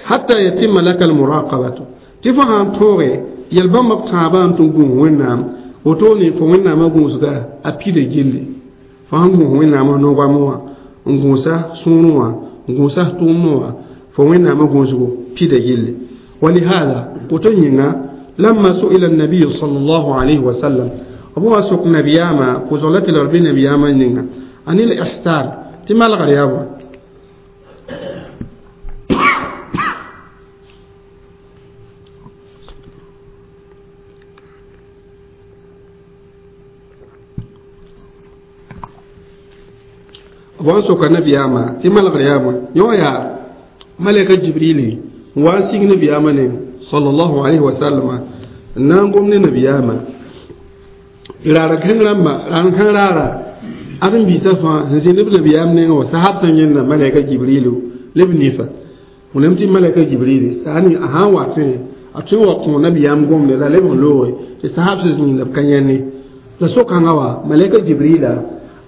حتى يتم لك المراقبة تفهم توري يلبم مقتابان تنقون وينام وتوني فوينام غوزغا أبيد جيلي فهم وينام نوغاموا نغوسا سونوا نغوسا توموا فوينام غوزغو بيد جيلي ولهذا قتنينا لما سئل النبي صلى الله عليه وسلم أبو أسوق نبياما فزولة الربي نبياما نينا عن الإحسان تمال غريابا أبو أسوق نبياما تمال غريابا يويا ملك جبريل واسيق نبياما صلى الله عليه وسلم نانقوم نبياما rara kan ramba ran kan rara adin bi safa sin ibn biyam ne wa sahab san yin na malaika jibrilu libni fa unamti malaika jibrilu sani aha wa te atu wa ko nabiyam gom ne la lebon lo te sahab sin yin kan yanne la so kan wa malaika jibrila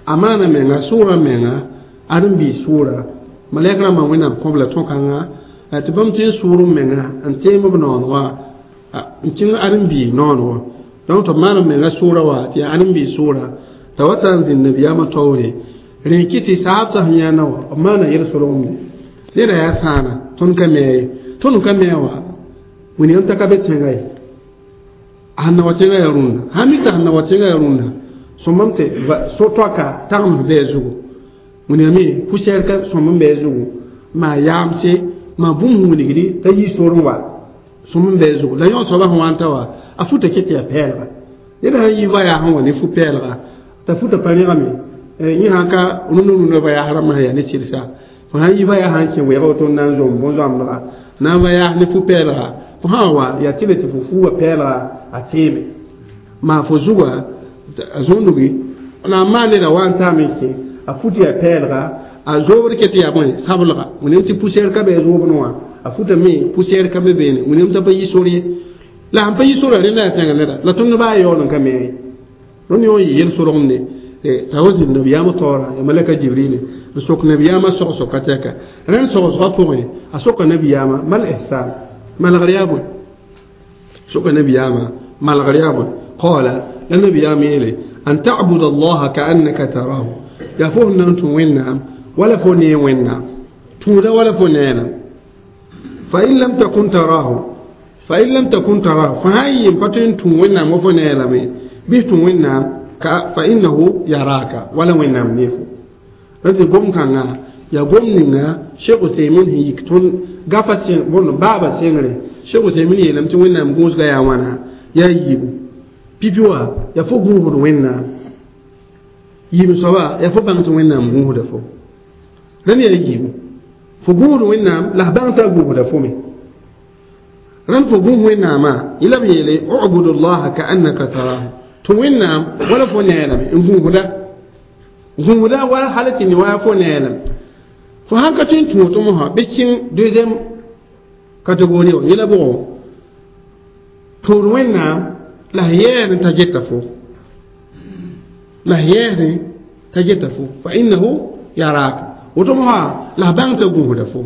amana menga sura menga adin bi sura malaika ma wina ko la to kan ga te bam te suru menga an te mo non wa tin adin bi non wa donc to maana menga sura wa ti anin bi sura tawatan zin nabiyama tawre rinkiti sahab sah yana wa mana yel soro mi lera ya sana ton ka me ton ka me wa woni on takabe tengai hanna wa tengai runda hamita hanna wa tengai runda so mamte so toka tam be zugu woni mi poussière ka so mam be zugu ma yamse ma bum woni gidi tayi soro wa so mam be zugu la yon so ba hwanta wa a futa kete ya pelga ida yi ba ya hanwa ne fu pelga ta futa pari mi yi haka nunu nunu ba ya harama ya ne cirsa fa han yi ba ya hanke we ga to nan zo bon zo amra na ba ya ne fu pelga fa hawa ya tile ti fu fu wa pelga a teme ma fu zuwa zondugi na ma ne da wan ta me ke a futa ya pelga a zo wor kete ya bon sabulga mun ti poussière ka be zo bonwa a futa me poussière ka be be ne mun ta ba yi sori la han pa yi sora rẽnda yaa tẽngã neda la tõnd baa yaool n ka me rõnd yõ yɩ yel-sorgem ne t'a wa zĩnd nabiyaamã taoora ya malaka jibril n sok nabiyaamã sog-soka tɛka rẽnd sogsgã pʋgẽ a soka nabiyaamã mal ihsan malgr yaa bõe soka nabiyaamã malgr yaa bõe qala la nabiyaamã yeele an ta'buda allaha ka'annaka tarahu yaa fo sẽn na n tũ wẽnnaam wala fo nee wẽnnaam tũuda wala fo neenam fa in lam takun tarahu فإن لم تكن تراه فهي ينفتن تون وفنا لمي به تون فإنه يراك ولا وين نيفو رد قوم كان يا قوم نينا شيخ عثيمين هي يكتون غافا سين بون بابا سينغري شيخ عثيمين يلم تون نام غوس غيا وانا يا ييبو بيبيوا يا فو غوغ وين ييبو سوا يا فو بان تون نام غوغ دفو رن يا ييبو فو غوغ وين نام لا بان تا غوغ دفو مي رن فوقه وينما إلى بيلي اعبد الله كأنك تراه توينام ولا فنيلم إن هو ده ولا حالة نوايا فنيلم فهان كتين توتمها بيشين دوزيم كاتيجوري إلى بو توينام لا هي تجتفو لا هي تجتفو فإنه يراك وتمها لا بان تقوه دفو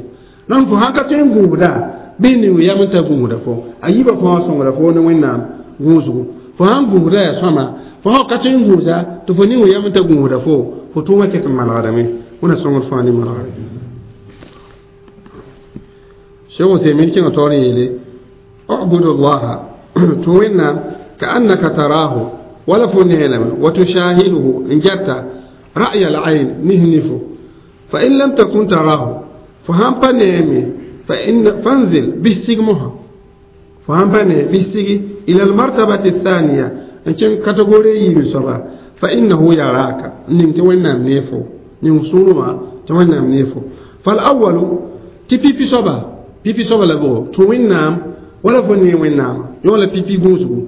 رن فهان كتين قوه ده bɩ ning yam n ta gũusda fo a yiibã fãa sõngra fo ne wẽnnaam gũusgu fo sãn gũusda yaa sõma fo sã ka tõe n gũusa tɩ fo ning yam n ta gũusda fo fo tʋʋmã ket n malgdame wẽna sõngd fãa ne malgre Cheikh Uthaymin kẽngã taoor n yeele ubudu llaha tɩ wẽnnaam ka'annaka tarahu wala fo neelame wa tushahiduhu n jata ra'ya al-ayn nihnifo fa in lam takun tarahu fo sãn pa neeme فإن فانزل بالسجمها فهم بني بالسجي إلى المرتبة الثانية إن كان كاتيجوري يبصرا فإنه يراك نمت وين نيفو نمسولما توين نيفو فالأول تي بي بي صبا بي بي صبا لبو توين نام ولا فني وين نام يولا بي بي غوزو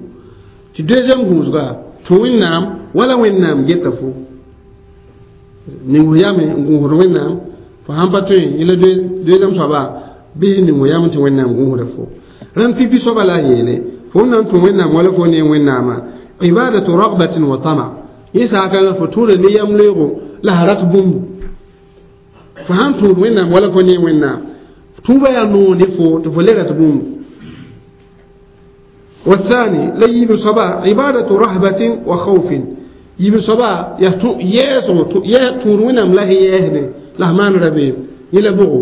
تي دوزيام غوزغا توين نام ولا وين نام جيتفو نيو يامي غوزو وين نام Fo sãn pa tõe yẽla deuxième soaba bɩ ning yam tɩ Wẽnnaam gũusda fo rãnd pipi soaba la a yeele fo n na n tũ Wẽnnaam wala fo ne Wẽnnaamã ibadatu ragbatin wa tama yẽ saakãngã fo tũuda ne yam leoogo la a rat bũmbu fo sãn tũud Wẽnnaam wala fo ne Wẽnnaam tũubã yaa noog ne fo tɩ fo le rat bũmbu. والثاني لا يبي صبا عبادة رهبة وخوف يبي صبا يسو يا تور وينام لا يهني لا مان ربي يلا بوغو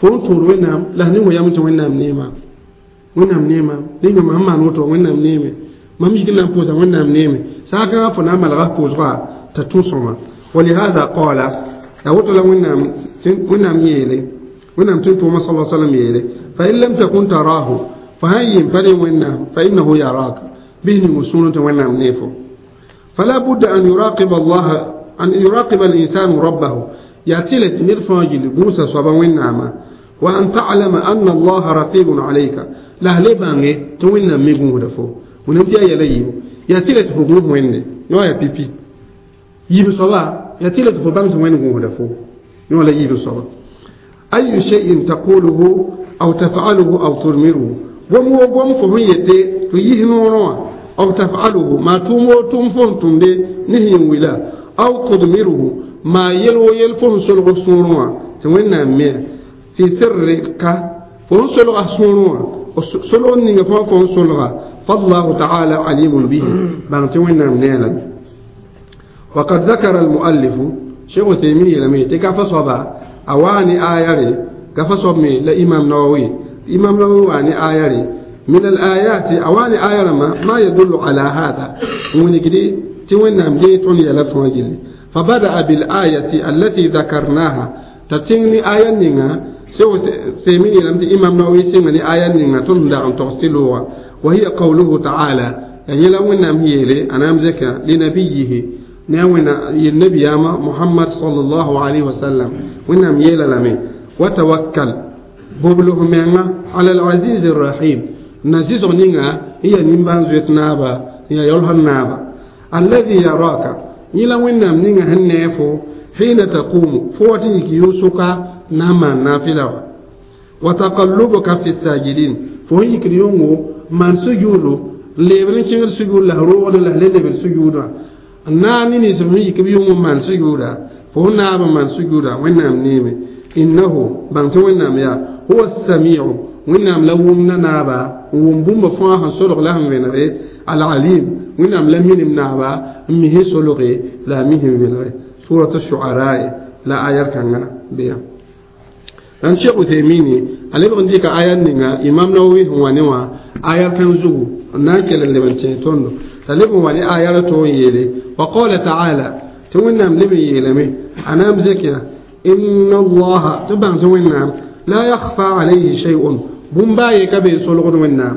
فون تور وينام لا نيو يام تو وينام نيما وينام نيما نيما ما نوتو وينام نيما ما ميكنا بوزا وينام نيما ساكا فنا ملغا بوزا تتوسما. ولهذا قال أوتو لا وينام وينام يلي وينام تنتو صلى الله عليه وسلم يلي فإن لم تكن تراه فهي بني وينام فإنه يراك به مسونة وينام نيفو. فلا بد أن يراقب الله أن يراقب الإنسان ربه يأتي نرفع موسى صبا وينام وأن تعلم أن الله رقيب عليك لا لبانه توينا ميغون دفو ونمتي يلي يأتي لتفوق وين يا يا بيبي يبي صبا يأتي لتفوق وين غون دفو يا لا يبي صبا أي شيء تقوله أو تفعله أو ترمره ومو قوم فهيته تيه أو تفعله ما تومو توم تمدي نهي ولا أو تضمره ما يلو يلفون سلغ سوروا توينا مي في سرك فون سلغ سوروا سلغ نيغا فون سلغ فالله تعالى عليم به بان توينا منالا. وقد ذكر المؤلف شيخ تيمية لم يتكفى صبا أواني آياري كفى صبمي لإمام نووي إمام نووي واني آياري من الآيات أواني آياري ما, ما يدل على هذا ونكدي توينا مجي توني يلفون جلي. فبدأ بالآية التي ذكرناها تتيني آية نينا سو سيميني لم إمام نووي سيمني آية نينا تندع تغسلوها وهي قوله تعالى يعني لو إن هي أنا أمزك لنبيه ناوينا النبي محمد صلى الله عليه وسلم وإنهم يلا لمي وتوكل ببلغ منا على العزيز الرحيم نزيز نينا هي نيمبان زيت نابا هي يلهن نابا الذي يراك يلا وإنهم نينا هنفو حين تقوم فوتيك يوسك نما نافلة وتقلبك في الساجدين فويك اليوم من سجوده لبرن شنغر سجود له روح له لبر سجوده ناني نسمي كبيوم من سجوده فهنا من سجوده وإنهم نيمه إنه بانت وإنهم يا هو السميع وإنهم لهم نابا ومبوم فاها سلق لهم وينغي العليم وإنهم لم ينم نابا مه سلقي لا مه وينغي سورة الشعراء لا آية كان بيا dan Sheikh Uthaymeen ale bon dika ayan ninga Imam Nawawi huwa newa ayar kan zugu na kelen leban ce tondo talibun wani ayar to yele wa qala ta'ala tuwinna libi yeleme ana mzekiya inna Allah tuban tuwinna la yakhfa alayhi shay'un bumbaye kabe solgo winna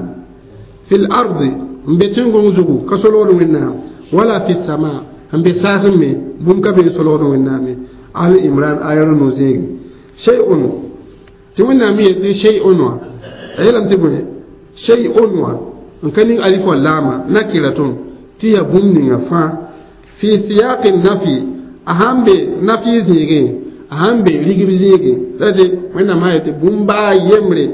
fil ardi mbetingo zugu ka solgo winna wala fis sama mbe sasme bum kabe solgo winna me Ali Imran ayar no zegi shay'un تونا مية شيء wa aylam tibune shay'un wa nkanin alif wal lama nakiratun tiya bumni fa fi siyaq nafi ahambe nafi zige ahambe ligib zige lade wena ma yati bumba yemre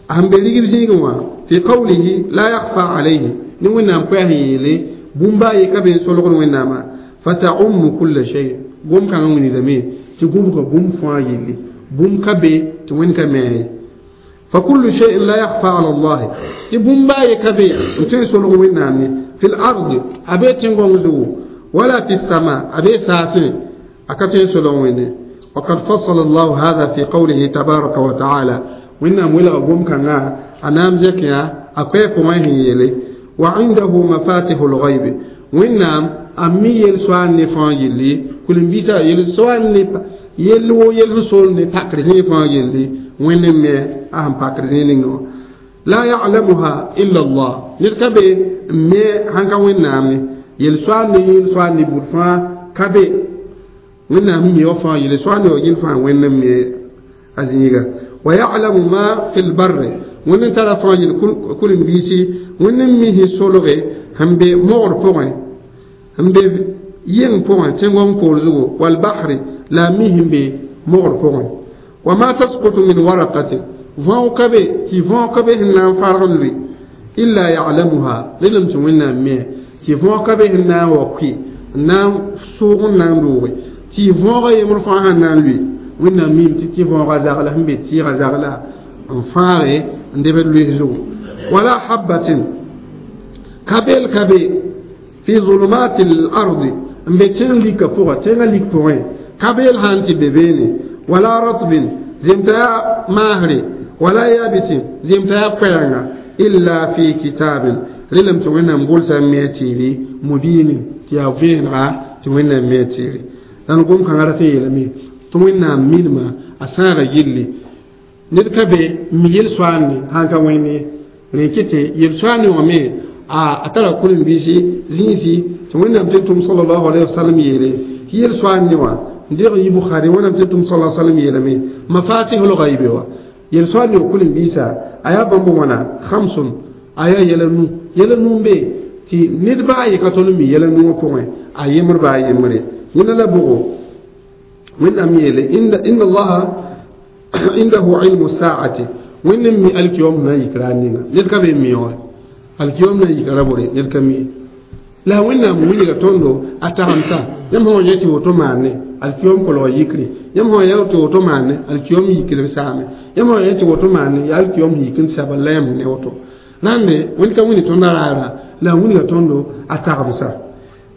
ahambe ligib zige wa fi qawlihi la yakhfa alayhi ni wena ko yele bumba ye kabe solgon wena ma fata'ummu kull shay gum kan woni dame ti gum ko bum fa yele بوم كبي توين كمي فكل شيء لا يخفى على الله بوم باي كبي وتنسل وينامي في الأرض أبي تنغونزو ولا في السماء أبي ساسين أكتنسل وين وقد فصل الله هذا في قوله تبارك وتعالى وإنهم ولا بوم كنا أنام زكيا أكويكو ما هي وعنده مفاتيح الغيب وإنهم أمي يلسوان نفان يلي كل بيسا يلسوان نفان yel wo yel sol ne pakr zĩ fãa yelli wẽnde me a sẽn pakr zĩ ninga wã la ya'lamuha illa Allah ned ka be n me sãn ka wẽnnaam ne yel soaal ne yel soaal ne bud fãa ka be wẽnnaam n me wa fãa yel soaal ne wa yel fãa wẽnd n me a zĩiga wa ya'lamu ma fi lbarri wẽnd n tara fãa yel kul-n-biisi wẽnd n misẽ solge sẽn be mogr pʋgẽ sẽn be yeng pʋgẽ tẽngong poor zugu walbahri la mihim be mogr pʋgẽ Wa ma tasqutu min waraqatin võog ka be tɩ võog ka be sẽn na n farg n lʋɩ illa ya'lamuha lelem tɩ Wẽnnaam me tɩ võog ka be sẽn na n wa kʋɩ n na n sʋʋg n na n looge tɩ võoga yembr fãa sẽn na n lʋɩ Wẽnnaam miime tɩ tɩ võoga zagla sẽn be tɩɩga zagla n fãage n debd lʋɩs zugu wala habatin ka beel ka be fi zulumati l-ardi n be tẽng lika pʋga tẽngã lik pʋgẽ ka beel sã n tɩ be beene wala ratbin zemta yaa maasre wala yabisin zemta yaa koɛɛnga illa fi kitabin relem tɩ Wẽnnaam gʋlsa n me a tɩɩre mubinin tɩ yaa vẽenega tɩ Wẽnnaam me a tɩɩre dãn gom-kãngã rat n yeelame tɩ Wẽnnaam minima a sãaga gilli ned ka be n mi yel-soaande sãn ka wẽnd ye rẽ kɩ tɩ yel-soaande wã me a tara karen-biisi zĩisi tɩ Wẽnnaam tɩ tʋm sallallahu alayhi wa sallam yeele tɩ yel-soaande wã n deg n yi Bukhari Wẽnnaam tɩ tʋm sallallahu alayhi wa sallam yeelame mafatihul ghaibi wã yel-soaande wã karen-biisa a yaa bãmb wãna khamsun a yaa yɛla nu yɛla nu n be tɩ ned baa ye ka tõnd n mi yɛla nu wã pʋgẽ a yembr baa yembre yẽnda la bʋgo Wẽnnaam yeele inna allaha indahu ilmu saati Wẽnd n mi alkiyom na n yik raar ninga ned ka be n mi wã alkiyom na n yika ra bore ned ka mi la Wẽnnaam wilga tõndo a tagemsa yãmb sã wa yẽ tɩ woto maane alkiyom kolg yikre yãmb sã wa yẽ tɩ woto maane alkiyom yikr b saame yãmb sã wa yẽ tɩ woto maane ya alkiyom yik n saba la yãmb ne woto rãnde Wẽnd ka wilg tõnd a raara la a wilga tõndo a tagemsa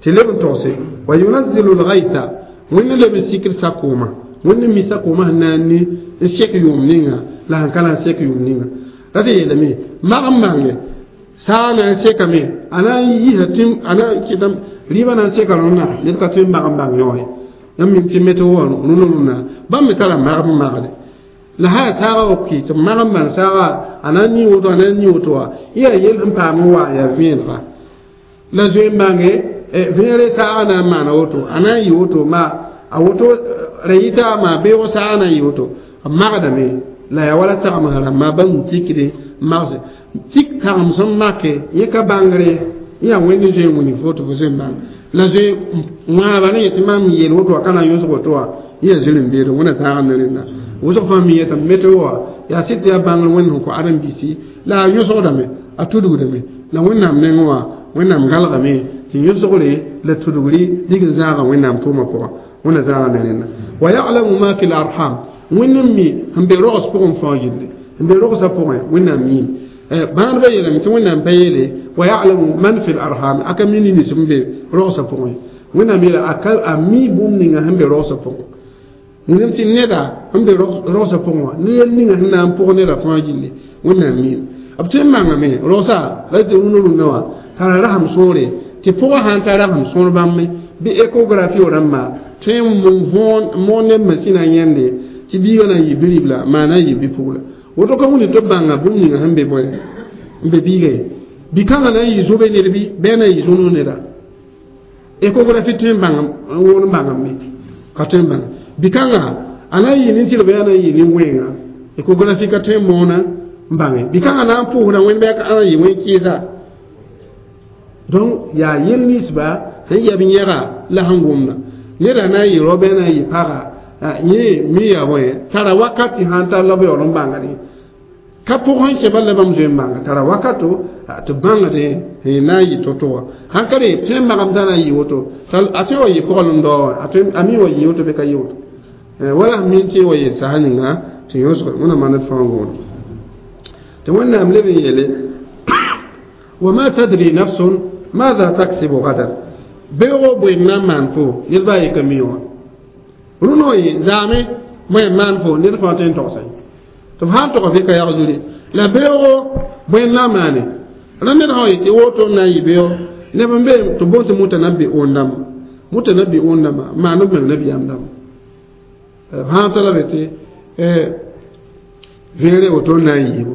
tɩ leb n togse wa yunazzilu lgaitha Wẽnd leb n sikd sakooma Wẽnd n mi sakooma sẽn na n ni n sek yʋʋm ninga la sẽn ka na n sek yʋʋm ninga ra tɩ yeelame mag n bãnge saa na n sekame a na n yisa tɩ a na n kɩtame rɩɩbã na n seka rõnna ned ka tõe n mag n bãng yõ ye yãmb mim tɩ meteo wã rũnã rũnã bãmb me tara magb n magde la sã yaa saaga wa kɩ tɩ b mag n bãng saaga a na n nii woto a na n nii woto wã yã yaa yell sẽn paam n wa yaa vẽenega la zoe n bãnge vẽegre saaga na n maana woto a na n yɩ woto ma a woto ra yita maa beoog saaga na n yɩ woto b magdame la yaa wala tagemsã rãmbã bãmb tikde magse tik tagem sẽn make yẽ ka bãngre yã Wẽnd zoe n wilg fo tɩ fo zoe n bãng la zoe wãaba ne yetɩ mam yeel woto wã ka na n yõsg woto wã yã zĩr-n-beede Wẽnna zãag ne rẽnda wʋsg fãa mi yetame météo wã yaa sɩd tɩ yaa bãngr Wẽnd sẽn kõ ãdem-biisi la a yõsgdame a tudgdame la Wẽnnaam nengẽ wã Wẽnnaam gãlgame tɩ yõsgre la tudgri dig n zãaga Wẽnnaam tʋʋmã pʋgã Wẽnna zãaga ne rẽnda wa ya'lamu ma fi l-arham Wẽnd n mi sẽn be rogs pʋgẽ fãa gilli sẽn be rogsã pʋgẽ Wẽnnaam miime bãadbã yeelame tɩ Wẽnnaam pa yeele wa ya'lamu man fi l-arham aka mi nins sẽn be rogsã pʋgẽ Wẽnnaam yeela a mi bũmb ninga sẽn be rogsã pʋgẽ wẽnnaam tɩ neda sẽn be rogsã pʋgẽ wã ne yel ninga sẽn na n pʋg neda fãa gilli Wẽnnaam miime b tõe n mangame rogsa la tɩ rũnã rũnã wã tara rasem sõore tɩ pʋgã sã n tar rasem sõor bãmb bɩ échographie rãmba tõe n moon ne masĩnã yẽnde tɩ biigã na n yɩ biribla maa na n yɩ bi-pugla woto ka wuni tɩ b bãnga bũmb ninga sẽn be bõe n be biiga ye bi-kãngã na n yɩ zobe ned bɩ bɩ a na n yɩ zõnog neda échographie tõe n bãng n woon n bãngame ka tõe n bãng bi-kãngã a na n yɩ nin-tɩrba yaa na n yɩ nin-wẽnga échographie ka tõe n moona n bãnge bi-kãngã na n pʋʋsda wẽnd bɩ a na n yɩ wẽn-kɩɩsa donc yaa yel ninsba sẽn yɛb n yɛga la sẽn gomda neda na n yɩ rao bɩ a na n yɩ paga yẽ mi yaa bõe tara wakat tɩ sãn tar la b yaool n bãngdẽ ka pʋg sẽn kẽ bal la bãmb zoe n bãnga tara wakato tɩ bãngdẽ na n yɩ to-to wã sãn ka re tõe n magam t'a na n yɩ woto a tõe wa yɩ pɔgl n dao wã a mi wa yɩ woto bɩ ka yɩ woto wala sẽn min tɩ wa yel sasa ninga tɩ yõsg Wẽnnaam maan d fãa gõodo tɩ Wẽnnaam leb n yeele wa ma tadri nafsun madha taksibu gadan beoogo bʋɩg na n maan fo ned baa ye ka mi wã rũnã wã ye zaame bõe n maan fo ned fãa tõe n togsa tɩ f sã n tog f ka yag zuri la beoogo bõe n na n maane ra ned sã wa yetɩ woto n na n yɩ beoog neb n be tɩ boond tɩ mutanabbi'un dãmba mutanabbi'un dãmba maan b meng nabiyaam dãmba b sã n tala be tɩ vẽegre woto n na n yɩɩbo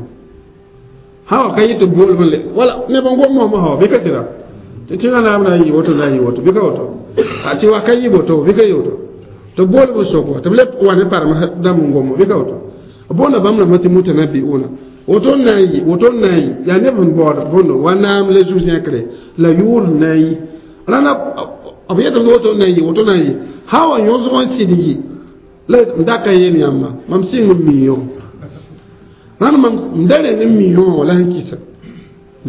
sã wa ka yɩ tɩ boolb le wala neb n gom mosmã sã bɩ ka sɩda tɩ tẽngã naam na n yɩ woto na n yɩ woto bɩ ka woto tɩ wa ka yɩ woto bɩ ka yɩ woto tɩ boolb n sok wa tɩ b le wa ne parem dãmb n gommo bɩ ka woto boonda bãmb rãmbã tɩ mutanabbi'una woto n na n yɩ woto n na n yɩ yaa neb sẽn baood bõndo wa naam la zu-zẽkre la yʋʋr n na n yɩ rãna b yetame woto n na n yɩ woto na n yɩ sã wa yõsg n sɩd yɩ La n da ka yeel yãmba mam sɩng n mi yõ rãnd mam n da reng n mi yõ la sẽn kɩsa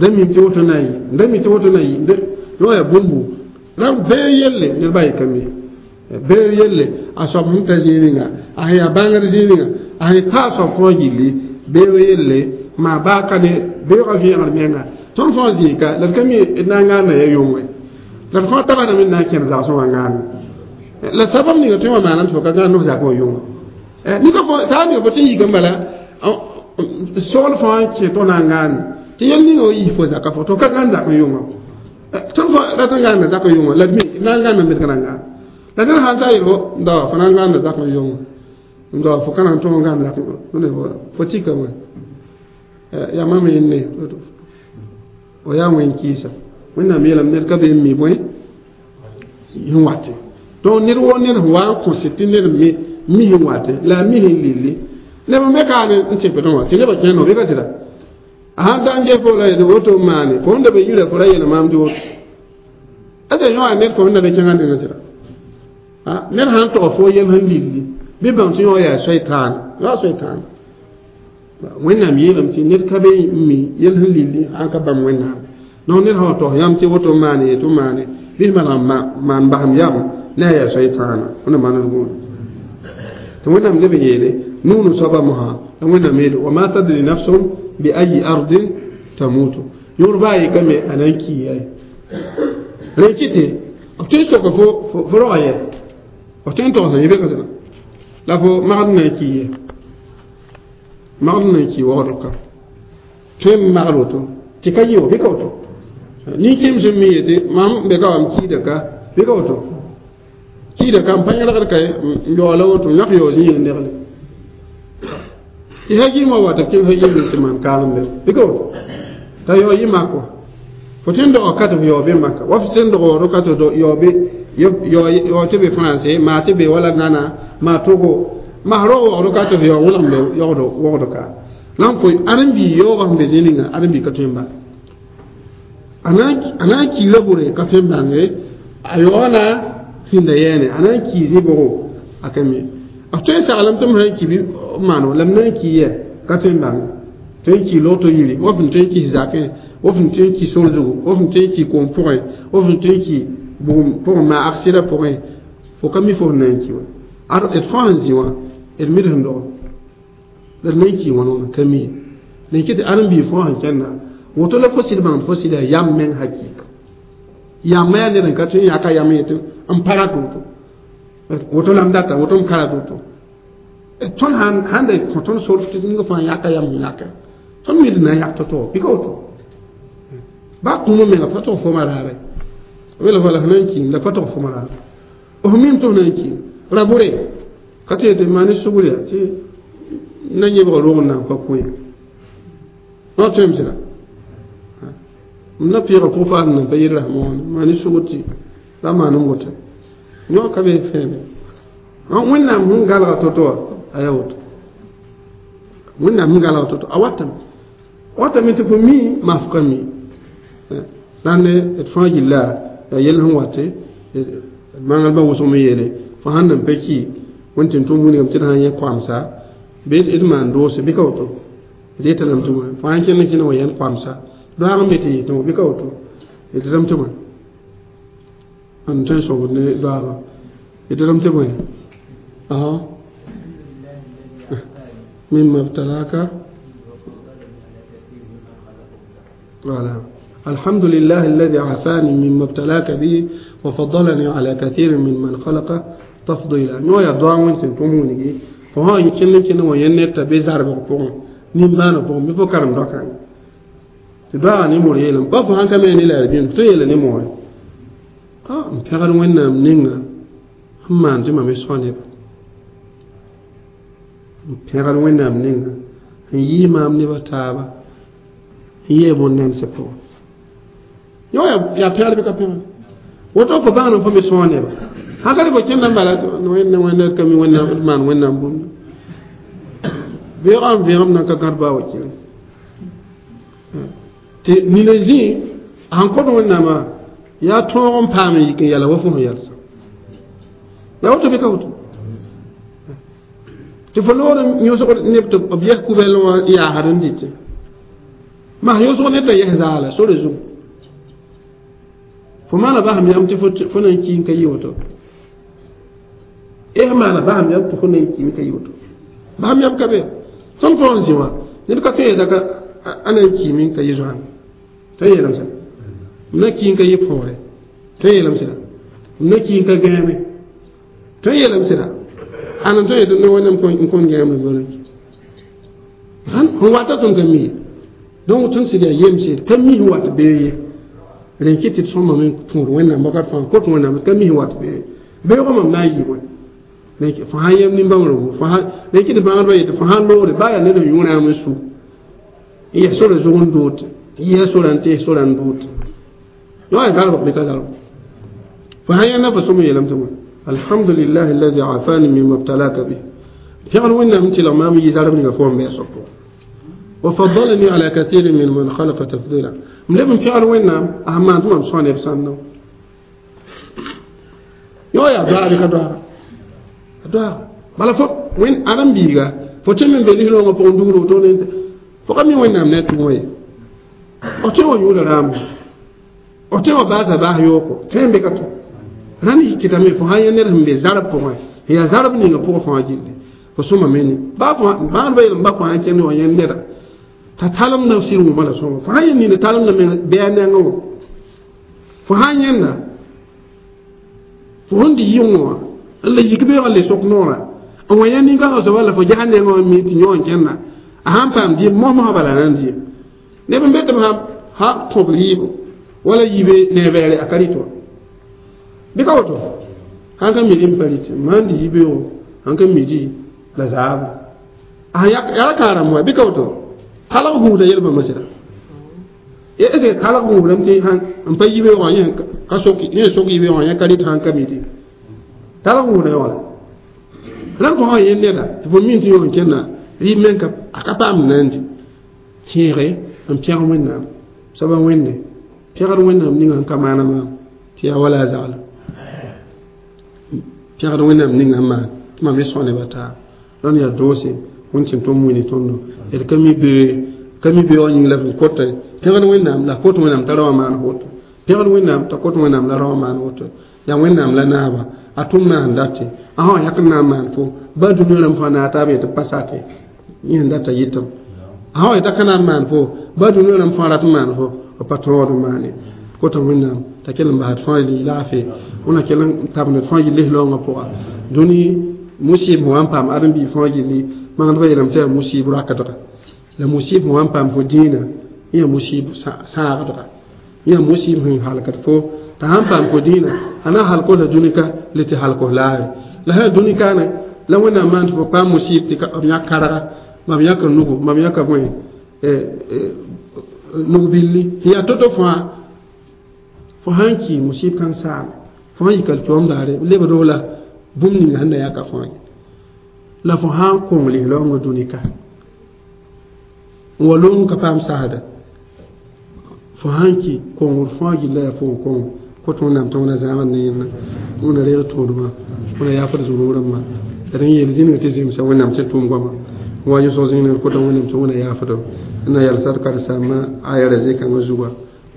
da mim tɩ woto na n yɩ da mi tɩ woto na n yɩ yõ yaa bũmbu rãmb bee yelle ned ba yeka me bee yelle a soab sẽn ta zĩig ninga a sẽn yaa bãngd zĩig ninga a sẽn ta a soab fãa gilli bee yelle maa baa ka ne beoogã vẽegr menga tõnd fãa zĩig ka la d ka mi d na n gãanda ya yõnge la d fãa tagsdame d na n kẽnd zagsẽ wã gãande la sabab ninga tõe wã maanam tɩ fo ka gãand f zak wã yõnga nika fo saa ninga fo tɩ n yika n bala sogl fãa n kẽ tɩ na n gãande tɩ yel ninga wa yiis fo zaka fo tɩ f ka gãnd zak n yõnga tõnd fo rat n gãanda zak n yõnga la d mi na n gãnda me d ka na n gãand la ned sãn ta yel fo da fo na n gãanda zak n yõnga da fo ka na n tõg n gãnd zak fo tikame yaa mam yẽnne o yaa wẽn kɩɩsa wẽnnaam yeelame ned ka be n mi bõe sẽn wate donc ned wo ned sẽn wa n kõse tɩ ned me mi sẽn wate la a mi sẽn lilli neb n be kaane n tẽpdẽ wã tɩ nebã kẽnd bɩ ka sɩda a sãn da n ges fo la yetɩ woto n maane fo sẽn da be yira fo ra yeela maam tɩ woto ate yõ ned fo sẽn da be kẽngã nengã sɩda ned sãn tog fo yel sẽn lilli bɩ bãng tɩ yõ yaa soy-tãan yaa soy-tãan wẽnnaam yeelame tɩ ned ka be n mi yel sẽn lilli sãn ka bãmb wẽnnaam donc ned sã tog yãmb tɩ woto n maane ye tɩ maane bɩ maneg maan basem yam ne a yaa soy-tãana wẽnnaam maand gũuda tɩ wẽnnaam leb n yeele nuunu soaba mosã la wẽnnaam yeele wa ma tadri nafsun bi ayi ardin tamutu yõor baa yekame a na n kiiya rẽ kɩtɩ b tõe n soka fo fo roga yɛ b tõe n togsã yẽ be ka sẽna la fo magd na n ki ye magd na n ki waoodg ka tõe n magd woto tɩ ka yɩ wa bɩ ka woto nin-kẽem sẽn mi yetɩ mam be ka wa m kiida ka bɩ ka woto kiida ka m pa yẽlgd ka n yaoola woto n yãk yaoo zĩ negle tɩ ha yɩɩm wa wa tɩ b kẽng ha yɩɩm tɩ maan kaalem be bɩ ka woto t'a yao yɩ mak wa fo tõe n dog ka tɩ f yao be maka wa f tõe n dog waood ka tɩ yao be yao tɩ be français maa tɩ be wala Gana maa Togo maa rao waood ka tɩ f yao wʋlg be yaood waood ka la n fo ãdem-bii yaoogã sẽn be zĩ ninga ãdem-bii ka tõe n bãng a na n kiila bʋre ka tõe n bãnge a yaoog na sĩnda yɛɛne a na n kii zĩ-bʋgo a ka mi b tõe n saglem tɩ m sã n ki bɩ maano la m na n kii yɛ ka tõe n bãnge tõe n kii loto yiri wa fõn tõe n kis zakẽ wa fõn tõe n ki sor zugu wa fõn tõe n ki koom pʋgẽ wa fõn tõe n ki bugum pʋgẽ maa aksɩda pʋgẽ fo ka mi fo sẽn na n ki wa ad d fãa sẽn zĩ wã d mid sẽn dogo la d na n kii wãn wãna ka mi la n kɩ tɩ ãdem-biig fãa sẽn kẽnda woto la fo sɩd bãng fo sɩd yaa yam meng hakɩɩka yamma yaa ned n ka tõe n yaka yam yetɩ n para tɩ woto woto la m data woto m kara tɩ woto tõnd sãn da kõ tõnd sor tɩ ninga fãa yaka yam sẽn yaka tõnd mi d na n yak to-to bɩ ka woto baa kũumã menga pa tog foma raare wela fo la f na n kiim la pa tog foma raare f mim tɩ f na n kiim ra bʋre ka tɩ yetɩ maa ne sugr yaa tɩ na yẽbg roog n na n pa kõ ye wã tõem sɩda m na pɩɩga pʋg-paasd n na pa yɩl rasmã wãna maa ne sugr tɩ ra maan n woto yõ ka be fẽeme wẽnnaam sẽn galga to-to wã a yaa woto wẽnnaam sẽn galga to-to a watame watame tɩ fo mi maa fo ka mi la ne d fãa gilla yaa yell sẽn wate maangrã wʋsg me yeele fo sãn na n pa ki wẽn tɩ n tʋm wilgame tɩ d sãn yẽ koamsa bɩ d maan doose bɩ ka woto d yeta lame tɩ bõe fo sãn kẽnd n kẽnd wa yẽnd koamsa doaag n be tɩ yɩ tɩ bɩ ka woto d rãmb tɩ bõe n tõe n sõgd ne doaagã d rãmb tɩ bõe مما ابتلاك voilà. الحمد لله الذي عافاني مما ابتلاك به وفضلني على كثير ممن خلق تفضيلا نو يا دعاء وانت تموني فها يكن كن وين تبي زار بقوم نيمان بقوم بفكرم دكان دعاء ني مور يلم با فهان كما ني لا بين تو يل ني مور اه مpegar wẽnnaam ninga sẽn maan tɩ mam y sao neba n pẽgd wẽnnaam ninga n yɩɩ maam neba taaba n yee bõn-nãmsã pʋgẽ yõ yaa pẽgd bɩ ka pẽgd woto fo bãngd n fo me sõo neba sãn ka tɩ fo kẽnda n bala wẽnna wẽnna d ka mi wẽnnaam d maan wẽnnaam bũmb beoogã n vẽegem nan ka gãd baa wa kɩrem tɩ nina zĩ sãn kõt wẽnnaamã yaa tõog n paam n yik n yɛla wa fo sẽn yɛlsã yaa woto bɩ ka woto Tɩ fo loog n yõsg neb tɩ b yɛs kubɛl wã yaasd n dɩtẽ mas yõsg ned t'a yɛs zaala sore zugu fo maana basem yam tɩ fo na n ki n ka yɩ woto eh maana basem yam tɩ fo na n ki n ka yɩ woto basem yam ka be tõnd fo n zĩ wã ned ka tõe zaka a na n kiime n ka yɩ zoãng tõe n yeelame sẽda m na ki n ka yɩ põore tõe n yeelame sẽda m na ki n ka gãame tõe n yeelame sẽda ãn n tõe yetɩ ne wẽnnaam n kõn gãame b sẽn wata tõnd ka mi donc tõnd sɩd yaa yemsed ka mi sẽn wat bee ye rẽn kɩ tɩ d sõmame n põor wẽnnaam wakat fãa kot wẽnnaam ka mi sẽn wat bee beoogã mam na n yɩ wẽ fo sã yem nin-bãmbrgo rẽn kɩ tɩ bãgdbã yetɩ fo sãn loogre baa yaa ned n yũ rãam n su n yɛs sora zug n doot n yɩsa sora n tees sora n doot yõ yaa zalbg bɩ ka zalb fo sãn yẽnda fo sõm n yeelame tɩ wã alhamdulillah alladhi afani mimma ibtalaka bih pẽgd wẽnnaam n tɩlg maam yɩ zarb ninga fo n bɩ a soab pʋgẽ وفضلني على كثير من من خلق تفضيلا ملي من فعل وين أهم ما أنتم صانع بسانو يا يا دعاء بك دعاء دعاء بلا فوق وين أرم بيغا فوتي من بلي لو ما بوندو تو ننت فوق مي وين نام نت موي أتي ويولا رام أتي وباسا باه يوكو كم بكتو راني كتامي فهاي نرهم بزارب فهاي هي زارب نيغا فوق فهاي جلدي فسوما ميني با با با با فهاي كني وين نرا t'a talemda sɩd wʋma la sõma fo sãn yẽ nina talemda me bɩ a nengẽ wã fo sãn yẽnda fo sẽn dɩ yɩng wã n la yik beoogã le sok noorã n wa yẽ nin-kãngã soaba la fo ges a nengẽ wã mi tɩ yõ n kẽnda a sãn paam dɩɩm mos-mosã bala na n dɩɩm neb n be tɩ b sã kõb rɩɩbo wala yibe ne-bɛɛre a ka rɩt wã bɩ ka woto sãn ka midi n pa rɩt maan dɩ yibeoogo sãn ka midi la zaabo a yaa ka rãmb wã bɩ ka woto talg gũuda yel-bãmba sɩda est ce que talg gũudame tɩ n pa yibeoogã yẽ ka sok yẽ sok yibeoogã yẽ ka rɩt sãn ka midi talg gũuda yaoola rãmb fõ sã yẽ neda tɩ fo min tɩ yõ n kẽnda rɩɩb men ka a ka paam na n dɩ tẽege n pẽg wẽnnaam soaba wẽnde pẽgd wẽnnaam ninga sẽn ka maana maam tɩ yaa wala a zagla pẽgd wẽnnaam ninga sẽn maan tɩ mam me sõa neba taab rãnd yaa doose wẽnd tɩ tõnd wilg tõndo d ka mi bee ka mi beoog yĩng la f kota pẽgd wẽnnaam la kot wẽnnaam t'a rao maan woto pẽgd wẽnnaam t'a kot wẽnnaam la rao maan woto yaa wẽnnaam la naaba a tʋm na sẽn date a sã yãk n na n maan fo ba dũniyã rãmb fãa naag taab yetɩ pa sake yẽ sẽn data yɩtem a sã yeta ka na n maan fo ba dũniyã rãmb fãa rat n maan fo b pa tõog n maane kota wẽnnaam t'a kell n basd fãa yɩ laafɩ wẽna kell n tabend fãa yɩ lis-laoongã pʋga dũni musib sẽn wa n paam ãdem-biig fãa gilli magnedbã yeelame tɩ yaa musib rakdga la musib sẽn wa n paam fo dĩinã yẽ musib sãagdga yẽ musib sẽn halkd fo t'a sãn paam fo dĩinã a na halk la dũni-ka le tɩ halk laare la sã dũni kaane la wẽnnaam maan tɩ fo paam musib tɩ b yãk karga mam yãka nugu mam yãka bõe nug billi sẽn yaa to-to fãa fo sãn ki musib kãng saame fo sãn yika kiom daare lebdo la bũmb ninga sẽn na yaka fãa la fo sãn kõng lis-laoongã dũni-ka n wa loong ka paam sasda fo sãn ki kongr fãa gilla yaa fo n kong kot wẽnnaam tɩ wẽna zãagd ne yẽnna wẽna reeg tõodmã wẽna yaafd zũnug rãmbã d n yeel zĩnga tɩ zemsa wẽnnaam tɩ tʋʋm goama wa yʋsg zĩnga kota wẽnnaam tɩ wẽna yaafdo n na yalsd karsaambã aya ra zĩ-kãngã zuga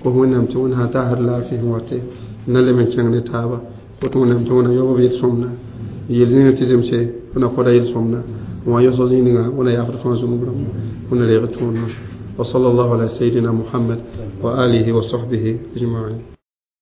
kos wẽnnaam tɩ wẽna sã taasd laafɩ sẽn wate n na lem n kẽng ne taaba kot wẽnnaam tɩ wẽna yaoob yel-sõmda yeel zĩnga tɩ zemse wẽna koda yel-sõmda n wa yʋsg zĩnga wẽna yaafd fãa zũnug rãmbã wẽna reeg tõodmã وصلى الله على سيدنا محمد وآله وصحبه أجمعين.